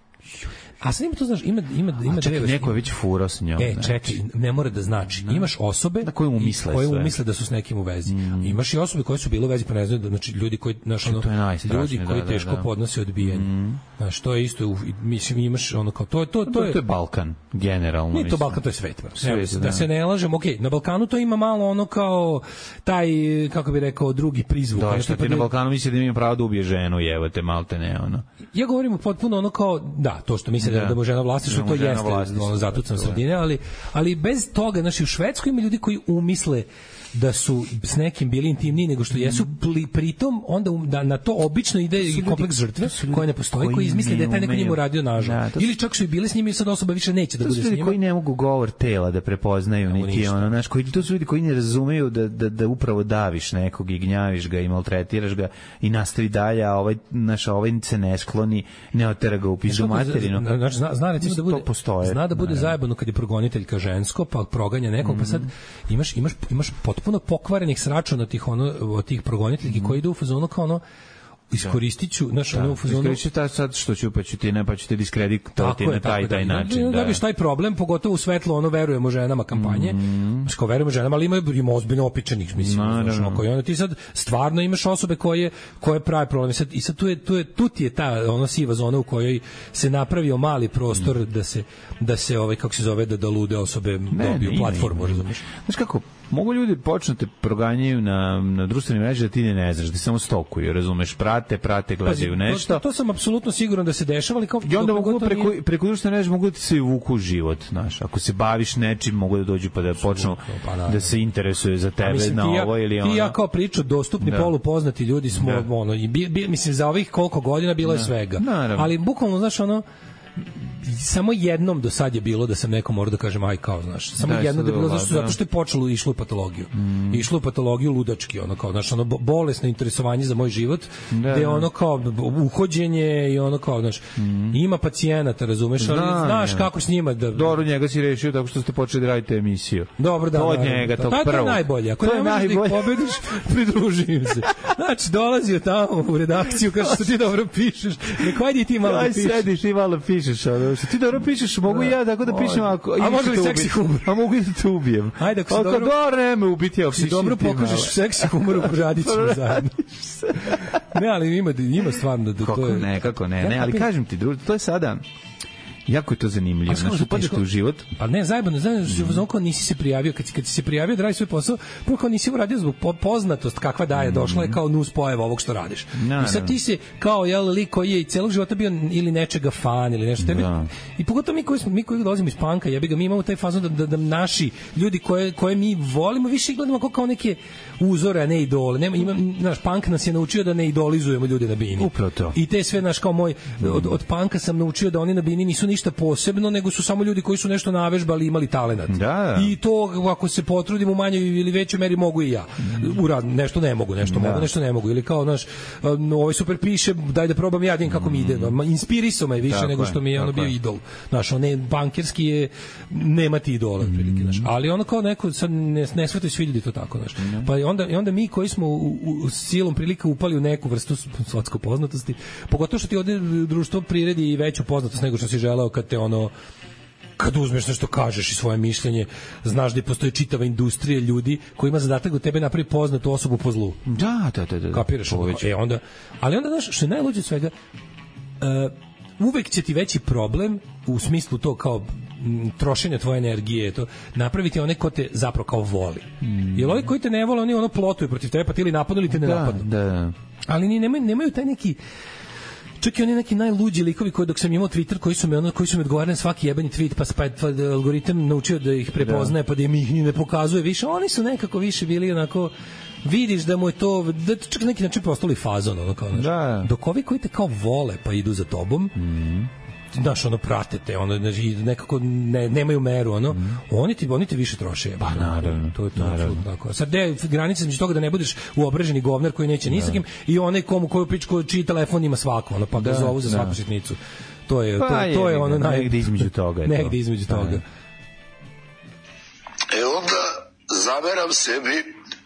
A sad ima to, znaš, ima, ima, ima a čekaj, neko je već furao s njom. E, čekaj, ne mora da znači. Ne. Imaš osobe na koje mu misle, koje mu misle da su s nekim u vezi. Mm. Imaš i osobe koje su bile u vezi, pa ne znaju, da, znači ljudi koji, znaš, ono, ljudi koji da, teško da, da. podnose odbijanje. Mm. Znaš, to je isto, mislim, imaš ono kao, to, to, to, to je... To je Balkan, generalno. Nije to Balkan, to je svet. svet Evo, da se ne lažemo, okej, okay, na Balkanu to ima malo ono kao taj, kako bi rekao, drugi prizvuk. Da, što ti na Balkanu misli da ima pravo da ubije ženu, evo te malte ne, ono. Ja govorim potpuno ono kao, da, to što misle jeste da, da mu žena vlasništvo, to jeste ono, zatucam sredine, ali, ali bez toga, znači u Švedskoj ima ljudi koji umisle da su s nekim bili intimniji nego što jesu, pli, pritom onda um, da na to obično ide i kompleks žrtve koja ne postoji, koji, koji izmisli da je taj neko njemu radio nažal. Da, ili čak su i bile s njima i sad osoba više neće da bude s njima. Koji ne mogu govor tela da prepoznaju, no, niti ono, znaš, koji to su ljudi koji ne razumeju da, da, da upravo daviš nekog i gnjaviš ga i maltretiraš ga i nastavi dalje, a ovaj, naš, ovaj se ne skloni, ne otera ga u pizdu materinu. Znači, zna, zna recimo da bude, postoje, zna da bude zajebano kad je progoniteljka žensko, pa proganja nekog, mm-hmm. pa sad imaš, imaš, imaš potpuno pokvarenih sračuna tih ono od tih progoniteljki mm-hmm. koji idu u fazonu kao ono iskoristiću naš ono u fazonu iskoristiću ta sad što ću pa ću ti ne pa ću te diskreditovati na taj taj da, način da, da, da biš taj problem pogotovo u svetlo ono verujemo ženama kampanje mm. što verujemo ženama ali ima ima ozbiljno opičanih mislim znači koji onda ti sad stvarno imaš osobe koje koje prave problem sad i sad tu je tu je tu ti je ta ona siva zona u kojoj se napravio mali prostor mm. da se da se ovaj kako se zove da da lude osobe dobiju platformu razumeš znači kako mogu ljudi počnete proganjaju na na društvenim mrežama da ti ne, ne znaš da samo stokuju razumeš prate prate gledaju nešto to, to sam apsolutno siguran da se dešava ali kao i onda mogu preko nije... preko društvene mreže mogu da se vuku život znaš ako se baviš nečim mogu da dođu pa da počnu pa, da, da se interesuje za tebe mislim, na ja, ovo ili ono ti ja kao priču dostupni da. Polupoznati ljudi smo da. Ono i bi, bi, mislim za ovih koliko godina bilo je da. Svega naravno. Ali bukvalno znaš ono samo jednom do sad je bilo da sam nekom morao da kažem aj kao znaš samo da, jedno da je bilo zašto, zato što je počelo išlo u patologiju mm. išlo u patologiju ludački ono kao znaš ono bolesno interesovanje za moj život da, gde ono kao uhođenje i ono kao znaš mm. ima pacijenata razumeš ali da, znaš ne. Kako s njima da dobro njega si rešio tako što ste počeli da radite emisiju dobro da od njega to prvo to je najbolje ako ne možeš da ih pobediš pridruži im se znači dolazio tamo u redakciju kaže što ti dobro pišeš nek ajde ti malo pišeš aj sediš i malo pišeš ono što ti dobro pišeš, mogu ja tako da pišem ako a može li seksi humor? A mogu i da te ubijem. Ajde, ako si dobro, dobro ne ubiti, ja si dobro pokažeš seksi humor u Radićima zajedno. Ne, ali ima ima stvarno da to je ne, kako ne, ne, ali kažem ti, druže, to je sada jako je to zanimljivo. Znači, upadneš u život. Pa ne, zajebano, znaš, mm. kao nisi se prijavio, kad, kad si se prijavio da radiš svoj posao, prvo kao nisi uradio zbog poznatost kakva daje, mm. došla je kao nus pojava ovog što radiš. No, I sad ti si kao, jel, lik koji je i celog života bio ili nečega fan ili nešto. Tebi, no. I pogotovo mi koji, smo, mi koji dolazimo iz panka, jebi ga, mi imamo taj fazon da, da, da naši ljudi koje, koje mi volimo više gledamo kao, kao neke uzore, a ne idole. Nema, ima, naš punk nas je naučio da ne idolizujemo ljude na bini. Upravo to. I te sve, naš, kao moj, od, od panka sam naučio da oni na bini nisu ništa posebno, nego su samo ljudi koji su nešto navežbali i imali talenat. Da, da. I to, ako se potrudim u manjoj ili većoj meri, mogu i ja. Urad, nešto ne mogu, nešto da. Mogu, nešto ne mogu. Ili kao, znaš, ovaj super piše, daj da probam ja, kako mi ide. Inspirisao me više tako nego što mi je ono bio je. Idol. Znaš, on je bankerski je, nema ti idola, prilike, znaš. Ali ono kao neko, sad ne, ne shvataju svi ljudi to tako, znaš. Mm. Pa onda, i onda mi koji smo u, u, u silom prilika upali u neku vrstu sotsko poznatosti, pogotovo što ti ovde društvo priredi i veću poznatost nego što si želeo kad te ono kad uzmeš nešto kažeš i svoje mišljenje, znaš da postoji čitava industrija ljudi koji ima zadatak da tebe napravi poznatu osobu po zlu. Da, da, da, da. Kapiraš? E onda, ali onda znaš što je najluđe od svega, uh, uvek će ti veći problem u smislu to kao m, trošenja tvoje energije, to napraviti one ko te zapravo kao voli. Mm. Jer ovi koji te ne vole, oni ono plotuju protiv tebe, pa ti ili napadnu ili te ne da, napadnu. Da. Ali ni nemaju, nemaju taj neki čak i oni neki najluđi likovi koji dok sam imao Twitter koji su me ono koji su mi odgovarali na svaki jebeni tweet pa pa, pa algoritam naučio da ih prepoznaje da. Pa da im ih ne pokazuje više, oni su nekako više bili onako vidiš da mu je to da čak neki način postali fazon ono kao znači da. Dok ovi koji te kao vole pa idu za tobom mm. znaš, ono, pratite, ono, nekako ne, nemaju meru, ono, mm. oni, ti, oni ti više troše. Pa, naravno. To je to, apsolutno tako. Sad, gde granica između toga da ne budeš uobraženi govnar koji neće ni sa kim i onaj komu koju pičku čiji telefon ima svako, ono, pa ga da, zovu za svaku da. Sitnicu. To je, pa, to, to je, je ono naj... Negde između toga. Negde između pa, toga. E onda zameram sebi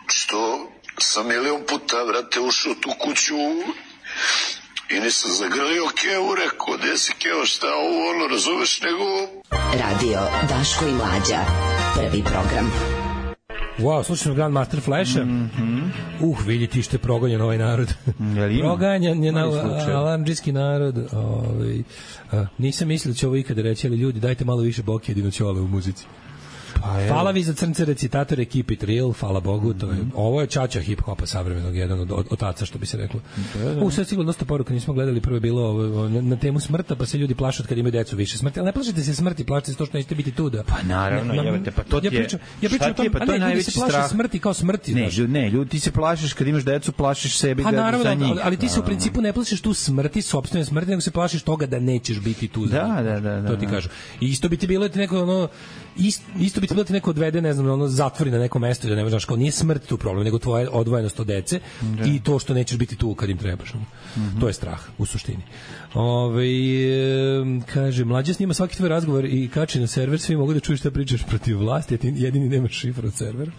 što sam milion puta, vrate, ušao tu kuću i nisam zagrlio Kevu, rekao, gde si Keo, šta ovo, ono, razumeš, nego... Radio Daško i Mlađa, prvi program. Wow, slušam Grandmaster Flasha. Mm-hmm. Uh, vidi ti što je progonjen ovaj narod. Proganjan je na alarmdžijski narod. Ovaj, a, nisam mislio da će ovo ikada reći, ali ljudi, dajte malo više Boki Jedinoćole u muzici. Pa, hvala vi za crnce recitatore, keep it real, hvala Bogu, to je, ovo je čača hip-hopa savremenog, jedan od, od otaca, što bi se reklo. Da, da. U sve sigurno dosta poruka, nismo gledali, prvo je bilo ovo, na, na temu smrta, pa se ljudi plaše kad imaju decu više smrti, ali ne plašite se smrti, plašite se to što nećete biti tu da... Pa naravno, na, na, jebate, pa to ti je... Ja pričam, ja pričam o tom, pa to je ne, najveći se plaše strah. Smrti kao smrti. Ne, ljudi, ne, ljudi, ti se plašiš kad imaš decu, plašiš sebi pa, da naravno, za njih. Ali, ali ti se u principu ne plašiš tu smrti, sopstvene smrti, nego se plašiš toga da nećeš biti tu. Da, da, da, da. To ti kažu. I isto bi ti bilo ti neko ono isto, isto bi ti bilo ti neko odvede, ne znam, ono zatvori na neko mesto da ne možeš, kao nije smrt tu problem, nego tvoja odvojenost od dece da. I to što nećeš biti tu kad im trebaš. Mm -hmm. To je strah u suštini. Ove, kaže, mlađa snima svaki tvoj razgovor i kači na server, svi mogu da čuju šta pričaš protiv vlasti, a ti jedini nemaš šifru od servera.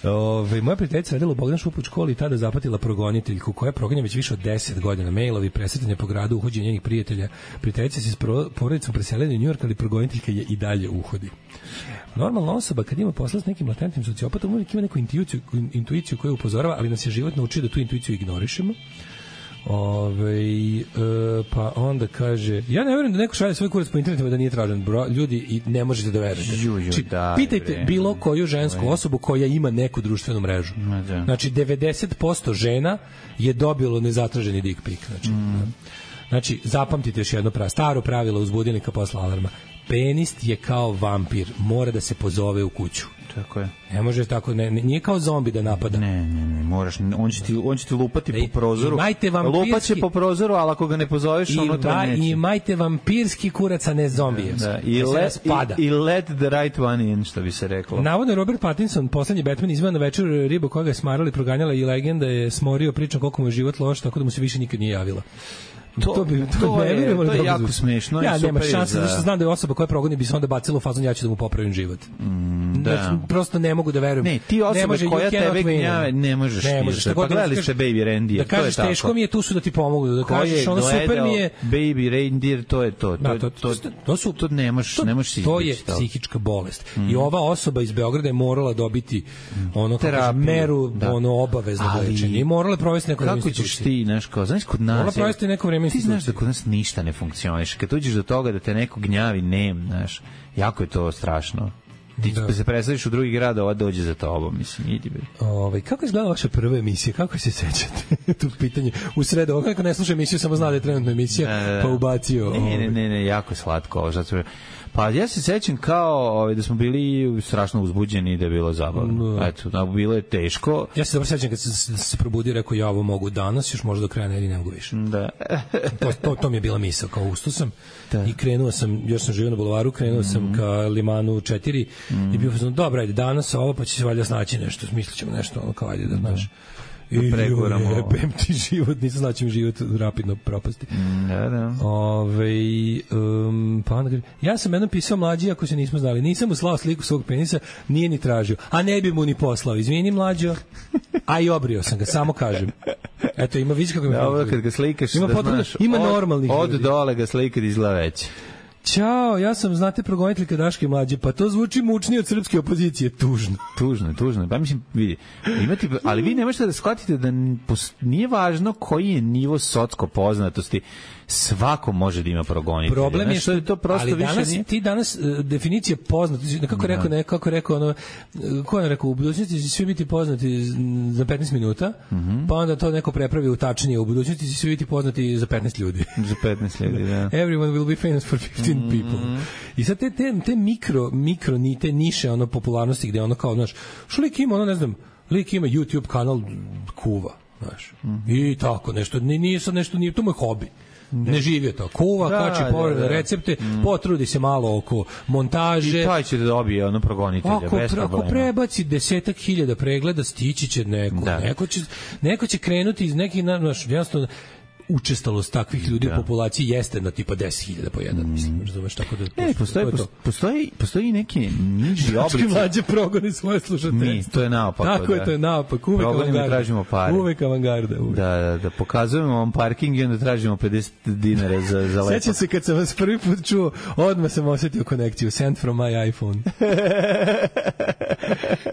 Ove, moja prijateljica radila u Bogdan Šup u školi i tada zapatila progoniteljku koja proganja već više od deset godina, mailovi, presretanje po gradu, uhođenje njenih prijatelja. Prijateljica se s porodicom preselila u New York, ali progoniteljka je i dalje uhodi. Normalna osoba kad ima posla s nekim latentnim sociopatom uvijek ima neku intuiciju, intuiciju koja upozorava, ali nas je život naučio da tu intuiciju ignorišemo. Ove, e, pa onda kaže, ja ne verujem da neko šalje svoj kurac po internetu da nije tražen, bro, ljudi, i ne možete da verujete. Znači, pitajte bre. bilo koju žensku osobu koja ima neku društvenu mrežu. Znači, devedeset posto žena je dobilo nezatraženi dick pic. Znači, mm. znači zapamtite još jedno pravilo, staro pravilo uz budilnika posle alarma. Penis je kao vampir, mora da se pozove u kuću. Tako je. Ne može tako, ne, nije kao zombi da napada. Ne, ne, ne, moraš, on će ti, on će ti lupati ne, po prozoru. Vampirski, lupaće po prozoru, ali ako ga ne pozoveš, i, ono to neće. I imajte vampirski kurac, a ne zombije. Da, da. I, let, i, I let the right one in, što bi se reklo. Navodno Robert Pattinson, poslednji Batman, izveo na večer ribu koga je smarali, proganjala i legenda je smorio pričom koliko mu je život loš, tako da mu se više nikad nije javila. To, to, bi, to, to je, to je jako smešno. Ja, i nema šanse, za... zato što znam da je osoba koja progoni bi se onda bacila u fazon, ja ću da mu popravim život. Mm, da. Znači, prosto ne mogu da verujem. Ne, ti osoba može, koja tebe gnjave, ne možeš ne možeš, ti. Pa gledali ste Baby Reindeer, da kažeš, to je teško mi je, tu su da ti pomogu. Da kažeš, ono super mi je... Baby Reindeer, to je to. To, to, to, to, su, to ne možeš, ne možeš to je psihička bolest. Mm. I ova osoba iz Beograda je morala dobiti ono, kako meru, ono, obavezno lečenje. I morala provesti neko vreme institucije. Kako ćeš ti, znaš, kao, znaš, kod nas... Morala provesti neko vreme institucije. Ti znaš da kod nas ništa ne funkcioniše. Kad uđeš do toga da te neko gnjavi, nem, znaš, jako je to strašno. Ti da. se presadiš u drugi grad, ova dođe za tobom, mislim, idi be. Ove, kako je izgledala vaša prva emisija? Kako se sećate? Tu pitanje. U sredu, ovo neko ne sluša emisiju, samo zna da je trenutna emisija, da, da. pa ubacio... Ne, ne, ne, ne, jako je slatko ovo, zato... Pa ja se sećam kao ovaj, da smo bili strašno uzbuđeni i da je bilo zabavno. No. Eto, da bilo je teško. Ja se dobro sećam kad se, se probudio, rekao ja ovo mogu danas, još možda do kraja nedelje ne mogu više. Da. to, to, to mi je bila misao, kao ustao sam da. I krenuo sam, još sam živio na bulevaru, krenuo mm. sam ka Limanu četiri mm. i bio sam, dobro, ajde, danas ovo, pa će se valjda snaći nešto, smislit ćemo nešto, ono kao ajde da znaš. I pregovoramo. Jebem ti život, nisam znači mi život rapidno propasti. Da, da. Ove, um, pa onda, ja sam jednom pisao mlađi, ako se nismo znali, nisam mu slao sliku svog penisa, nije ni tražio, a ne bi mu ni poslao. Izvini mlađo, a i obrio sam ga, samo kažem. Eto, ima, vidiš kako mi... Da, ovo kad ga slikaš, ima da potpuno, znaš, ima od, normalnih od ljudi. dole ga slika da izgleda već. Ćao, ja sam, znate, progoniteljka Daške mlađe, pa to zvuči mučnije od srpske opozicije, tužno. Tužno, tužno. Pa mislim, vidi, imati, ali vi ne možete da shvatite da nije važno koji je nivo socko poznatosti, svako može da ima progonitelja. Problem je što je to prosto ali više danas, nije... ti danas uh, definicija poznatosti, nekako rekao, nekako rekao ono, ko je rekao, u budućnosti će svi biti poznati za petnaest minuta, mm -hmm. pa onda to neko prepravi u tačnije, u budućnosti će svi biti poznati za petnaest ljudi. Za petnaest ljudi, da. Everyone will be famous for fifteen mm -hmm. people. I sad te, te, te mikro, mikro, ni te niše ono popularnosti gde ono kao, znaš, što lik ima, ono ne znam, lik ima YouTube kanal kuva, znaš, mm -hmm. i tako, nešto, nije sad nešto, nije, to moj hobi. Ne živi to. Kuva, da, kači pored da, da. recepte, mm. potrudi se malo oko montaže. I taj će da dobije ono progonitelja, ako, bez problema. Ako prebaci desetak hiljada pregleda, stići će neko. Da. Neko, će, neko će krenuti iz nekih, naš, jednostavno, učestalost takvih ljudi da. u populaciji jeste na tipa deset hiljada po jedan, mm. mislim, razumeš, tako da... Ne, postoji, to postoji, postoji neki niži oblici. Znači, mlađe progoni svoje slušateljstvo. Mi, to je naopako. Tako da. je, to je naopako. Uvek avangarda. Tražimo pare. Uvek avangarda. Uvek. Da, da, da, pokazujemo vam parking i onda tražimo pedeset dinara za, za lepo. Sećam se kad sam vas prvi put čuo, odmah sam osetio konekciju. Send from my iPhone.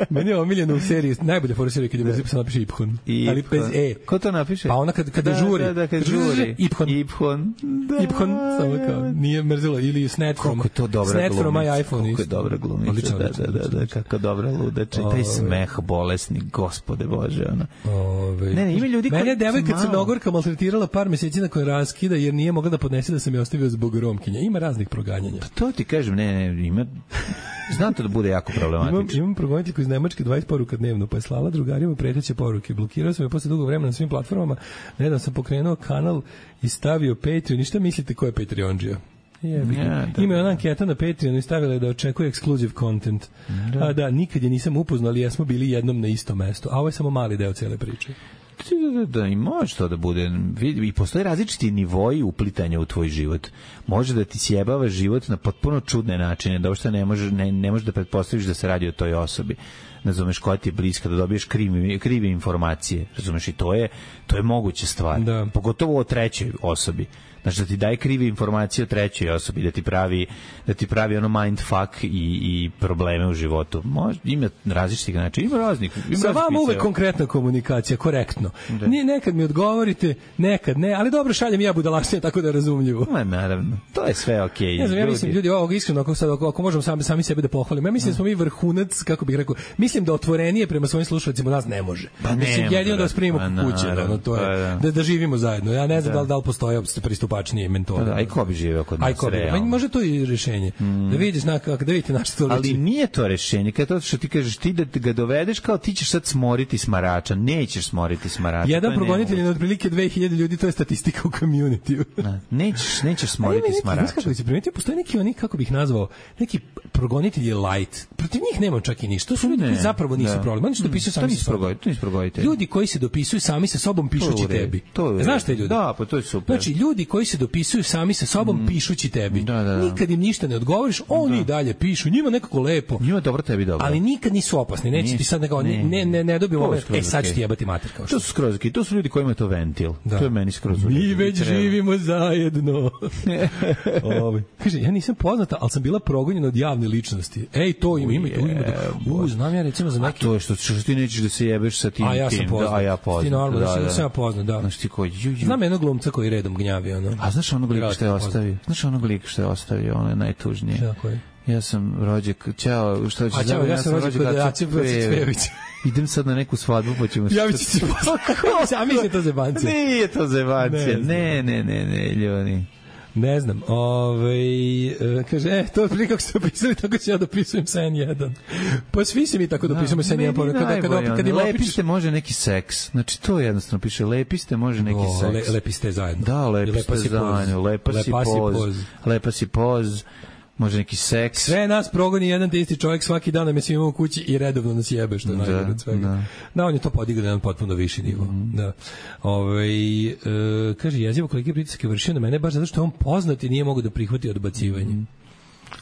Meni je omiljeno u seriji, najbolja fora serija kad je bez napiše Iphone. Ali bez E. Ko to napiše? Pa ona kad, kada žuri, žuri. Iphon. Iphon. Da. Iphon, samo kao, nije mrzilo. Ili Snap from, kako je to dobra Snap glumica. from my iPhone. Kako je dobra glumica. Odlično, da, odlično, da, da, da, kako dobra ludača. I taj smeh bolesni, gospode Bože. Ona. Ove, ne, ne, ima ljudi koji... Mene je devojka Crnogorka maltretirala par meseci nakon raskida jer nije mogla da podnese da sam je ostavio zbog Romkinja. Ima raznih proganjanja. Pa to ti kažem, ne, ne, ima... Znam to da bude jako problematično. Imam, imam progoniteljku iz Nemačke dvadeset poruka dnevno, pa je slala drugarima preteće poruke. Blokirao sam je posle dugo vremena na svim platformama. Nedavno sam pokrenuo kanal i stavio Patreon. I šta mislite ko je Patreonđija? Ja, ima ona anketa na Patreonu i stavila je da očekuje exclusive content. Da. A da, nikad je nisam upoznao, ali jesmo bili jednom na istom mestu. A ovo je samo mali deo cele priče. Da, da, da, i može to da bude. I postoje različiti nivoji uplitanja u tvoj život. Može da ti sjebava život na potpuno čudne načine, da uopšte ne možeš ne, ne možeš da pretpostaviš da se radi o toj osobi. Razumeš, koja ti je bliska, da dobiješ krive, krive informacije. Razumeš, i to je, to je moguća stvar. Da. Pogotovo o trećoj osobi. Znači da ti daje krive informacije o trećoj osobi, da ti pravi, da ti pravi ono mindfuck i, i probleme u životu. Može, ima različitih načina, ima raznih. Ima sa vama uvek evo. Konkretna komunikacija, korektno. Da. Nije nekad mi odgovorite, nekad ne, ali dobro šaljem ja budalaštine tako da je razumljivo. Ma naravno, to je sve okej. Okay. Ne znam, ja mislim, ljudi, ovog iskreno, ako, sad, ako, ako možemo sami, sami sebe da pohvalimo, ja mislim da smo mi vrhunac, kako bih rekao, mislim da otvorenije prema svojim slušalcima nas ne može. Pa mislim, ne, jedino da vas primimo pa, kuće, ono, to je, da, da, da živimo zajedno. Ja ne znam da, da li, da li postoje pristupačnije mentode. Da, aj ko bi živeo kod nas, realno. Može to i rješenje. Mm. Da vidiš, na, da vidite na što to ali nije to rješenje. Kad to što ti kažeš, ti da ga dovedeš kao ti ćeš sad smoriti smarača. Nećeš smoriti smarača. Jedan progonitelj je otprilike dve hiljade ljudi, to je statistika u community-u. Nećeš, nećeš smoriti neki, smarača. Znaš kako se primetio, postoje neki oni, kako bih nazvao, neki progonitelji light. Protiv njih nema čak i ništa. To su ljudi koji zapravo nisu problem. Oni što dopisuju sami sa sobom. Ljudi koji se dopisuju sami sa sobom pišući tebi. Znaš te ljudi? Da, pa to je super. Znači, ljudi koji se dopisuju sami sa sobom mm. pišući tebi. Da, da, da. Nikad im ništa ne odgovoriš, oni da. dalje pišu, njima nekako lepo. Njima dobro, tebi dobro. Ali nikad nisu opasni, neće Nis, ti sad nekako, ne, ne, ne, ne dobiju ove, e sad ću ti jebati mater. Kao to su skroz okej, to su ljudi kojima je to ventil. Da. To je meni skroz okej. Mi već treba. Živimo zajedno. Ove. Kaže, ja nisam poznata, ali sam bila progonjena od javne ličnosti. Ej, to ima, ima, to ima. U, znam ja recimo za neki... A to je što, što ti nećeš da se jebeš sa tim. A ja sam poznat. A ja poznat. Ti normalno, da, da. sam ja poznat, da. Znaš ti koji... Znam jednog glumca koji redom gnjavi, ono. A znaš onog lika što je ostavio? Znaš onog lika što je ostavio, ono je najtužnije. Šta, koji? Ja sam rođak, ćao, šta ćeš? A ćao, ja sam rođak kod Aci Cvejović. Idem sad na neku svadbu, pa ćemo... Javit ću se posle. A mislim je to zebancija. Nije to zebancija. Ne, ne, ne, ne, ljudi. Ne znam, ovaj e, kaže, e, to prije kako ste opisali, tako ću ja dopisujem sa en jedan. Pa svi se mi tako dopisujemo sa en jedan. Kada, kada, kada, kada lepiste može neki seks. Znači, to jednostavno piše, lepiste može neki o, seks. Le, lepiste zajedno. Da, lepiste zajedno. Lepa si poz. Lepa si poz. Može neki seks. Sve nas progoni jedan te isti čovjek svaki dan, nam je svima u kući i redovno nas jebe, što je da, najgore od svega. Da. da, on je to podigao na jedan potpuno viši nivo. Mm. Da. Ove, e, kaže, jezivo koliki pritisak je vršio na mene, baš zato što je on poznat i nije mogu da prihvati odbacivanje. Mm.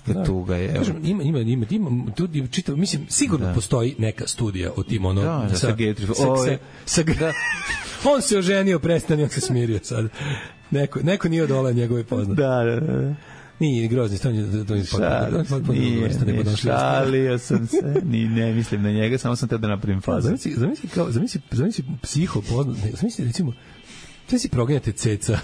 Da, tuga je. Kažem, ima, ima, ima, ima tu, čitav, mislim, sigurno da. Postoji neka studija o tim, ono, da, da, sa, sa, sa, sa, sa, da. On se oženio, prestani, on se smirio sad. Neko, neko nije odola njegove poznate. Da, da, da. Nije grozni, to je to je potpuno. Nije, šalio sam se, ni ne mislim na njega, samo sam te da napravim fazu. Zamisli, zamisli kao, zamisli, zamisli psiho poznat, zamisli recimo, te si proganjate ceca,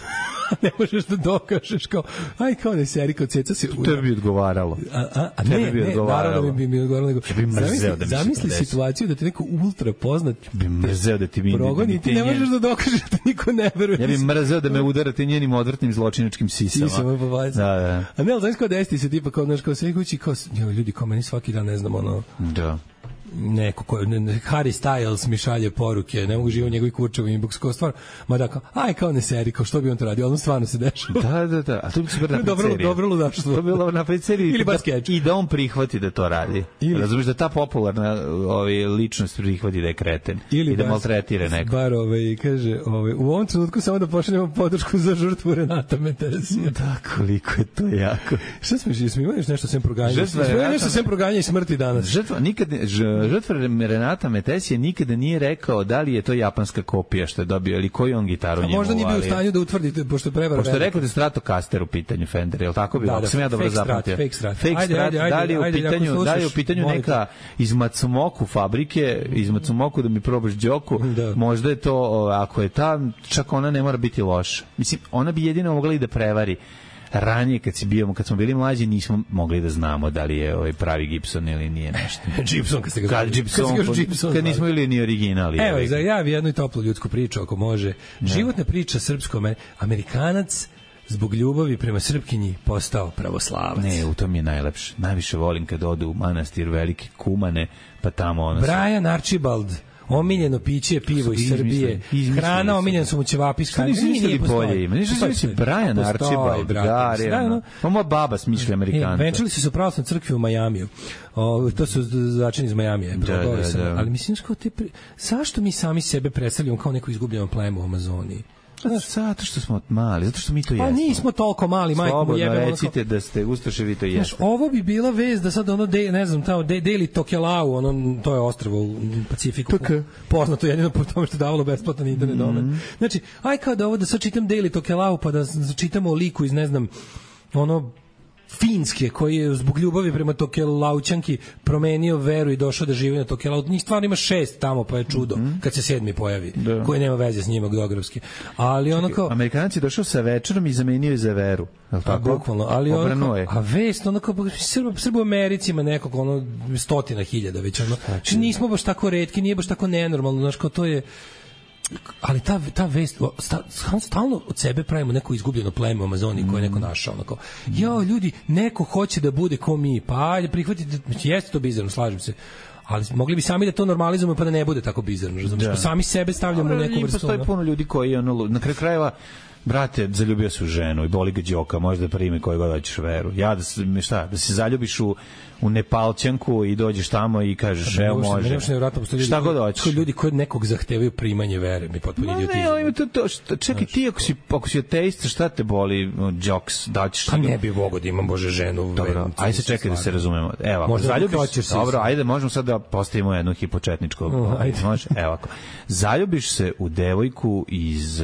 ne možeš da dokažeš kao, aj kao ne seri kao ceca se... To bi odgovaralo. A, a, a ne, bi ne, naravno bi mi odgovaralo. Nego, bi mrzeo da mi zamisli situaciju da te neko ultra poznat bi mrzeo da ti mi progoni i ti ne možeš da dokažeš da niko ne veruje. Ja bi mrzeo da me udarate njenim odvrtnim zločinačkim sisama. Sisama, pa vajca. Da, da. A ne, ali znaš kao desi se tipa kao, znaš, kao sve kući, kao, ljudi, kao meni svaki dan ne znam, ono... Da. neko ko ne, ne, Harry Styles mi šalje poruke, ne mogu živjeti u njegovoj kurčevu inbox, kao stvar, ma da kao, aj kao ne seri, kao što bi on to radio, ono stvarno se dešava. Da, da, da, a to bi se bilo dobro, dobro ludaštvo. To bi bilo na seriji. Ili bar skeč. I da on prihvati da to radi. Ili, razumiješ da ta popularna ovaj, ličnost prihvati da je kreten ili i da maltretira neko. Bar ovaj, kaže, ovaj, u ovom trenutku samo da pošaljemo podršku za žrtvu Renata Meteresija. Da, koliko je to jako. Šta smo, smo imali nešto sem proganja? Smo imali nešto sem proganja i smrti danas? Žrtva, nikad ne, ž, žrtva Renata Metesije nikada nije rekao da li je to japanska kopija što je dobio ili koju on gitaru njemu. A možda nije bio u stanju da utvrdite, pošto je prevara. Pošto je rekao da je Stratocaster u pitanju Fender, je li tako bilo? Da, da, sam ja dobro zapamtio. Fake Strat. Fake Ajde, Strat, ajde, ajde, da li je u ajde, pitanju, slušaš, da li je u pitanju neka iz Matsumoku fabrike, iz Matsumoku da mi probaš đoku, da. Možda je to, ako je ta, čak ona ne mora biti loša. Mislim, ona bi jedino mogla i da prevari. Ranije kad si bio, kad smo bili mlađi nismo mogli da znamo da li je ovaj pravi Gibson ili nije nešto. Gibson kad ste ga kad Gibson, kad, Gibson, kad nismo bili ni originali. Evo, za ja bi jednu toplu ljudsku priču ako može. Ne. Životna priča srpsko Amerikanac zbog ljubavi prema Srpkinji postao pravoslavac. Ne, u tom je najlepše. Najviše volim kad odu u manastir Velike Kumane, pa tamo ono... Brian se... Archibald, omiljeno piće je pivo iz Srbije. Hrana omiljena su mu ćevapi iz Kanade. Nisu mislili bolje ima. Nisu mislili Brian Archibald. Da, realno. Pa moja baba smišlja Amerikanca. Venčali su se u pravoslavnoj crkvi u Majamiju. O, to su začini iz Majamije. Da, da, da. Ali mislim, kao te pri... zašto mi sami sebe predstavljamo kao neko izgubljeno pleme u Amazoniji? Zato što smo mali, zato što mi to jesmo. Pa nismo toliko mali, majko mu jebemo. Slobodno recite da ste Ustaše, vi to jeste. Znaš, ovo bi bila vez da sad ono, de, ne znam, tamo, de, deli Tokelau, ono, to je ostrvo u Pacifiku. Okay. Poznato jedino po tome što je davalo besplatan internet mm -hmm. domen. Znači, aj kao da ovo, da sad čitam deli Tokelau, pa da čitamo o liku iz, ne znam, ono, Finske, koji je zbog ljubavi prema Tokelaućanki promenio veru i došao da živi na Tokelau. Njih stvarno ima šest tamo, pa je čudo mm -hmm. kad se sedmi pojavi, da. Koji nema veze s njima geografski. Ali ono kao... Amerikanac je došao sa večerom i zamenio je za veru. A, bukvalno, ali ono kao, a vest, ono kao, Srbo, Srbo u Americi ima nekog, ono, stotina hiljada već, ono, znači, nismo baš tako retki, nije baš tako nenormalno, znaš, kao to je, ali ta, ta vest, stalno od sebe pravimo neko izgubljeno pleme u Amazoniji koje je neko našao, onako, jao, ljudi, neko hoće da bude ko mi, pa ajde, prihvatite, jeste to bizarno, slažem se, ali mogli bi sami da to normalizujemo pa da ne bude tako bizarno, razumiješ, pa sami sebe stavljamo u neku vrstu. Postoji puno ljudi koji, ono, na kraju krajeva, brate, zaljubio se u ženu i boli ga đoka, možda primi koju god hoćeš veru. Ja da se, šta, da se zaljubiš u, u Nepalčanku i dođeš tamo i kažeš, evo može. Šta god hoćeš. Ljudi koji nekog zahtevaju primanje vere, mi potpuno idiotizam. Ne, ali to, to, šta, čekaj, ti ako si, ako si ateista, šta te boli, džoks, daćeš... Pa ne bi mogo da imam, Bože, ženu. Dobro, ajde se čekaj da se razumemo. Evo, ako zaljubiš, dobro, ajde, možemo sad da postavimo jednu hipočetničku. Može, evo ako. Zaljubiš se u devojku iz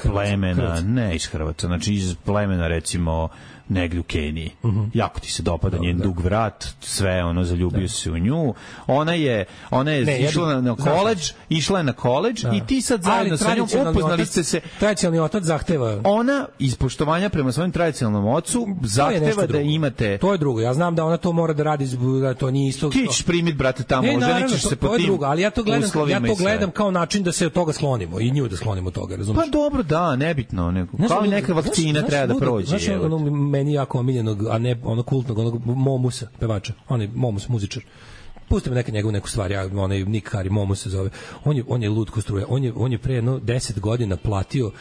plemena, ne iz Hrvatska, znači iz plemena, recimo, negdje u Keniji. Uh -huh. Jako ti se dopada njen da. dug vrat, sve, ono, zaljubio da. se u nju. Ona je, ona je ne, išla ja, na koledž, išla je na koledž i ti sad zajedno sa njom upoznali ste se. Tradicionalni otac zahteva. Ona, iz poštovanja prema svojim tradicionalnom ocu, zahteva da imate... To je drugo. Ja znam da ona to mora da radi, da to nije isto... Ti ćeš primiti, brate, tamo, ne, oženit ćeš se po tim drugo, ali ja to gledam, ja to gledam kao način da se od toga sklonimo i nju da sklonimo od toga, razumiješ? Pa dobro, da, nebitno. Neko, kao i neka vakcina treba da prođe. Meni jako omiljenog, a ne ono kultnog, onog Momusa, pevača, on je Momus, muzičar. Pustimo neke njegovu neku stvar, ja, onaj Nick Kari, Momus se zove. On je, on je lud ko struje. On je, on je pre jedno deset godina platio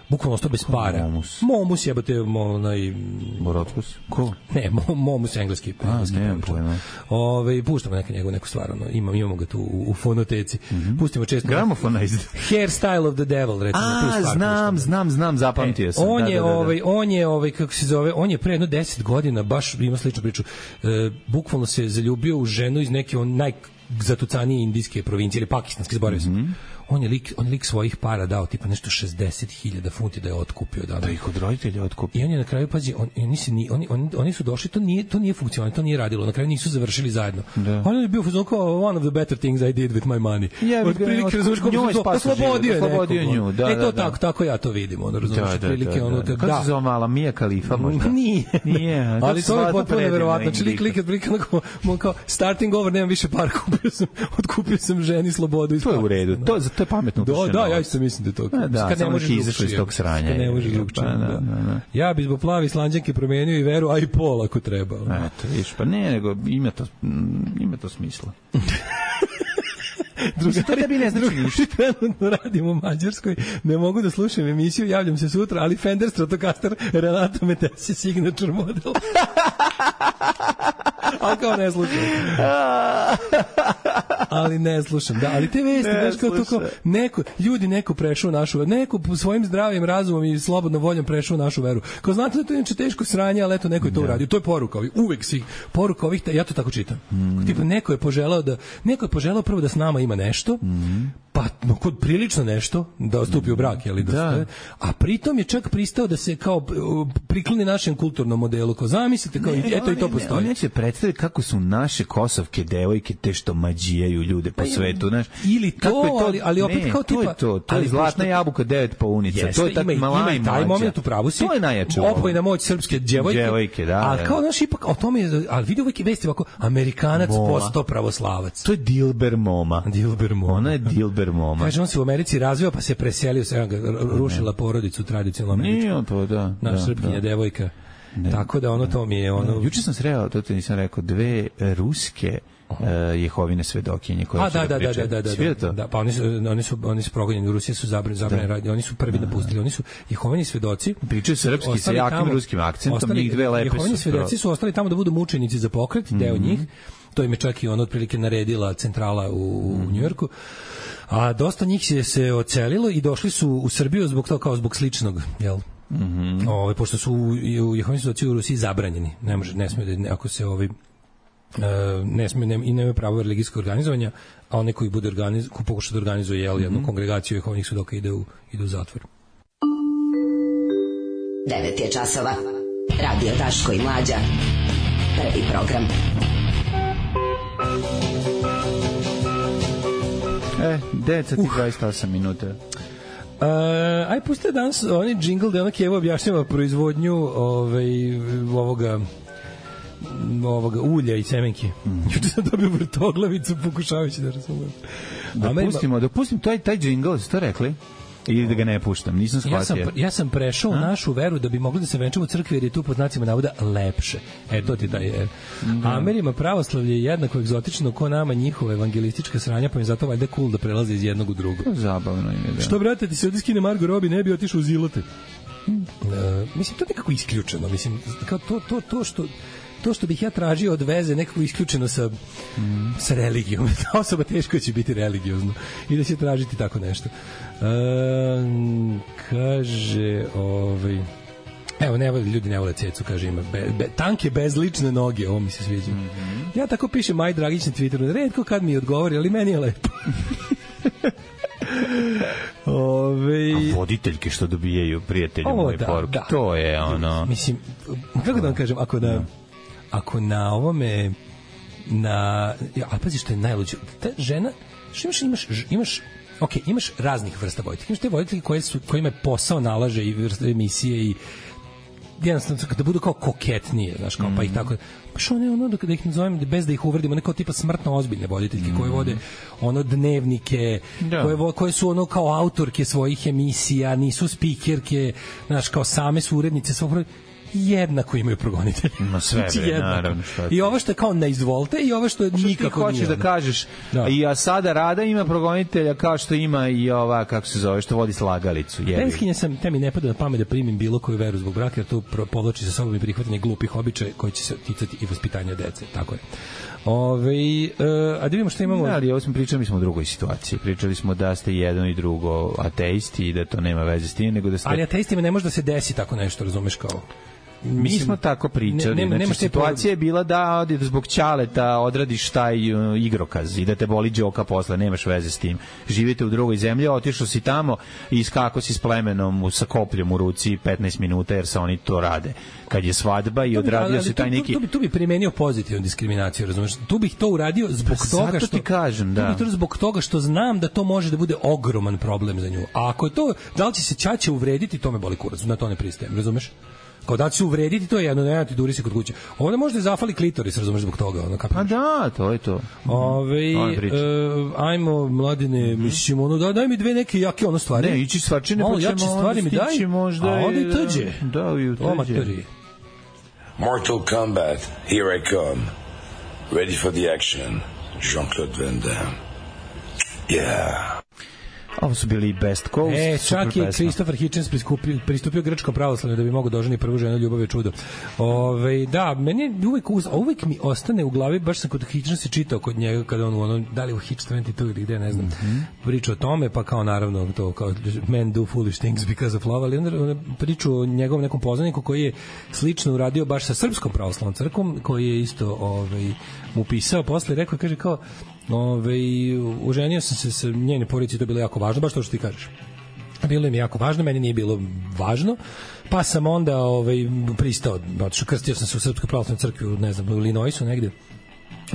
bukvalno sto bez para. Momus. Momus jebate, onaj... Borotkus? Ko? Ne, Momus engleski. A, engleski ne, pojma. Ove, puštamo neke njegu, neku stvar, ono, imam, imamo ga tu u, u fonoteci. Mm -hmm. Pustimo često... Gramofonized. Hairstyle of the Devil, recimo. A, tu stvar, znam, znam, znam, zapamtio e, sam. On da, je, da, da, da. ovaj, on je, ovaj, kako se zove, on je pre jedno deset godina, baš ima sličnu priču, e, bukvalno se zaljubio u ženu iz neke on najzatucanije indijske provincije, ili pakistanske, zaboravio sam. Mm -hmm. On je lik, on je lik svojih para dao tipa nešto šezdeset hiljada funti da je otkupio, da, da ih od roditelja otkupio. I on je na kraju, pazi, on, oni, se ni, oni, oni, oni su došli, to nije, to nije funkcionalno, to nije radilo, na kraju nisu završili zajedno. Da. On je bio fuzon kao one of the better things I did with my money. Yeah, od prilike, razumiješ, kako oslobodio je nekog. Nju, da, e, to da, tako, tako ja to vidim, ono, razumiješ, da, da, prilike, da, ono, da. kako da. se zove mala Mija Khalifa možda? Nije. Nije. Ali to je potpuno neverovatno. Znači, lik, lik, lik, kao, starting over, nemam više para, kupio sam, otkupio sam ženi slobodu. To je u redu, to je pametno. Da, ja isto mislim da je to. A, da, kad ne možeš izašao iz tog sranja. Kad ne možeš drugčije. Da, da, da. Ja bi zbog plavi Islanđanke promenio i veru, a i pol ako treba. Eto, viš, pa ne, nego ima to, ima to smisla. Drugari, to tebi ne znači ništa. Trenutno radim u Mađarskoj, ne mogu da slušam emisiju, javljam se sutra, ali Fender Stratocaster Renato Metesi signature model. Ali kao ne slušam. Ali ne slušam, da, ali te vesti, znaš kao to kao, neko, ljudi neko prešao našu veru, neko svojim zdravim razumom i slobodnom voljom prešao našu veru. Kao znate da to je inače teško sranje, ali eto neko je to uradio. To je poruka ovih, uvek svih, poruka ovih, ja to tako čitam. Mm. Tipa, neko je poželao da, neko je poželao prvo da s nama ima nešto, mm. pa no, kod prilično nešto, da stupi u brak, jeli, da, da. Stoje, a pritom je čak pristao da se kao prikloni našem kulturnom modelu, kao zamislite, kao, ne, eto ne, i to postoji. On neće predstaviti kako su naše kosovke devojke te što mađijaju ljude po svetu, znaš. Ili to, to, ali, ali opet ne, kao tipa... To je to, to je zlatna jabuka devet paunica, jeste, to je tak malaj ima taj moment u pravu si, to je najjače. Opojna moć srpske djevojke, djevojke da, ali kao, znaš, ipak o tome, ali vidi uvijek vesti ovako, Amerikanac postao pravoslavac. To je Dilber Moma. Dilber Moma. Ona je Dilber Moma. Kaže, on se u Americi razvio, pa se preselio, se rušila porodicu tradicionalno američku. Nije to, da. Naš srpkinja devojka. Ne, tako da ono to mi je ono... Juče sam sreo, to te nisam rekao, dve ruske uh, Jehovine svedokinje koje A, su da, da pričaju. Da, da, da, da, da, da, pa oni su, oni su, oni su progonjeni, u Rusiji su zabrani, zabrani radi, oni su prvi napustili, oni su Jehovini svedoci. Pričaju srpski sa jakim tamo, ruskim akcentom, ostali, njih dve lepe su. Jehovini svedoci su ostali tamo da budu mučenici za pokret, mm-hmm. deo njih, to im je čak i ono otprilike naredila centrala u, mm-hmm. u Njujorku. A dosta njih se, se ocelilo i došli su u Srbiju zbog toga kao zbog sličnog, jel? Mhm. Ovaj pošto su u Jehovini svedoci u Rusiji zabranjeni. Ne može, ne sme da ako se ovi ne sme ne, i nema pravo religijskog organizovanja, a onaj koji bude organiz, ko pokuša da organizuje jel, jednu mm-hmm. kongregaciju Jehovinih svedoka ide u ide u zatvor. devet je časova. Radio Daško i Mlađa. Prvi program. E, devet sati dvadeset osam minuta. Uh, aj pustite danas oni džingl da onak Evo objašnjava proizvodnju ovaj, ovoga ovoga ulja i semenki. Mm. Juče sam dobio vrtoglavicu pokušavajući da razumem. Da pustimo, da pustim taj, taj džingl, ste to rekli? Ili da ga ne puštam, nisam shvatio. Ja sam, ja sam prešao u našu veru da bi mogli da se venčamo u crkvi jer je tu pod znacima navoda lepše. E, to ti taj je. Mm. A Amerima pravoslavlje je jednako egzotično ko nama njihove evangelističke sranja, pa mi zato valjda cool da prelaze iz jednog u drugo. Zabavno je, da. Što, brate, ti se ovdje skine Margo Robbie, ne bi otišao u Zilote. Mm. Uh, mislim, to je nekako isključeno. Mislim, kao to, to, to što... to što bih ja tražio od veze nekako isključeno sa, mm. sa religijom. Ta osoba teško će biti religiozno i da će tražiti tako nešto. E, kaže, ovaj, evo, ne voli, ljudi ne vole cecu, kaže, ima be, be, tanke bezlične noge, ovo mi se sviđa. Mm-hmm. Ja tako pišem Maj Dragić na Twitteru, redko kad mi odgovori, ali meni je lepo. Ove... A voditeljke što dobijaju prijatelji moje da, poruke, da. To je ono... Mislim, kako da vam kažem, ako da... No. Ako na ovome na ja, a pazi što je najluđe, ta žena, što imaš imaš imaš ok, imaš raznih vrsta voditelja, imaš te voditelji koje su kojima je posao nalaže i vrste emisije i jednostavno da budu kao koketnije, znaš, kao, mm. pa ih tako pa što ne, ono, da ih nazovem bez da ih uvredimo, neko tipa smrtno ozbiljne voditeljke mm. koje vode ono dnevnike, da. koje, koje su ono kao autorke svojih emisija, nisu spikerke, znaš, kao same su urednice svog jednako imaju progonitelji. No sve, bre, naravno. I ovo što je kao na izvolte i ovo što je nikako nije. Što ti hoćeš da kažeš, da. I a sada Rada ima progonitelja kao što ima i ova, kako se zove, što vodi Slagalicu. Tenskinja sam, te mi ne pada na pamet da primim bilo koju veru zbog braka, jer to povlači sa sobom i prihvatanje glupih običaja koji će se ticati i vaspitanja dece. Tako je. Ove, uh, a da vidimo što imamo... Da, ali ovo smo pričali, mi smo u drugoj situaciji. Pričali smo da ste jedno i drugo ateisti i da to nema veze s tim, nego da ste... Ali ateistima ne može da se desi tako nešto, razumeš, kao... Mi smo tako pričali. Ne, ne, znači, situacija je bila da zbog ćaleta odradiš taj uh, igrokaz i da te boli đoka posle, nemaš veze s tim. Živite u drugoj zemlji, otišao si tamo i iskako si s plemenom sa kopljom u ruci petnaest minuta jer se oni to rade. Kad je svadba i odradio bi, se taj neki... Tu, tu, bi, tu bi primenio pozitivnu diskriminaciju, razumiješ? Tu bih to uradio zbog pa toga što... ti kažem, da. Tu bih to zbog toga što znam da to može da bude ogroman problem za nju. A ako je to, da li će se ćaće uvrediti, to me boli kurac, na to ne pristajem, razumeš? Kao da će se uvrediti, to je jedno, ne ti duri se kod kuće. Ovdje možda je zafali klitoris, razumeš, zbog toga. Ono, pa da, to je to. Ove, uh, ajmo, mladine, mm-hmm. mislim, ono, da, daj mi dve neke jake ono stvari. Ne, ići stvarčine, pa ćemo stvari mi daj, možda a onda i tuđe. Da, i u tuđe. Mortal Kombat, here I come. Ready for the action. Jean-Claude Van Damme. Yeah. Ovo su bili Best Coast. E, čak je Christopher Hitchens pristupio, pristupio grčkom pravoslavlju da bi mogao doženi prvu ženu, ljubav je čudo. Ove, da, meni uvijek, uvijek mi ostane u glavi, baš sam kod Hitchensa čitao kod njega, kada on, ono, da li u Hitch dvadeset dva ili gde, ne znam, mm-hmm. priča o tome, pa kao naravno to, kao men do foolish things because of love, ali onda priču o njegovom nekom poznaniku koji je slično uradio baš sa Srpskom pravoslavnom crkvom, koji je isto ovaj, mu pisao posle, rekao, kaže kao, Ove, uženio sam se sa njene porodice, to je bilo jako važno, baš to što ti kažeš. Bilo im jako važno, meni nije bilo važno, pa sam onda ovaj, pristao, otišao, krstio sam se u Srpskoj pravoslavnoj crkvi, ne znam, u Illinoisu negde,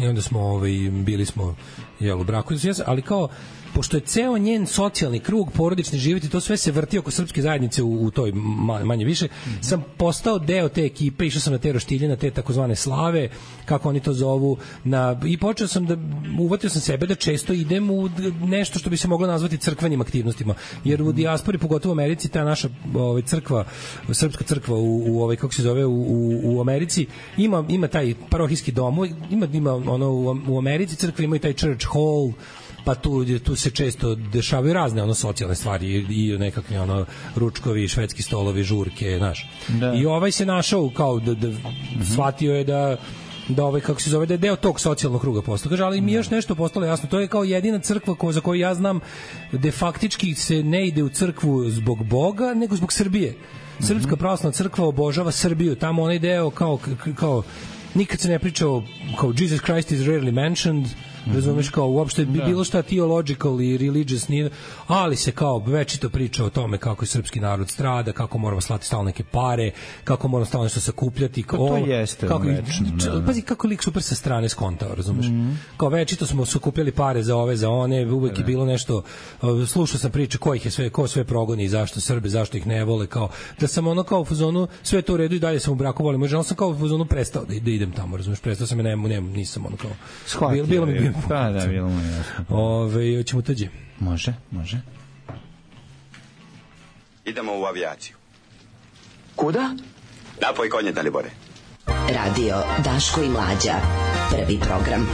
i onda smo, ovaj, bili smo jel, u braku, ali kao, pošto je ceo njen socijalni krug, porodični život i to sve se vrti oko srpske zajednice u, u toj manje više, mm-hmm. sam postao deo te ekipe, išao sam na te roštilje, na te takozvane slave, kako oni to zovu, na, i počeo sam da, uvatio sam sebe da često idem u nešto što bi se moglo nazvati crkvenim aktivnostima, jer u dijaspori, pogotovo u Americi, ta naša ovaj, crkva, srpska crkva u, u ovaj, kako se zove, u, u, u Americi, ima, ima taj parohijski dom, ima, ima ono, u, u Americi crkva ima i taj church hall, pa tu, tu se često dešavaju razne ono socijalne stvari i, i nekakvi ono ručkovi, švedski stolovi, žurke, znaš. Da. I ovaj se našao kao da, da mm-hmm. shvatio je da da ovaj kako se zove da je deo tog socijalnog kruga postao. Kaže, ali mi još nešto postalo jasno, to je kao jedina crkva ko, za koju ja znam da faktički se ne ide u crkvu zbog Boga, nego zbog Srbije. Srpska pravoslavna crkva obožava Srbiju, tamo onaj deo kao kao nikad se ne priča o kao Jesus Christ is rarely mentioned, razumeš, kao uopšte bi bilo šta theological i religious nije, ali se kao večito priča o tome kako je srpski narod strada, kako moramo slati stalno neke pare, kako moramo stalno nešto sakupljati, pa to jeste kako, večno, da. Pazi kako lik super sa strane skontao, razumeš, mm-hmm. kao večito smo sakupljali pare za ove, za one, uvek da. Je bilo nešto, slušao sam priče ko ih je sve, ko sve progoni i zašto Srbe, zašto ih ne vole, kao da sam ono kao u fazonu sve to u redu i dalje sam u braku volim, možda sam kao u fazonu prestao da, da idem tamo, razumeš, prestao sam i nemu, nemu, nisam ono kao shvatio, bilo, bilo mi pa da, bilo mu jasno. Ove, hoćemo tuđe. Može, može. Idemo u avijaciju. Kuda? Napoj konje, Dalibore. Radio Daško i Mlađa. Prvi program.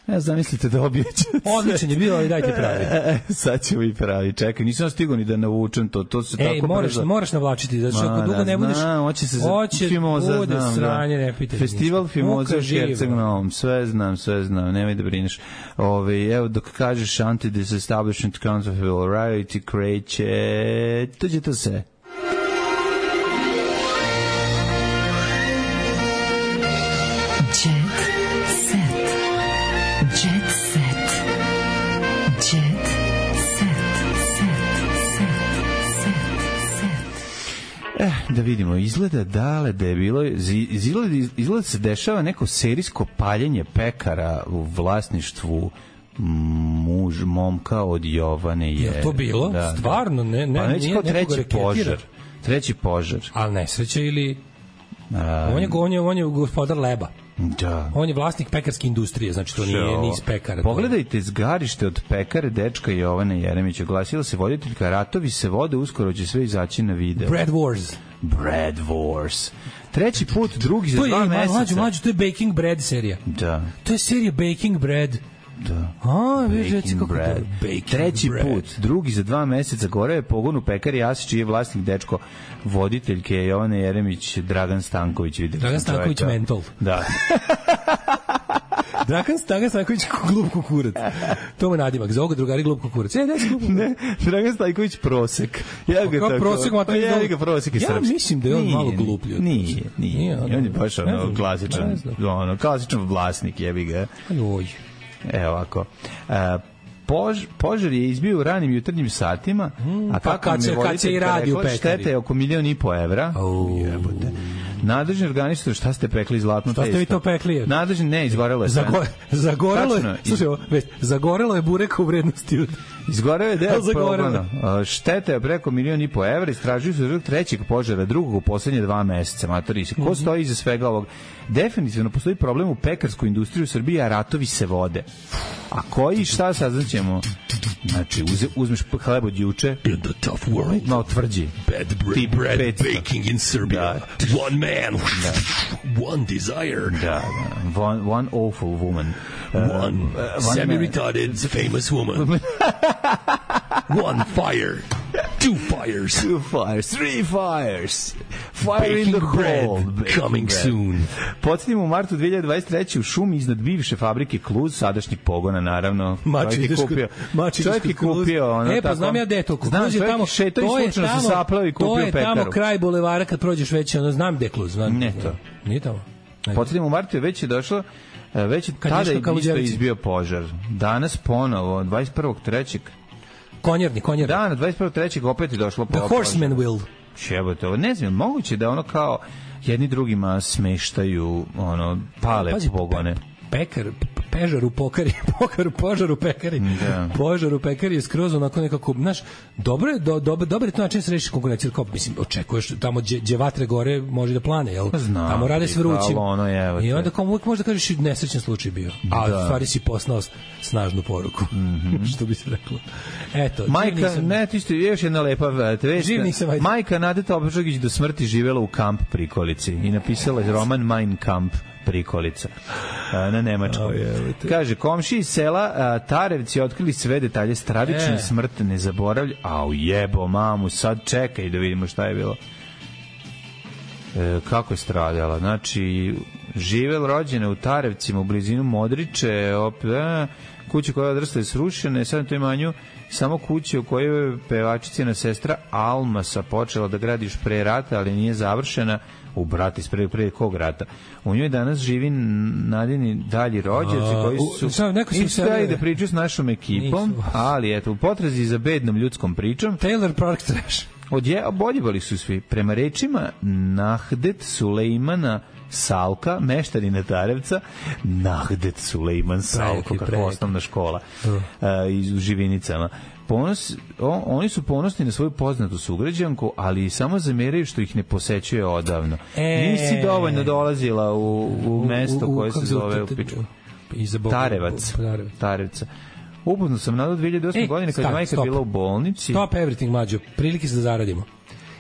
Ja zamislite da obijeće. Odličan je bio, ali dajte pravi. E, sad ćemo i pravi. Čekaj, nisam stigao ni da navučem to. To se Ej, tako moraš, brzo. moraš navlačiti, zato što ako dugo ne budeš... Znam, hoće se za Fimoza, bude znam. Sranje, ne pitaj. Festival Fimoza u Herceg-Novom. Sve znam, sve znam, nemoj da brineš. Ove, evo, dok kažeš anti-disestablishment counterfeit variety kreće, tuđe to se. Eh, da vidimo, izgleda dale da je bilo, izgleda, izgleda se dešava neko serijsko paljenje pekara u vlasništvu muž, momka od Jovane je. Je to bilo? Da, stvarno? Ne, ne, pa neće kao treći požar. Treći požar. Ali nesreća ili... A, on, je, on, je, on je gospodar leba. Da. On je vlasnik pekarske industrije, znači to nije niz pekara. Pogledajte zgarište od pekare dečka Jovane Jeremića. Oglasila se voditeljka, ratovi se vode, uskoro će sve izaći na video. Bread Wars. Bread Wars. Treći put, drugi za dva meseca. Mlađu, mlađu, to je Baking Bread serija. Da. To je serija Baking Bread. Da. A, viš, reci kako bread. to. Baking Treći bread. put, drugi za dva meseca, gore je pogon u pekari Asić, čiji je vlasnik dečko voditeljke Jovane Jeremić, Dragan Stanković. Dragan Stanković mentol. Da. Dragan Dragan Stanković glup kukurac. To mu nadimak. Za ovoga drugari glup kukurac. E, daj glup. Ne, Dragan Stanković prosek. Ja ga tako. Prosek, pa ja ga prosek je srpski. Ja mislim da je on nije, malo gluplji. Nije, nije. nije on je baš ono klasičan, ono klasičan vlasnik, jebi ga. Joj. Evo ovako. Uh, Pož, požar je izbio u ranim jutarnjim satima, mm, a pa kad se, kad se i radi u pekari. Štete je oko milion i po evra. Oh. Jebote. Nadležni organizator, šta ste pekli, zlatno testo? Šta ste vi to pekli? Nadležni, ne, izgorelo je sve. Zago, zagorelo Tačno, je, slušaj, već, zagorelo je bureka u vrednosti od... Izgoreo je deo pogona. Šteta je preko milion i po evra, istražuju se zbog trećeg požara, drugog u poslednje dva meseca, matori se. Ko mm-hmm. stoji iza svega ovog? Definitivno postoji problem u pekarskoj industriji u Srbiji, a ratovi se vode. A koji, šta saznaćemo? Znači, uze, uzmeš hleb od juče, in the tough world, malo tvrđi. Bad bread, bread baking in Serbia. Da. One man, da. One desire. Da, da. One, one awful woman. Uh, one uh, semi-retarded famous woman. One fire. Two fires. Two fires. Three fires. Fire baking in the bread hole. Coming bread. Soon. Podsjetimo u martu dve hiljade dvadeset treće u šumi iznad bivše fabrike Kluz, sadašnjeg pogona, naravno. Mači je kupio. Mači čovjek je kupio. Ono, e, pa znam ja gde to. Znam, čovjek tamo, šeto i slučajno se saplao i kupio pekaru. To je tamo kraj bulevara kad prođeš već, ono, znam gde Kluz. Znam. Ne to. Nije tamo. Podsjetimo u martu je već je došlo, već je tada je isto izbio požar. Danas ponovo, dvadeset prvog trećeg Konjerni, konjerni. Da, na dvadeset prvog trećeg opet je došlo po. The Horseman will. Čebote, ovo ne znam, moguće da ono kao jedni drugima smeštaju, ono, pale Pazi, pogone. Pe, pekar, pežar u pokari, pokar u požar u pekari. Da. Požar u pekari je skroz onako nekako, znaš, dobro je, do, do, dobar je to način da se reši konkurencija, kao, mislim, očekuješ tamo gdje vatre gore može da plane, jel? Znam, tamo rade s vrućim. Ono je, i onda kao uvijek možda kažeš nesrećen slučaj bio. A da. U stvari si poslao snažnu poruku. Mm-hmm. Što bi se reklo. Eto, majka, nisam... ne, ti ste još jedna lepa vest. Majka Nadeta Obžogić do smrti živela u kamp Prikolici i napisala je roman Mein Kamp Prikolica na nemačkom. Oh, kaže, komši iz sela a, Tarevci otkrili sve detalje stravične e. smrti, ne zaboravlja. Au jebo mamu, sad čekaj da vidimo šta je bilo. E, kako je stradala? Znači, živel rođena u Tarevcima u blizinu Modriče, opet, a, kuće koja je odrasla je srušena, sad na toj imanju samo kuće u kojoj je pevačicina sestra Almasa počela da gradi još pre rata, ali nije završena. U brati, pre, pre kog rata. U njoj danas živi nadini dalji rođaci koji su isto da ide priču s našom ekipom, nisu. Ali eto, u potrazi za bednom ljudskom pričom Taylor Park Trash. Odje, oboljevali su svi. Prema rečima Nahdet Sulejmana Salka, meštanina Tarevca, Nahdet Sulejman Salko, kako osnovna škola uh. Uh, iz u Živinicama. Ponos, o, oni su ponosni na svoju poznatu sugrađanku, ali samo zameraju što ih ne posećuje odavno. E, Nisi dovoljno dolazila u, u mesto u, u, koje se zove u piču. Tarevac. Tarevca. Uputno sam nadao dve hiljade osme. E, godine kad je majka stop. bila u bolnici. Stop everything, mlađo. Prilike se da zaradimo.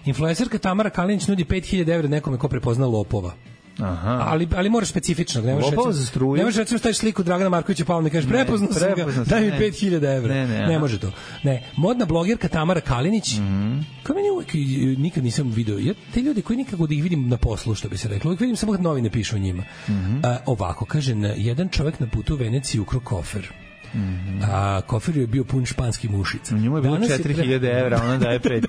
Influencerka Tamara Kalinić nudi pet hiljada evra nekome ko prepozna lopova. Aha. Ali, ali moraš specifično. Ne možeš recimo, ne možeš recimo staviš sliku Dragana Markovića Palme i kažeš prepoznao sam ga, daj mi pet hiljada evra. Ne, ne, ne može to. Ne, modna blogerka Tamara Kalinić, mm-hmm. kao meni uvijek nikad nisam vidio, ja, te ljudi koji nikako da ih vidim na poslu, što bi se reklo, uvijek vidim samo kad novine pišu o njima. Mm-hmm. A, ovako, kaže, jedan čovjek na putu u Veneciji ukro kofer. Mm-hmm. A kofer je bio pun španskih mušica. U njemu je bilo četiri hiljade evra, ona daje pet.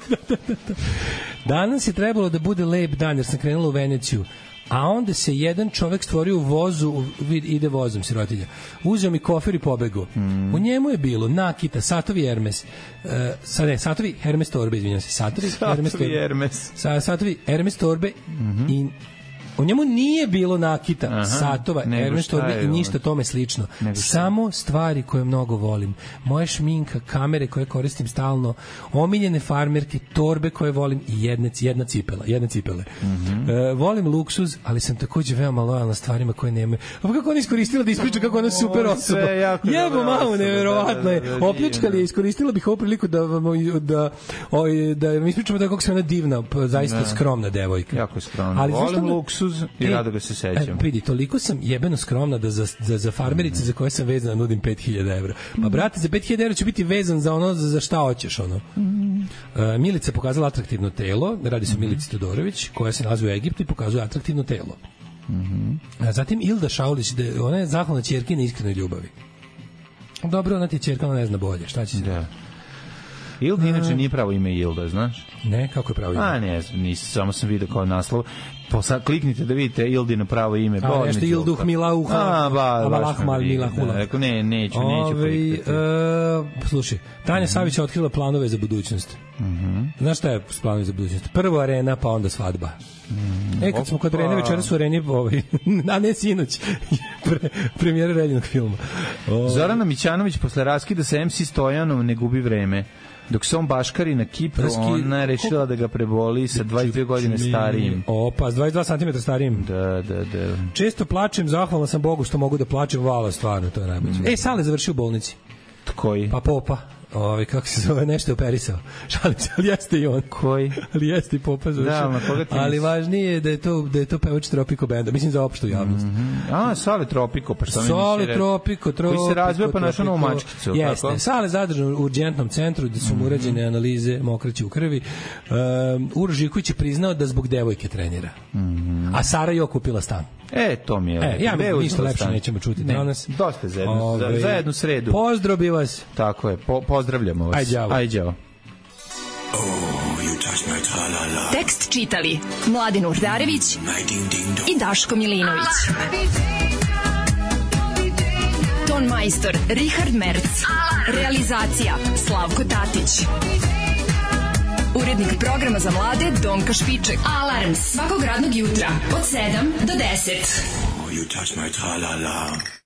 Danas je trebalo da bude lep dan, jer sam krenula u Veneciju. A onda se jedan čovek stvorio u vozu, ide vozom, sirotilja. Uzeo mi kofer i pobegao. Mm. U njemu je bilo nakita, satovi Hermes, uh, sad ne, satovi Hermes torbe, izvinjam se, satovi, satovi Hermes torbe, Hermes. Sa, satovi Hermes torbe mm-hmm. i u njemu nije bilo nakita, aha, satova, Hermes torbe i ništa tome slično. Samo stvari koje mnogo volim. Moja šminka, kamere koje koristim stalno, omiljene farmerke, torbe koje volim i jedne, jedna cipela, jedne cipele. Mm-hmm. E, volim luksuz, ali sam takođe veoma lojalna stvarima koje nemaju. A kako ona iskoristila da ispriča kako ona super osoba. Jebo mamu, neverovatno je. Opljačkali je, iskoristila bih ovu priliku da da, da, da mi ispričamo da kako se ona divna, zaista skromna devojka. Jako skromna. Ali volim luksuz i rado ga se sećam. E, vidi, toliko sam jebeno skromna da za, za, za farmerice mm. za koje sam vezana nudim pet hiljada evra. Pa brate, za pet hiljada evra ću biti vezan za ono, za, za šta hoćeš ono. Mm. Uh, Milica pokazala atraktivno telo, radi se o Milici Todorović, koja se nalazi u Egiptu i pokazuje atraktivno telo. Mm-hmm. A zatim Ilda Šaulić, da, ona je zahvalna ćerki na iskrenoj ljubavi. Dobro, ona ti je ćerka, ona ne zna bolje, šta će se... Da. Ilda inače nije pravo ime Ilda, znaš? Ne, kako je pravo ime? A ne, nisam, samo sam vidio kao naslov. Posa, kliknite da vidite Ildino pravo ime. A, nešto Ilduh Milauha. A, ba, baš me Milahula. Rekao, ne, neću, neću kliknuti. Uh, slušaj, Tanja mm-hmm. Savić je otkrila planove za budućnost. Mm-hmm. Znaš šta je planovi za budućnost? Prvo arena, pa onda svadba. Mm, e, kad smo kod Arene, večeras u Areni, ovaj, a ne sinoć, pre, premijera Reljinog filma. Ovaj. Zorana Mićanović posle raskida sa em ce Stojanom ne gubi vreme. Dok se on baškari na Kipru, Raski... ona je rešila da ga preboli sa dvadeset dve godine starijim. Opa, s dvadeset dva centimetra starijim. Da, da, da. Često plačem, zahvalna sam Bogu što mogu da plačem, vala, stvarno, to je najbolje. Mm. E, Sale završio u bolnici. Koji? Pa Popa. Ovi, kako se zove, nešto je operisao. Šalim se, ali jeste i on. Koji? Ali jeste i Popa završio. Da, na koga ti ali misliš? važnije je da je to, da je to pevač Tropico benda. Mislim za opštu javnost. Mm -hmm. A, Sale Tropico, pa što mi Sale misli? Tropico, Tropico. Koji se razvija pa našao novu mačkicu. Jeste. Kako? Sale zadržan u urgentnom centru gde su mu urađene analize mokraće u krvi. Um, Uroš Živković je priznao da zbog devojke trenira. Mm -hmm. A Sara je okupila stan. E, to mi je. E, ja mi ništa lepše nećemo čuti ne, danas. Dosta za jednu, Ove, za, za jednu sredu. Pozdrav bi vas. Tako je, po, pozdravljamo vas. Ajde, đavo. Ajde, đavo. Oh, you touch my tra-la-la. Tekst čitali Mladin Urdarević i Daško Milinović. Ton majstor Richard Merc. Realizacija Slavko Tatić. Urednik programa za mlade Donka Špiček. Alarms svakog radnog jutra od sedam do deset. Oh, you touch my tra-la-la.